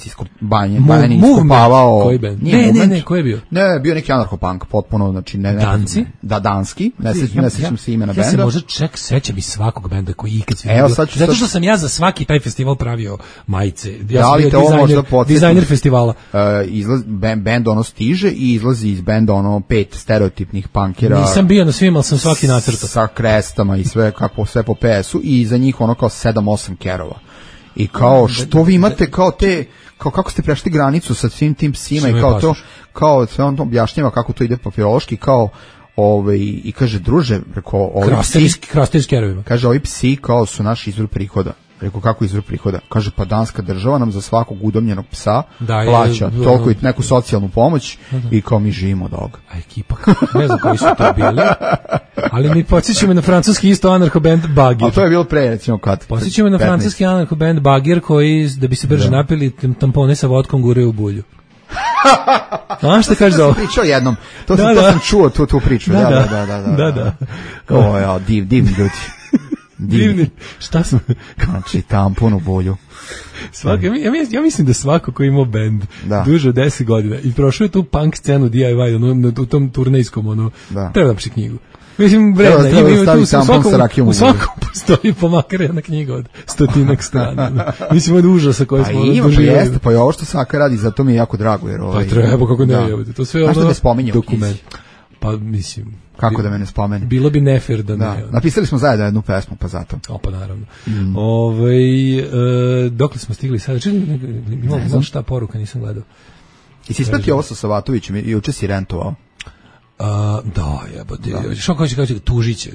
iskopavao.
Koji bend? Ne, koji je bio?
Ne, bio neki anarcho-punk, potpuno, znači
Danci?
Da, danski. Ne sećam se imena benda.
Ja se možda sećam i svakog benda koji ikad svidio. Zato što sam ja za svaki taj festival pravio majice. Ja sam bio dizajner festivala.
Bend ono stiže i izlazi iz benda ono 5 stereotipnih punkera.
Nisam bio na svima, ali sam svaki nacrtao.
Sa krestama i sve po PS-u i za njih ono kao 7-8 kerova. I kao što vi imate kao te, kao kako ste prešli granicu sa svim tim psima i kao to, kao sve on to objašnjava kako to ide papirološki, kao i kaže, druže, reko,
krasterski kerovima.
Kaže, ovi psi kao su naš izvor prihoda. Reko, kako izvor prihoda? Kaže, pa danska država nam za svakog udomljenog psa plaća toliko i neku socijalnu pomoć i kao mi živimo od ovoga.
A ekipa, ne znam koji su to bili, ali mi podsjećamo na francuski isto anarcho-band Bagir.
A to je bilo pre, recimo, kad?
Podsjećamo na francuski anarcho-band Bagir koji, da bi se brže napili, tampone sa vodkom guraju u bulju. A šta kažeš da ovo?
Pričao jednom. To sam čuo tu priču.
Da.
Kao divni ljudi.
Divni. Šta smo?
Znači tampon u bulju.
Ja mislim da svako ko imao bend duže od 10 godina i prošao je tu punk scenu DIY u tom turnejskom treba da piše knjigu. Mislim, vredna, u svakom postoji pomakar jedna knjiga od 100 strana. Mislim, od užasa koje smo doživjeli.
Pa je ovo što Saka radi, zato mi je jako drago.
Pa treba, kako ne, to sve ono dokument. Pa mislim...
Kako da me ne spomeni?
Bilo bi nefer da ne.
Napisali smo zajedno jednu pesmu, pa zato.
Pa naravno. Dokle smo stigli sada? Imam šta poruka, nisam gledao.
I si ispratio ovo sa Savatovićem i juče si rentovao?
Da, jebote. Što kaže tužiće.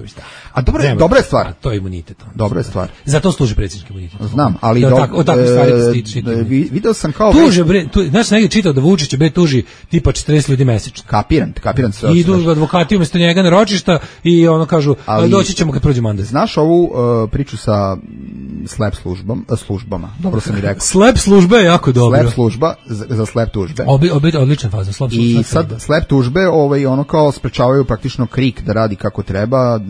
A dobra je stvar.
To je imunitet.
Dobra je stvar.
Zato služi predsjednički imunitet.
Znam, ali
od takvih stvari da stiče.
Video sam kao
tuže bre, znaš negdje čitao da Vučić bre tuži tipa 40 ljudi mesečno.
Kapiram sve.
Idu advokati umjesto njega na ročišta i kažu doći ćemo kad prođe mandat.
Znaš ovu priču sa slep službama. Dobro sam i rekao.
Slep služba je jako dobro.
Slep služba za slep tužbe.
Odlična faza, slep služba.
I sad slep tužbe, kao sprečavaju praktično KRIK da radi kako treba,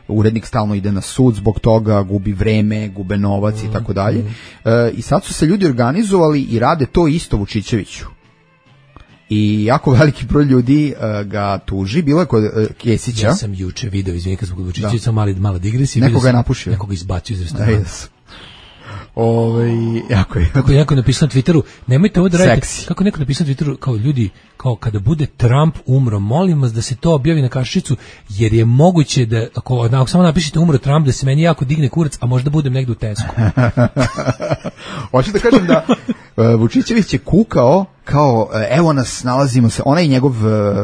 urednik stalno ide na sud zbog toga, gubi vreme, gube novac i tako dalje. I sad su se ljudi organizovali i rade to isto Vučićeviću. I jako veliki broj ljudi ga tuži, bilo je kod Kesića.
Ja sam juče video, izvini kad smo kod Vučićevića, mala digresija.
Nekoga je napušio.
Nekoga izbacio iz restorana.
Jako je.
Kako je neko napisao na Twitteru, nemojte ovo da radite. Kako neko napisao na Twitteru, kao ljudi, kao kada bude Trump umro, molim vas da se to objavi na kašičicu, jer je moguće da, ako samo napišete umro Trump, da se meni jako digne kurac, a možda budem negdje u Tesku.
Hoću da kažem da Vučićević je kukao, kao, evo nas, nalazimo se, onaj njegov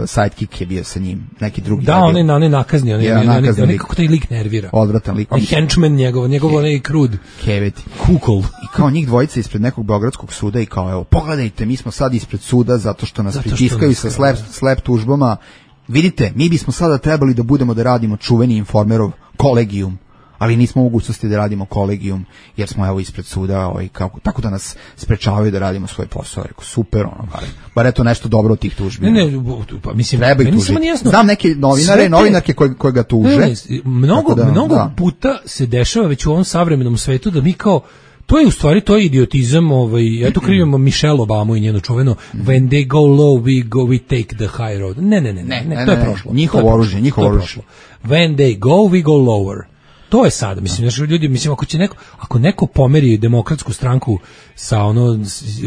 sidekick je bio sa njim, neki drugi.
Da, onaj nakazni, onaj kako taj lik nervira.
Odvratan lik.
Henchman njegov onaj krud.
Keveti.
Kukol.
I kao njih dvojica ispred nekog beogradskog suda i kao, evo, pogledajte, mi smo sad ispred suda zato što nas pritiskaju sa slep tužbama. Vidite, mi bismo sada trebali da budemo da radimo čuveni Informerov kolegijum. ali nismo u mogućnosti da radimo kolegijum, jer smo evo ispred suda, tako da nas sprečavaju da radimo svoj posao. Rekao, super, bar eto nešto dobro od tih tužbi.
Ne, pa mislim,
treba ih tužiti. Znam neke novinare, novinarke koje ga tuže.
Mnogo puta se dešava već u ovom savremenom svetu da mi kao to je u stvari to je idiotizam, ja tu krivimo Michelle Obamu i njeno čuveno when they go low we take the high road. Ne, to je prošlo.
Njihovo oružje.
When they go we go lower. To je sad, mislim, ljudi, ako neko pomeri demokratsku stranku sa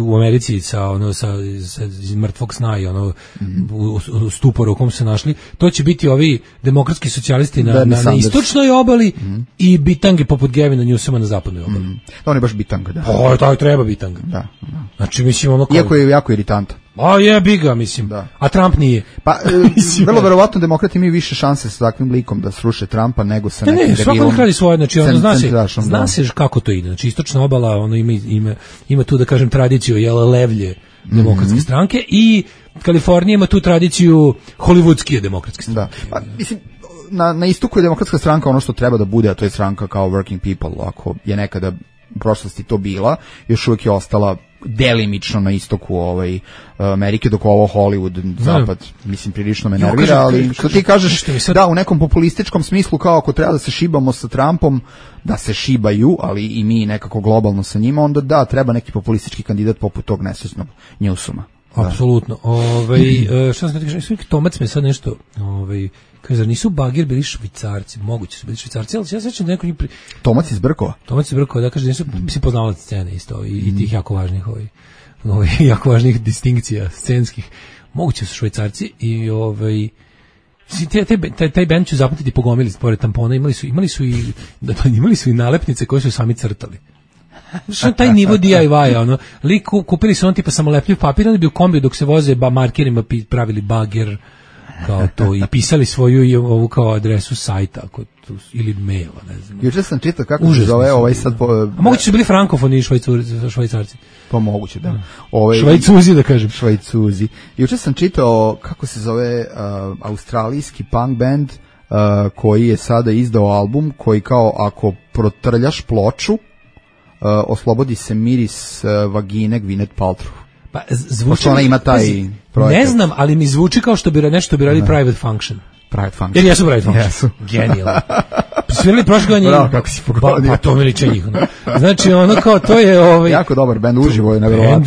u Americi sa iz mrtvog sna i u stuporu u kom se našli, to će biti ovi demokratski socijalisti na istočnoj obali i bitange poput Gavina Newsoma na zapadnoj obali.
On je baš bitanga, da.
To treba bitanga.
Da.
Znači, mislim,
iako je jako iritantan.
Jebi ga, mislim. Da. A Trump nije.
Pa, vrlo verovatno demokrati imaju više šanse sa takvim likom da sruše Trumpa nego sa nekim debilom.
Svako radi svoje, znači zna se kako to ide. Znači istočna obala, ima tu da kažem tradiciju levlje demokratske stranke i Kalifornija ima tu tradiciju hollywoodske demokratske stranke.
Da. Pa, mislim, na istoku je demokratska stranka ono što treba da bude, a to je stranka kao working people, ako je nekada u prošlosti to bila, još uvijek je ostala delimično na istoku Amerike, dok ovo Hollywood, zapad, mislim, prilično me nervira, ali što ti kažeš, da, u nekom populističkom smislu, kao ako treba da se šibamo sa Trumpom, da se šibaju, ali i mi nekako globalno sa njima, onda da, treba neki populistički kandidat poput tog nesrećnog Newsoma.
Apsolutno. Šta sam ti kažem, Tomac me sad nešto, kaže, zar nisu Bagir bili Švicarci? Moguće su bili Švicarci, ali ja sećam da neko njih...
Tomac iz Brkova,
da kaže, nisu, mislim, poznavali scene isto i tih jako važnih jako važnih distinkcija scenskih. Moguće su Švicarci i taj band ću zapamtiti po gomili pored tampona, imali su i nalepnice koje su sami crtali. Što taj nivo DIY-a, kupili su tipa samolepljiv papir, onda bi u kombiju dok se voze markerima pravili Bagir, kao to, i pisali svoju ovu kao adresu sajta ili maila, ne znam.
Juče sam čitao kako se zove sad...
A moguće su bili frankofoni Švajcarci?
Pa moguće, da.
Švajcuzi, da kažem.
Švajcuzi. Juče sam čitao kako se zove australijski punk band koji je sada izdao album koji kao ako protrljaš ploču oslobodi se miris vagine Gwyneth Paltrow.
Pa zvuči,
ona ima taj projekat.
Ne znam, ali mi zvuči kao što bi nešto bi radili Private Function. Jer jesu Private Function.
Jesu.
Genijalno. Svirali prošle godine.
Bravo, kako si pogodio.
Pa to mi liče njih. Znači, kao to je...
Jako dobar band, uživo je nevjerovatan.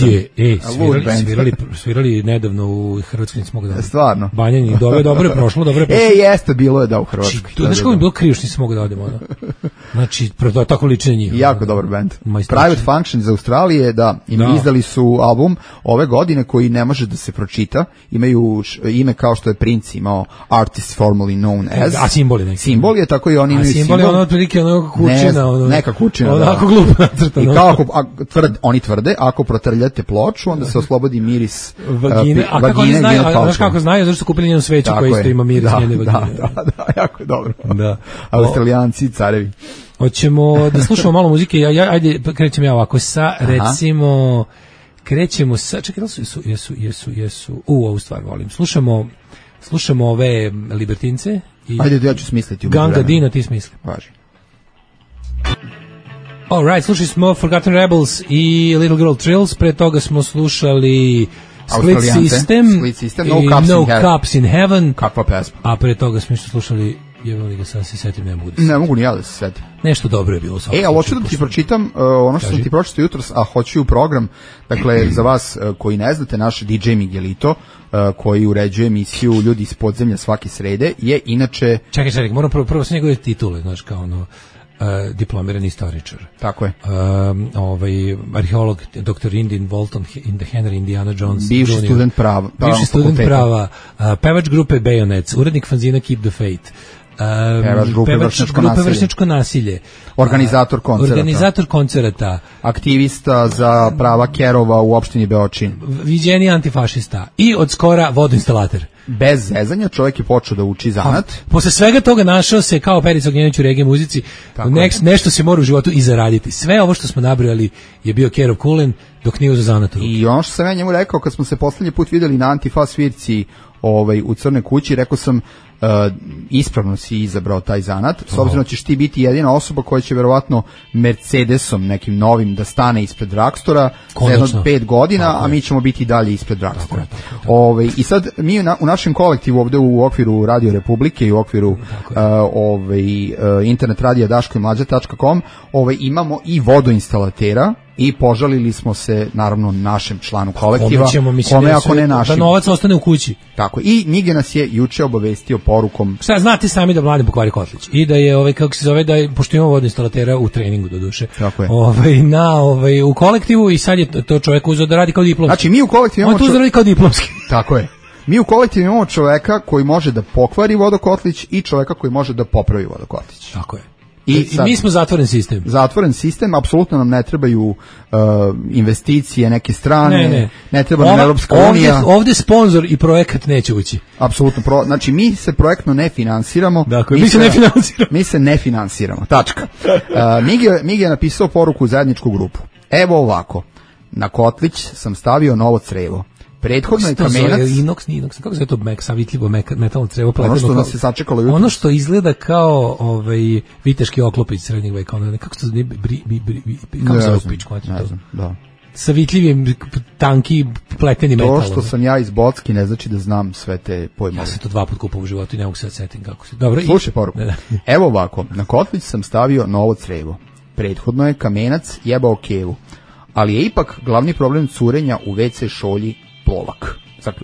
Svirali nedavno u Hrvatskoj, nisam mogu da...
Stvarno.
Banjani, dobro je prošlo.
Jeste, bilo je da u Hrvatskoj.
Znaš kako mi bilo krivo što nisam mogu da odim. Znači, tako liče njih.
Jako dobar band. Private Function iz Australije, da, izdali su album ove godine koji ne može da se pročita. Imaju ime kao što je Prince imao Artist Formerly Known As.
A simbol je neki.
Simbol je, tako i oni imaju
simbol. Simbol je otprilike kućina.
Neka kućina,
onako glupo nacrtano.
I kao oni tvrde, ako protrljate ploču, onda se oslobodi miris
vagine. A kako oni znaju? Znaš kako znaju? Zašto su kupili njenu sveću koja isto ima miris njene vagine.
Da, jako dobro. Australijanci, carevi.
Hoćemo da slušamo malo muzike. Ajde, krećem ja ovako sa, recimo, krećemo sa, čekaj, jesu, ovu stvar volim. Slušamo ove Libertince.
Ajde, ja ću smisliti.
Ganga Dina, ti smisli.
Važi.
Alright, slušali smo Forgotten Rebels i Little Girl Trills, pre toga smo slušali Split System
No Cups in Heaven. Kakva pesma.
A pre toga smo isto slušali, jebali ga sad se setim,
ne mogu ni ja da se setim.
Nešto dobro je bilo.
Ali hoću da ti pročitam ono što sam ti pročitao jutros, a hoću u program, dakle, za vas koji ne znate, naš DJ Miguelito, koji uređuje emisiju Ljudi iz podzemlja svake srede, je inače...
Čekaj, moram prvo sve njegove titule, znaš, kao diplomirani istoričar.
Tako je.
Arheolog, dr. Indin Walton in the Henry Indiana Jones.
Bivši student prava.
Pevač grupe Bayonets, urednik fanzina Keep the Faith.
Pevač grupe
Vršnjačko nasilje.
Organizator koncerata. Aktivista za prava kerova u opštini Beočin.
Viđeni antifašista. I od skora vodoinstalater.
bez zezanja čovjek je počeo da uči zanat.
Posle svega toga našao se kao Perica Ognjenović u reggae muzici, nešto se mora u životu i zaraditi. Sve ovo što smo nabrojali je bio Kerov Kulen dok nije uzeo zanat u ruke.
I ono što sam ja njemu rekao kad smo se poslednji put videli na Antifa svirci u Crnoj kući, rekao sam ispravno si izabrao taj zanat, s obzirom da ćeš ti biti jedina osoba koja će verovatno Mercedesom nekim novim da stane ispred Dragstora za jedno 5 godina, a mi ćemo biti dalje ispred Dragstora. I sad mi u našem kolektivu ovde u okviru Radio Republike i u okviru internet radija daškoimlađa.com imamo i vodoinstalatera i požalili smo se naravno našem članu kolektiva, kome ako ne našim.
Da novac ostane u kući.
Tako, i Mige nas je juče obavestio porukom.
Šta, znate sami da Mladen pokvari kotlić i da je, kako se zove, da je, pošto imamo vodoinstalatera u treningu do duše, u kolektivu i sad je to čovjek uzeo da radi kao diplomski.
Znači, mi u kolektivu imamo...
On to uzeo da radi kao diplomski.
Tako je. Mi u kolektivu imamo čoveka koji može da pokvari vodokotlić i čoveka koji može da popravi vodokotlić.
Tako je. I mi smo zatvoren sistem.
Zatvoren sistem, apsolutno nam ne trebaju investicije neke strane, ne treba nam Europska unija.
Ovde sponsor i projekat neće ući.
Apsolutno, znači mi se projektno ne finansiramo.
Dakle, mi se ne finansiramo.
Mi se ne finansiramo, tačka. Migi je napisao poruku u zajedničku grupu. Evo ovako, na kotlić sam stavio novo crevo. Prethodno je kamenac...
Inox, kako se to savitljivo metalno crevo pleteno?
Ono što nas je sačekalo jutro.
Ono što izgleda kao viteški oklop iz srednjeg veka. Kako se zove? Kako se zove pičku?
Ne znam, da.
Savitljivim, tanki, pleteni metal.
To što sam ja iz Bocki ne znači da znam sve te pojmove.
Ja sam to 2 puta kupao u životu i ne mogu se setim kako se... Dobro,
slušaj poruku. Evo ovako, na kotlić sam stavio novo crevo. Prethodno je kamenac jebao kevu. Ali je ipak glavni problem curenja u WC šolji plovak,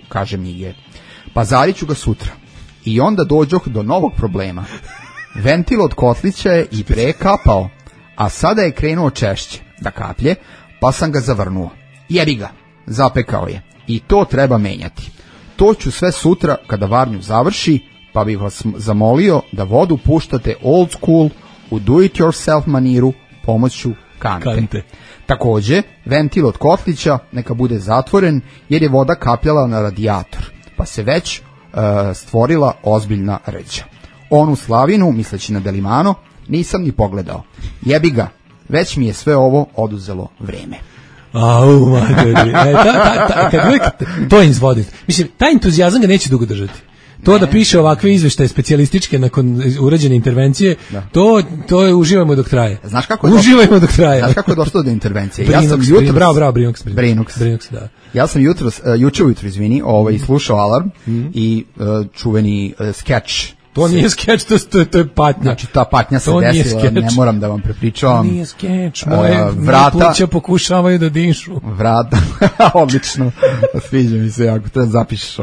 kaže Mige. Pazarit ću ga sutra. I onda dođoh do novog problema. Ventil od kotlića je i pre kapao, a sada je krenuo češće da kaplje, pa sam ga zavrnuo. Jebi ga, zapekao je. I to treba menjati. To ću sve sutra kada varnju završi, pa bih vas zamolio da vodu puštate old school u do-it-yourself maniru pomoću kante. Takođe, ventil od kotlića neka bude zatvoren jer je voda kapljala na radijator, pa se već stvorila ozbiljna rđa. Onu slavinu, misleći na Delimano, nisam ni pogledao. Jebi ga, već mi je sve ovo oduzelo vreme.
Au, materi. To je izvoditi. Mislim, taj entuzijazam ga neće dugo držati. To da piše ovakve izveštaje specijalističke nakon urađene intervencije, to je uživajmo dok traje.
Znaš kako je došlo do intervencije?
Bravo, Brinox, da.
Ja sam juče ujutro, slušao Alarm i čuveni skeč.
To nije skeč, to je patnja.
Znači, ta patnja se desila, ne moram da vam prepričavam.
To nije skeč, moje pluća pokušavaju da dišu.
Vrata, odlično, sviđa mi se jako, treba zapišeš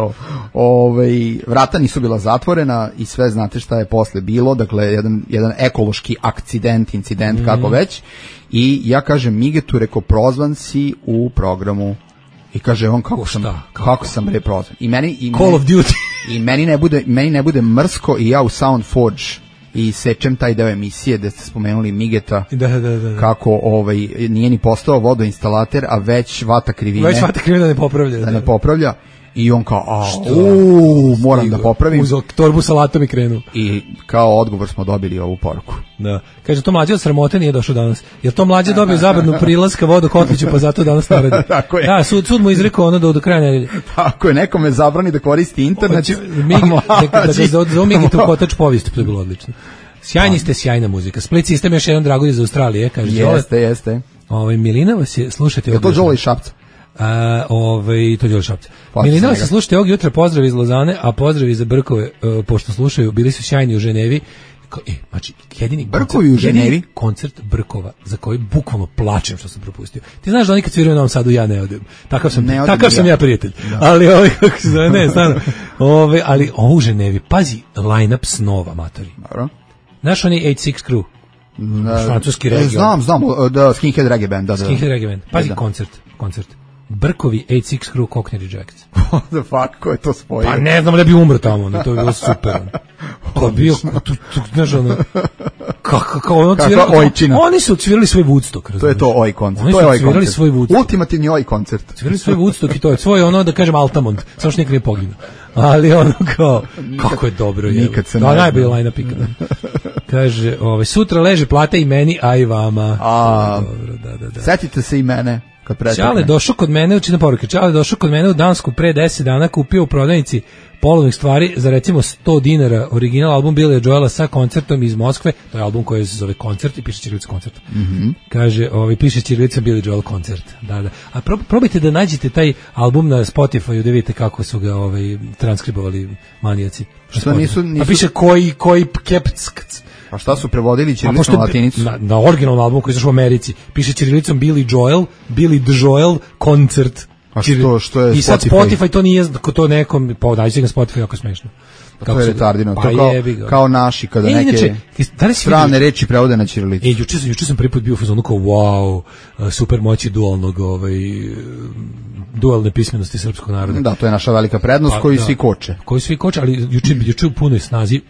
ovo. Vrata nisu bila zatvorena i sve znate šta je posle bilo, dakle, jedan ekološki incident, kako već. I ja kažem Migetu, rekao, prozvan si u programu. I kaže on kako sam prozvan.
Call of Duty.
I meni ne bude mrsko i ja u Soundforge i sečem taj deo emisije gde ste spomenuli Migeta.
Da.
Kako nije ni postao vodoinstalater, a već vata krivine.
Da ne popravlja.
Da ne popravlja. I on kao, moram da popravim.
Uzeo torbu salatom i krenu.
I kao odgovor smo dobili ovu poruku.
Da. Kaže, to Mlađe od sramote nije došao danas. Jer to Mlađe dobio zabranu prilaska vodokotliću, pa zato danas ne radi.
Tako je.
Da, sud mu izrekao ono do kraja nedelje.
Tako je, nekome zabrani da koristi internet.
Da zove Migi tu kotač povijesti, to je bilo odlično. Sjajni ste, sjajna muzika. Split System još jedan dragulj iz Australije, kaže.
Jeste.
Milina vas je, slušajte.
Je to Đole iz Šapca?
To je Šapca. Milina se slušajte ovog jutra, pozdrav iz Lozane, a pozdrav za Brkove, pošto slušaju, bili su sjajni u Ženevi. Znači, jedini koncert Brkova za koji bukvalno plačem što sam propustio. Ti znaš da oni kad sviraju u Novom Sadu ja ne odem. Takav sam ja prijatelj. Da. Ali kako se zove, ne, stvarno. Ali ovo u Ženevi, pazi, line-up snova, matori.
Dobro.
Znaš oni 8-6 Crew? Francuski region.
Znam, da, Skinhead Reggae Band. Da.
Skinhead Reggae Band. Pazi, koncert. Brkovi, 8-6 Crew, Cockney Rejects.
What the fuck, ko je to spojio?
Pa ne znam da bi umro tamo, to je bilo super. To je bio, znaš ono, kako ono
Kakva ojčina.
Oni su odsvirali svoj Woodstock,
To je to oj koncert.
Oni
To
su
je oj
odsvirali
koncert.
svoj Woodstock.
Ultimativni oj koncert.
Svirali svoj Woodstock i to je svoj ono da kažem Altamont, samo što nikad nije poginuo. Ali ono kao kako je dobro je.
Nikad se ne
da,
zna.
najbolji line-up ikada. Kaže, sutra leže plata i meni, a i vama. Dobro, da.
Setite se i mene kad pretekne.
Čale došao kod mene, učina poruke. Čale došao kod mene u Dansku pre 10 dana, kupio u prodavnici polovnih stvari za recimo $100, original album Billy Joela sa koncertom iz Moskve, to je album koji se zove Koncert i piše ćirilicom koncert. Kaže, piše ćirilicom Billy Joel koncert. Da. A probajte da nađete taj album na Spotify da vidite kako su ga transkribovali manijaci.
Što nisu...
A piše koji kepck.
Pa šta su prevodili ćirilicom na latinicu?
Na originalnom albumu koji je izašao u Americi piše ćirilicom Billy Joel koncert.
A što je
I sad Spotify to nije to nekom, pa nađite ga na Spotify, jako smešno.
To je retardirano,
pa
to kao naši kada neke strane reči prevode na ćirilicu.
Juče sam prvi put bio u fazonu kao wow, super moći dualne pismenosti srpskog naroda.
Da, to je naša velika prednost koju svi koče.
Koji svi koče, ali juče u punoj snazi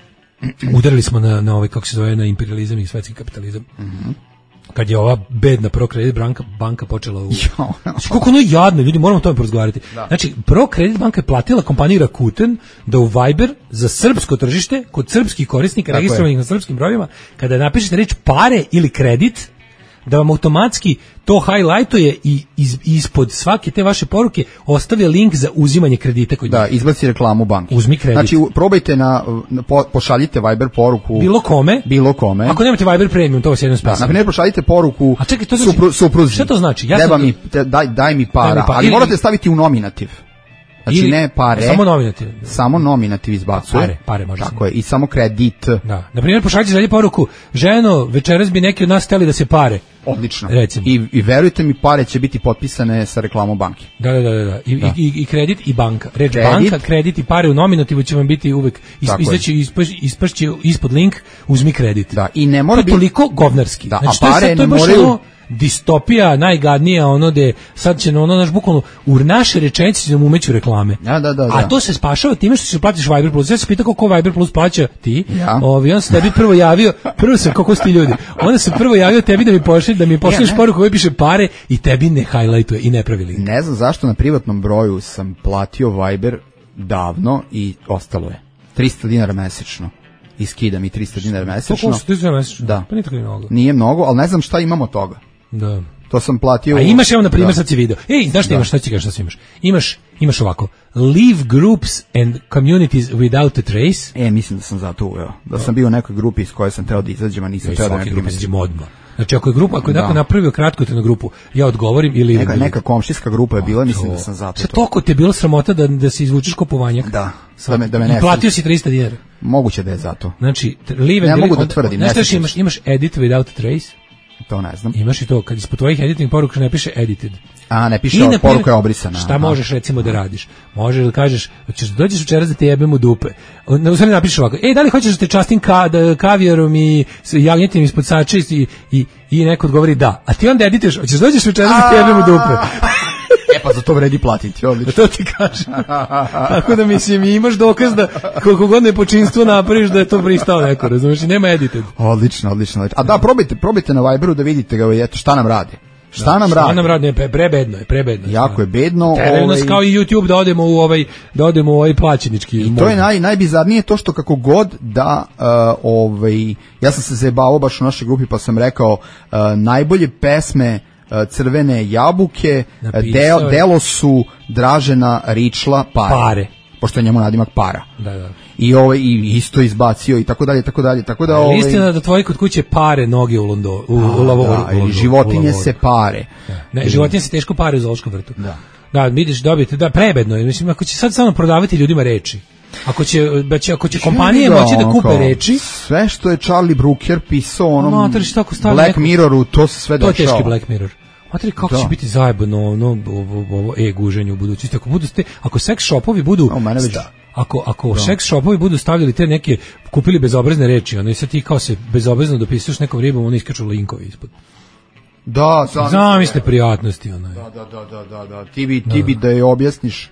udarili smo na ovaj, kako se zove, na imperializam i svetski kapitalizam. Kad je ova bedna ProCredit banka počela koliko ono je jadno, ljudi, moramo o tome porazgovarati. Znači, ProCredit banka je platila kompaniji Rakuten da u Viber za srpsko tržište, kod srpskih korisnika registrovanih na srpskim brojevima, kada napišete reč pare ili kredit, da vam automatski to highlightuje i ispod svake te vaše poruke ostavlja link za uzimanje kredita kod njih.
Da, izbaci reklamu banke.
Uzmi kredit.
Znači, probajte pošaljite Viber poruku bilo kome.
Ako nemate Viber Premium, to vas jedno spasi.
Na primjer, pošaljite poruku supruzi.
Šta to znači?
Daj mi para, ali morate staviti u nominativ. Znači ne pare. Samo nominativ izbacuje.
Pare može.
Tako je, i samo kredit.
Da. Na primjer, pošaljite dalje poruku: ženo, večeras bi neki od nas hteli da se pare.
Odlično.
Recimo.
I verujte mi, pare će biti potpisane sa reklamom banke.
Da. I kredit i banka. Reč banka, kredit i pare u nominativu će vam biti uvek ispašće ispod link uzmi kredit.
Da, i ne mora
biti toliko govnarski.
Da,
znači,
a pare ne moraju
distopija najgadnija, ono de sad će ono naš bukvalno u naše rečenice će nam umeću reklame.
Da.
A to se spašava time što se platiš Viber Plus. Ja se pitao koliko Viber Plus plaća ti.
Ja.
On se tebi prvo sam kako sti ljudi. Onda se prvo javio tebi da mi pošalješ poruku koja piše pare i tebi ne highlightuje i ne pravi link.
Ne znam zašto na privatnom broju sam platio Viber davno i ostalo je. $300 mesečno. I skida mi $300 mesečno.
To košta $300 mesečno?
Da.
Pa nije tako mnogo.
Nije mnogo, ali ne znam šta imamo od toga.
Da.
To sam platio.
A imaš, evo na primjer, sad si video. Znaš šta imaš, šta ti kažeš, šta imaš? Imaš ovako, leave groups and communities without a trace.
Mislim da sam zato uveo. Da sam bio u nekoj grupi iz koje sam teo da izađem, a nisam teo da ne primetim.
Znači, ako je neko napravio kratkotrajnu grupu, ja odgovorim ili...
Neka komšijska grupa je bila, mislim da sam zato.
Šta toliko ti je bilo sramota da se izvučeš ko povanjak?
Da me ne...
I platio si $300.
Moguće da je zato.
Znači,
ne mogu da tvrdim.
Imaš edit without a trace.
To ne znam.
Imaš i to, kad ispod tvojih editing poruka ne piše edited.
A, ne piše poruka je obrisana.
Šta možeš recimo da radiš? Možeš da kažeš, dođeš večeras da te jebem u dupe. U stvari napišeš ovako, da li hoćeš da te častim kavijarom i jagnjetinom ispod sače i neko odgovori da. A ti onda edituješ, hoćeš dođeš večeras da te jebem u dupe.
Pa za to vredi platiti, odlično.
To ti kažem. Tako da mislim, imaš dokaz da koliko god nepočinstvo napraviš da je to pristao neko, razumiješ, nema edited.
Odlično. A da, probajte na Viberu da vidite ga, eto, šta nam radi. Šta nam radi?
Prebedno je.
Jako je bedno.
Teraju nas kao i YouTube da odemo u ovaj plaćenički.
I to je najbizarnije to što kako god da, ja sam se zajebao baš u našoj grupi pa sam rekao, najbolje pesme Crvene jabuke, delo su Dražena Ričla Pare. Pošto je njemu nadimak Para.
Da.
I isto izbacio i tako dalje. Tako da
istina da tvoji kod kuće pare noge u lavoru.
Životinje se pare.
Ne, životinje se teško pare u zoološkom vrtu. Da, vidiš, dobijete, prebedno je. Mislim, ako će sad samo prodavati ljudima reči, ako će kompanije moći da kupe reči,
sve što je Charlie Brooker pisao onom Black Mirroru, to se sve dešava.
To je teški Black Mirror. Matri, kako će biti zajebano ovo guženje u budućnosti. Ako seks shopovi budu ako seks shopovi budu stavljali te neke, kupili bezobrazne reči, i sad ti kao se bezobrazno dopisuješ nekom ribom, oni iskaču linkovi ispod.
Da,
zamisli prijatnosti.
Da. Ti bi da je objasniš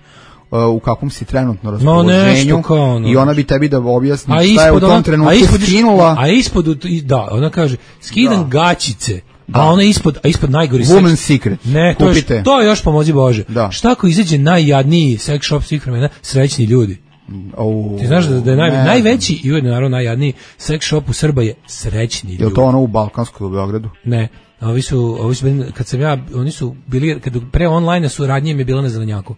u kakvom si trenutno raspoloženju i ona bi tebi da objasni šta je u tom trenutku skinula.
A ispod, da, ona kaže, skidam gaćice, a ona ispod najgori seks.
Woman's Secret.
Ne, to je još pomozi Bože.
Da.
Šta ako izađe najjadniji sex shop svih vremena, srećni ljudi? Ti znaš da je najveći i ujedno naravno najjadniji sex shop u Srba je srećni ljudi.
Je li to ono u Balkanskoj u Beogradu?
Ne. Ovi su bili, oni su bili, kad pre online su radnje mi je bila na zelenjaku.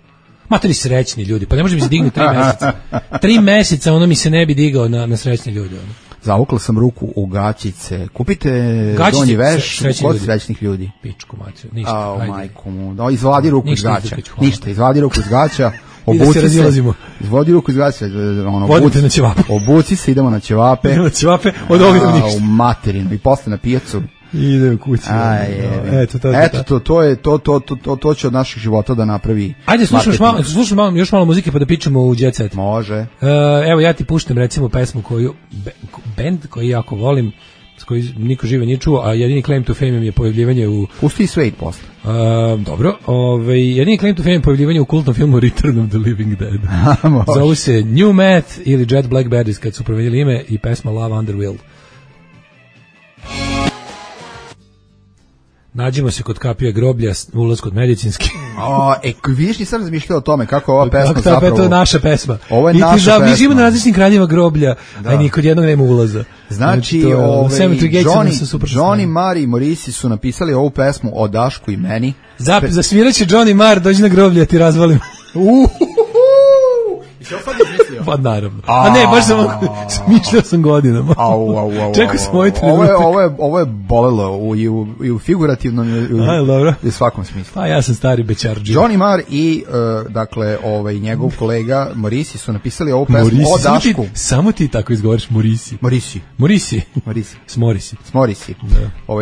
Materi srećni ljudi, pa ne može mi se dignuti 3 meseca. 3 meseca ono mi se ne bi digao na srećni ljudi. Ono.
Zavukla sam ruku u gaćice. Kupite donji veš kod srećnih ljudi.
Pičku macu, ništa.
Majku mu. Da, izvadi ruku iz gaća.
Ništa,
izvadi ruku iz gaća.
Obuci se.
Izvodi ruku iz gaća.
Vodite na ćevape.
Obuci se, idemo na ćevape.
Idemo na ćevape, od ovoga ništa.
U materinu i posle na pijacu.
Ide u kući.
To će od naših života da napravi.
Ajde, slušamo još malo muzike pa da pičemo u Jet Set.
Može.
Evo ja ti puštam recimo pesmu koju bend koji jako volim, s koji niko žive nije čuo, a jedini claim to fame je pojavljivanje u...
Pusti Suede posle.
Dobro, jedini claim to fame je pojavljivanje u kultnom filmu Return of the Living Dead. Zovu se New Math ili Jet Black Baddies kad su promenili ime i pesma Love Under Will. Nađemo se kod kapije groblja, ulaz kod medicinski.
Vidiš, nisam razmišljao o tome kako ova pesma zapravo...
To je naša pesma.
Ovo je naša pesma.
Mi živimo na različnim kraljima groblja, a ni kod jednog nema ulaza.
Znači Johnny Marr i Morrissey su napisali ovu pesmu o Dašku i meni.
Zasvirat će Johnny Marr, dođi na groblje, ti razvalim.
I što sad izmislio?
Pa naravno. A ne, baš smišljao sam godinama. Čekaj sam ovaj trenutak.
Ovo je bolelo i u figurativnom i u svakom smislu.
Pa ja sam stari bečarđi.
Johnny Marr i dakle njegov kolega Morrissey su napisali ovu pesmu o Dašku.
Samo ti tako izgovoriš Morrissey.
Smorisi.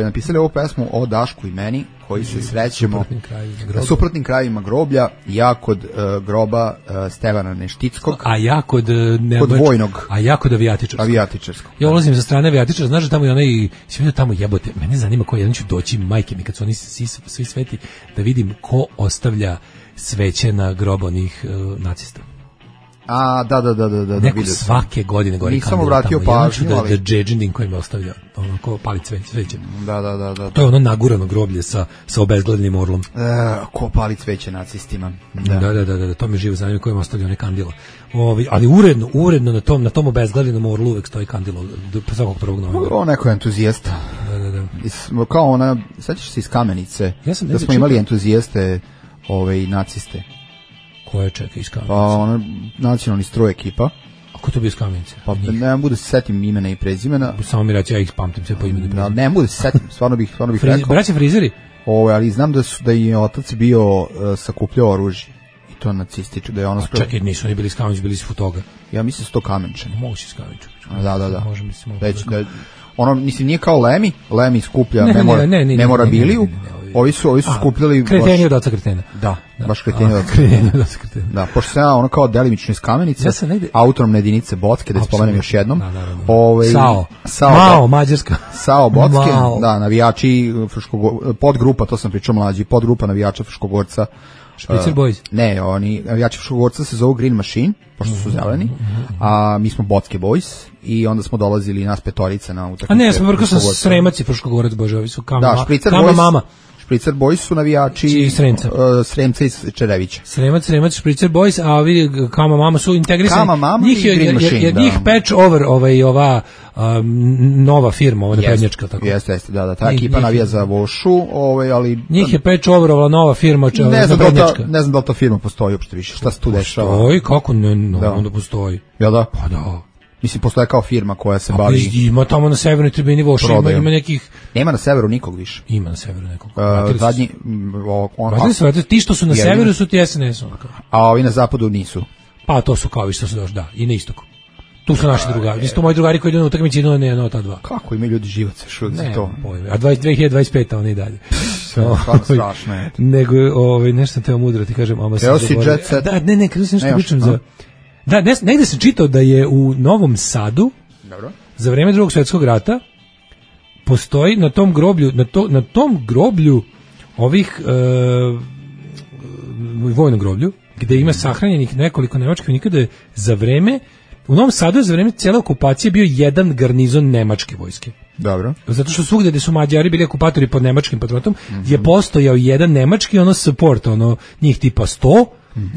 Napisali ovu pesmu o Dašku i meni, koji se srećemo na suprotnim krajevima groblja, ja kod groba Stevana Neštickog,
a ja kod
vojnog,
a ja kod avijatičarskog. Ja ulazim za strane avijatičara, znaš da tamo je onaj, si vidio tamo jebote, mene zanima ko jedan ću doći, majke mi, kad su oni svi sveti, da vidim ko ostavlja sveće na grob onih nacista.
Da.
Neko svake godine gori
nisam kandila obratio tamo. Pažnju,
da džedžindin koji me ostavlja, ono ko pali cveće.
Da.
To je ono nagurano groblje sa obezgledanim orlom.
Ko pali cveće nacistima.
Da, to mi živo zanima koji me ostavlja one kandilo. Ali uredno na tom obezgledanom orlu uvek stoji kandilo svakog 1. novembra.
Ovo neko je entuzijasta.
Da.
Kao ona, sećaš se iz Kamenice, da smo imali entuzijaste naciste.
Ko je čeka iz Kamenice?
Pa ona nacionalni stroj ekipa.
A ko to bio iz Kamenice?
Pa ne mogu da se setim imena i prezimena.
Samo mi reći, ja ih pamtim sve po imenu i prezimenu.
Ne mogu da se setim, stvarno bih rekao.
Braća frizeri?
Ali znam da je otac bio sakupljao oružje. I to nacističko, da je ono...
Čekaj, nisu oni bili iz Kamenice, bili iz Futoga.
Ja mislim su to Kamenčani.
Mogu si iz Kamenčani.
Da.
Može mi se mogu.
Ono, mislim, nije kao Lemi skuplja memorabiliju. Ovi su skupljali...
Kreteni od oca kretena.
Da, baš kreteni od oca kretena. Da, pošto sam ja ono kao delimično iz Kamenice, autonomne jedinice Bocke, da spomenem još jednom.
Mao, Mađarska.
Sao Bocke, da, navijači podgrupa, to sam pričao mlađi, podgrupa navijača Fruškogorca.
Špricer Boys?
Ne, oni navijači Fruškogorca se zovu Green Machine, pošto su zeleni, a mi smo Bocke Boys i onda smo dolazili nas petorica na utakmice.
A ne, smo vrlo sam Sremac i Fruškogorac, bože, ovi su Kama Mama.
Špricer Boys su navijači Sremca iz Čerevića.
Sremac, Špricer Boys, a ovi Kama Mama su integrisani.
Kama Mama i Green Machine,
njih patch over ova nova firma, ova naprednjačka.
Jeste, da, ta ekipa navija za Vošu, ali...
Njih je patch over ova nova firma naprednjačka.
Ne znam da li ta firma postoji uopšte više, šta se tu dešava?
Postoji, kako onda postoji?
Jel da?
Pa da.
Mislim, postoje kao firma koja se bavi...
Ima tamo na severnoj tribini Voša, ima nekih...
Nema na severu nikog više.
Ima na severu nekog.
Zadnji...
Ti što su na severu su ti SNS.
A ovi na zapadu nisu.
Pa to su kao vi što su došli, da, i na istoku. Tu su naši drugari. Isto moji drugari koji idu na utakmici idu na ta dva.
Kako imaju ljudi živaca šut za to?
A 2025 oni dalje.
Strašno je.
Nego, nešto sam teo mudro, ti kažem,
Evo si Jet Set.
Da, ne, kada se nešto pričam za... Da, negde sam čitao da je u Novom Sadu, za vreme Drugog svjetskog rata, postoji na tom groblju, ovih vojnom groblju, gde ima sahranjenih nekoliko nemačkih vojnika, da je za vreme, u Novom Sadu je za vreme cijele okupacije bio jedan garnizon nemačke vojske.
Dobro.
Zato što svugde gde su Mađari bili okupatori pod nemačkim patronatom, je postojao jedan nemački support, njih tipa 100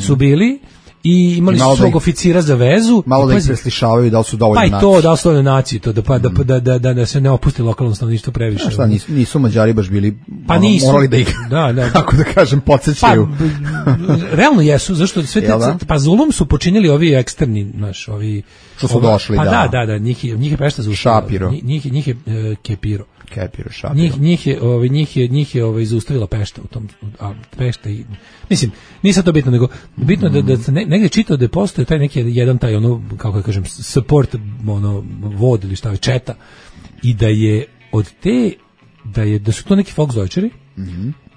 su bili, i imali su svog oficira za vezu.
Malo da ih preslišavaju da li su dovoljno
nacije. Pa i to, da li su dovoljno nacije, to da se ne opusti lokalno stanovništvo previše.
Šta, nisu Mađari baš bili, morali da ih, kako da kažem, podsjećaju.
Pa, realno jesu, zašto sve pa zulum su počinili ovi eksterni, ovi...
Što su došli,
pa da, njih je Pešta zaustavila.
Šapiro.
Njih je Kepiro.
Šapiro.
Njih je zaustavila Pešta u tom, a Pešta i mislim, nije sad to bitno, nego bitno da se negdje čitao da postoje taj neki jedan taj kako da kažem support vod ili šta je četa, i da je od te da su to neki Volksdeutscheri,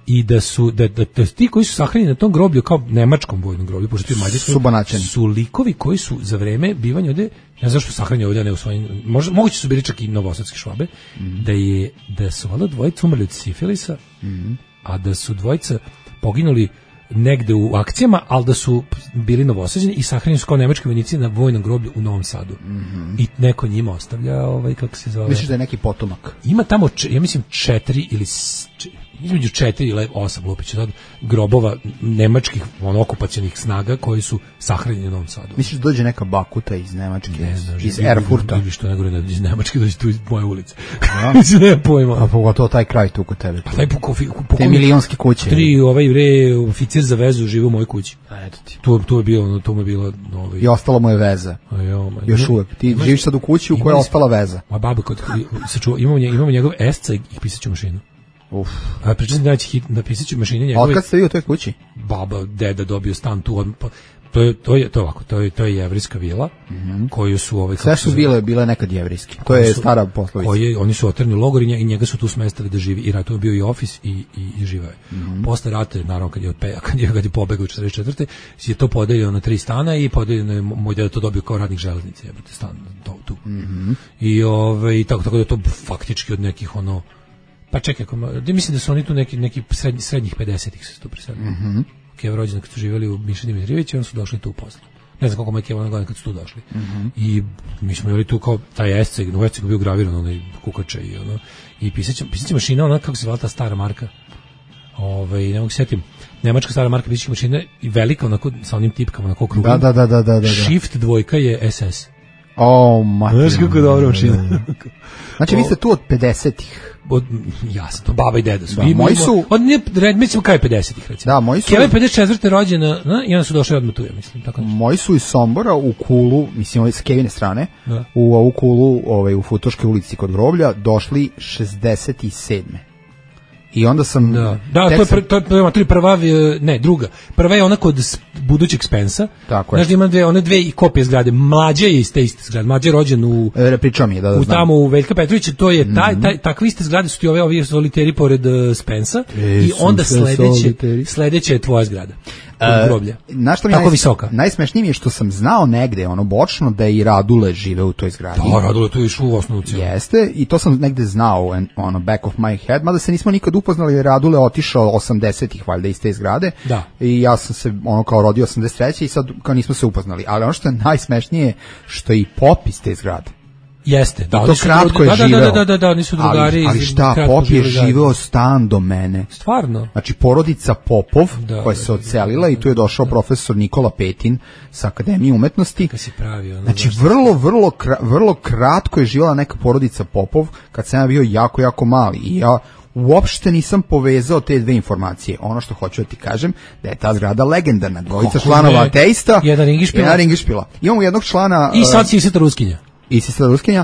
i da su ti koji su sahranjeni na tom groblju kao nemačkom vojnom groblju, pošto ti mađarski su likovi koji su za vreme bivanja ovde, ne znam što sahranjeni ovde, a ne u svojim, moguće su bili čak i novosadski Švabe, da su valjda dvojica umrli od sifilisa, a da su dvojica poginuli negde u akcijama, ali da su bili novosađeni i sahranjeni su kao nemački vojnici na vojnom groblju u Novom Sadu. I neko njima ostavlja, kako se zove...
Misliš da je neki potomak?
Ima tamo, ja mislim, 4 ili između 4 ili 8 lupića grobova nemačkih okupacionih snaga koji su sahranjeni u Novom Sadu.
Misliš da dođe neka bakuta iz Nemačke, iz Erfurta?
Ili što ne gore iz Nemačke, dođe tu iz moje ulice. Mislim, nema pojma.
A pogotovo taj kraj tu kod tebe.
Taj
te milionske kuće.
3 oficir za vezu žive u mojoj kući.
Eto ti.
To je bilo...
I ostala mu je veza. Još uvek. Ti živiš sad u kući u kojoj je ostala veza.
A baba, imamo njegov esca i pisaću mašinu. A pričam da pisaću mašine njegove.
Otkad ste vi u toj kući?
Baba, deda dobio stan tu. To je jevrijska vila koju su
sve su bile nekad jevrijski. To je stara poslovica.
Oni su otrni logor i njega su tu smestili da živi, i ratu je bio i ofis i živao je. Posle rata, naravno kad je pobegao u 44. je to podeljeno na 3 stana i podeljeno je moj deda to dobio kao radnik železnice, stan tu. I tako da to faktički od nekih pa čekaj, mislim da su oni tu neki srednjih 50-ih se tu preselili. Keva rođena kad su živjeli u Mišini Mitrijevići, oni su došli tu u poslu. Ne znam koliko me Keva godina kad su tu došli. I mi smo imali tu kao taj esceg, u escegu bio graviran onaj kukače i pisaća mašina, kako se zvala ta stara marka. Ne mogu se sjetim. Nemačka stara marka pisaća mašina i velika sa onim tipkama na krugom.
Da.
Shift 2 je SS.
Znaš
kako je dobra mašina.
Znači vi ste tu od 50-ih.
Jasno, baba i deda su.
Moji su...
Mislim, kaj 50-ih, recimo.
Da, moji su...
Keva je 54. rođena, i onda su došli odmah tu, ja mislim.
Moji su iz Sombora u Kulu, mislim, s Kevine strane, u ovu Kulu, u Futoškoj ulici kod groblja, došli 67. I onda sam...
To je prva, ne, druga. Prva je ona kod budućeg Spensa.
Tako je.
Znaš da ima one dve kopije zgrade. Mlađe je iz te iste zgrade. Mlađe je rođen u...
Pričao mi je, da
tamo u Veljka Petrovića. To je takve iste zgrade su ti ovi soliteri pored Spensa. I onda sledeće je tvoja zgrada. Groblja. Tako visoka.
Najsmešnije mi je što sam znao negde, bočno, da i Radule žive u toj zgradi.
Da, Radule tu išao u osnovu cijelu.
Jeste, i to sam negde znao, back of my head, mada se nismo nikad upoznali, jer Radule otišao 80-ih, valjda, iz te zgrade.
Da.
I ja sam se, kao rodio 83. i sad kao nismo se upoznali. Ali ono što je najsmešnije, što je i pop iz te zgrade.
Jeste, da,
to kratko je živeo.
Da, oni su drugari.
Ali šta, Pop je živeo stan do mene.
Stvarno?
Znači, porodica Popov, koja se odselila i tu je došao profesor Nikola Petin sa Akademije umetnosti.
Kad si pravio.
Znači, vrlo kratko je živjela neka porodica Popov, kad sam ja bio jako, jako mali. I ja uopšte nisam povezao te dve informacije. Ono što hoću da ti kažem, da je ta zgrada legendarna. Dvojica članova ateista, jedan ringišpila. Imamo jednog člana...
I sad si Iseta Ruskinja.
I Iseta Ruskinja.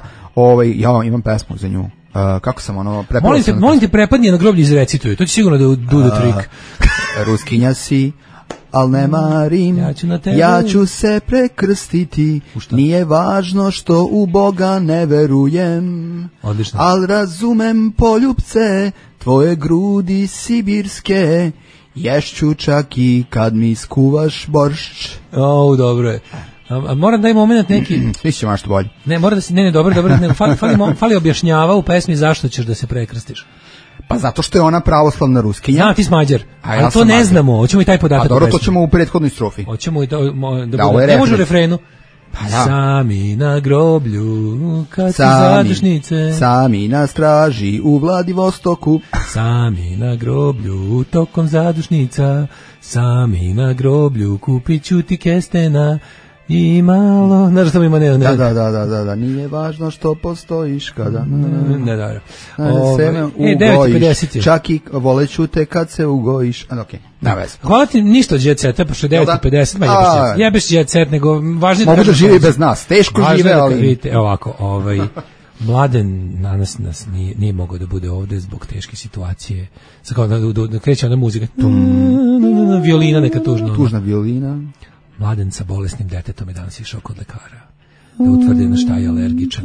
Ja imam pesmu za nju. Kako sam prepravio?
Molim te prepadnije na groblje izrecituju. To će sigurno da do the trick.
Ruskinja si, al ne marim, ja ću se prekrstiti, nije važno što u Boga ne verujem.
Odlično.
Al razumem poljubce, tvoje grudi sibirske, ješću čak i kad mi skuvaš boršč.
Dobro je. A moram da je moment neki...
Svi će mašto bolje.
Ne, mora da se... Ne, dobro, fali objašnjava u pesmi zašto ćeš da se prekrstiš.
Pa zato što je ona pravoslavna Ruskinja.
Ja, ti si Mađar.
A ja
Ali to
sam
ne
Mađar.
znamo, hoćemo i taj podatak.
A dobro, to ćemo u prethodnoj strofi.
Hoćemo i to,
Da, ovo je
ne može u
refren.
refrenu.
Pa da.
Sami na groblju, kad su
Sami,
zadušnice.
sami na straži u Vladivostoku.
Sami na groblju, tokom zadušnica. Sami na groblju, kupit ću ti kestena. I malo, znaš što mi ima ne.
Da, nije važno što postojiš kada...
Ne, dobro.
Seme ugojiš,
9:50
čak i voleću te kad se ugojiš. Okej, na vez.
Hvala ti ništa od Jet Seta, pošto je 9:50, ma jebeš Jet Set, nego važno
Mogu da živi bez nas, teško
važno
žive,
je da
ali...
vidite, ovako, Mladen danas nas nije mogao da bude ovde zbog teške situacije. Sad kao da kreće ona muzika, violina neka tužna.
Tužna violina.
Mladen sa bolesnim detetom je danas išao kod lekara da utvrdi na šta je alergičan.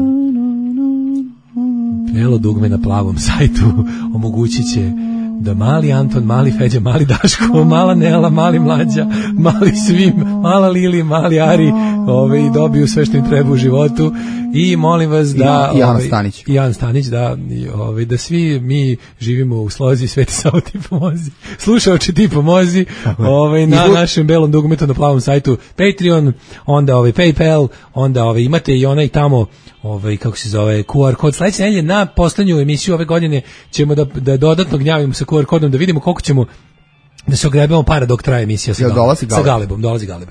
Prijelo dugme na plavom sajtu omogućit će da mali Anton, mali Feđa, mali Daško, mala Nela, mali Mlađa, mali Svim, mala Lili, mali Ari i dobiju sve što im treba u životu i molim vas da
I Ana Stanić
da svi mi živimo u slozi Sveti Savo ti pomozi, slušaoči ti pomozi na našem belom dugmetu na plavom sajtu Patreon, onda PayPal, onda imate i onaj tamo kako se zove QR kod. Sledeće nedelje na poslednju emisiju ove godine ćemo da dodatno gnjavimo sa QR kodom da vidimo koliko ćemo da se ogrebemo para dok traje emisija sa Galebom.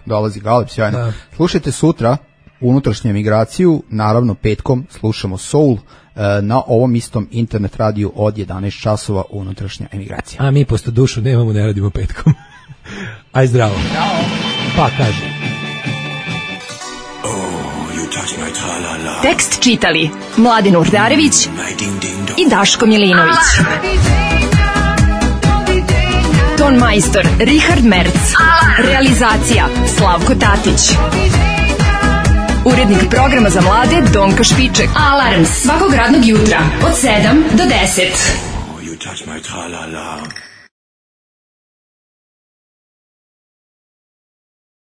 Dolazi Galeb, sjajno. Da. Slušajte sutra unutrašnju emigraciju, naravno petkom slušamo Soul na ovom istom internet radiju od 11 časova unutrašnja emigracija.
A mi posto dušu nemamo, ne radimo petkom. Aj zdravo. Pa kaže.
Tekst čitali Mladin Urdarević i Daško Milinović. Ton majstor Richard Merc. Realizacija Slavko Tatić. Urednik programa za mlade Donka Špiček. Alarms svakog radnog jutra od 7 do 10.
You touch my tra-la-la.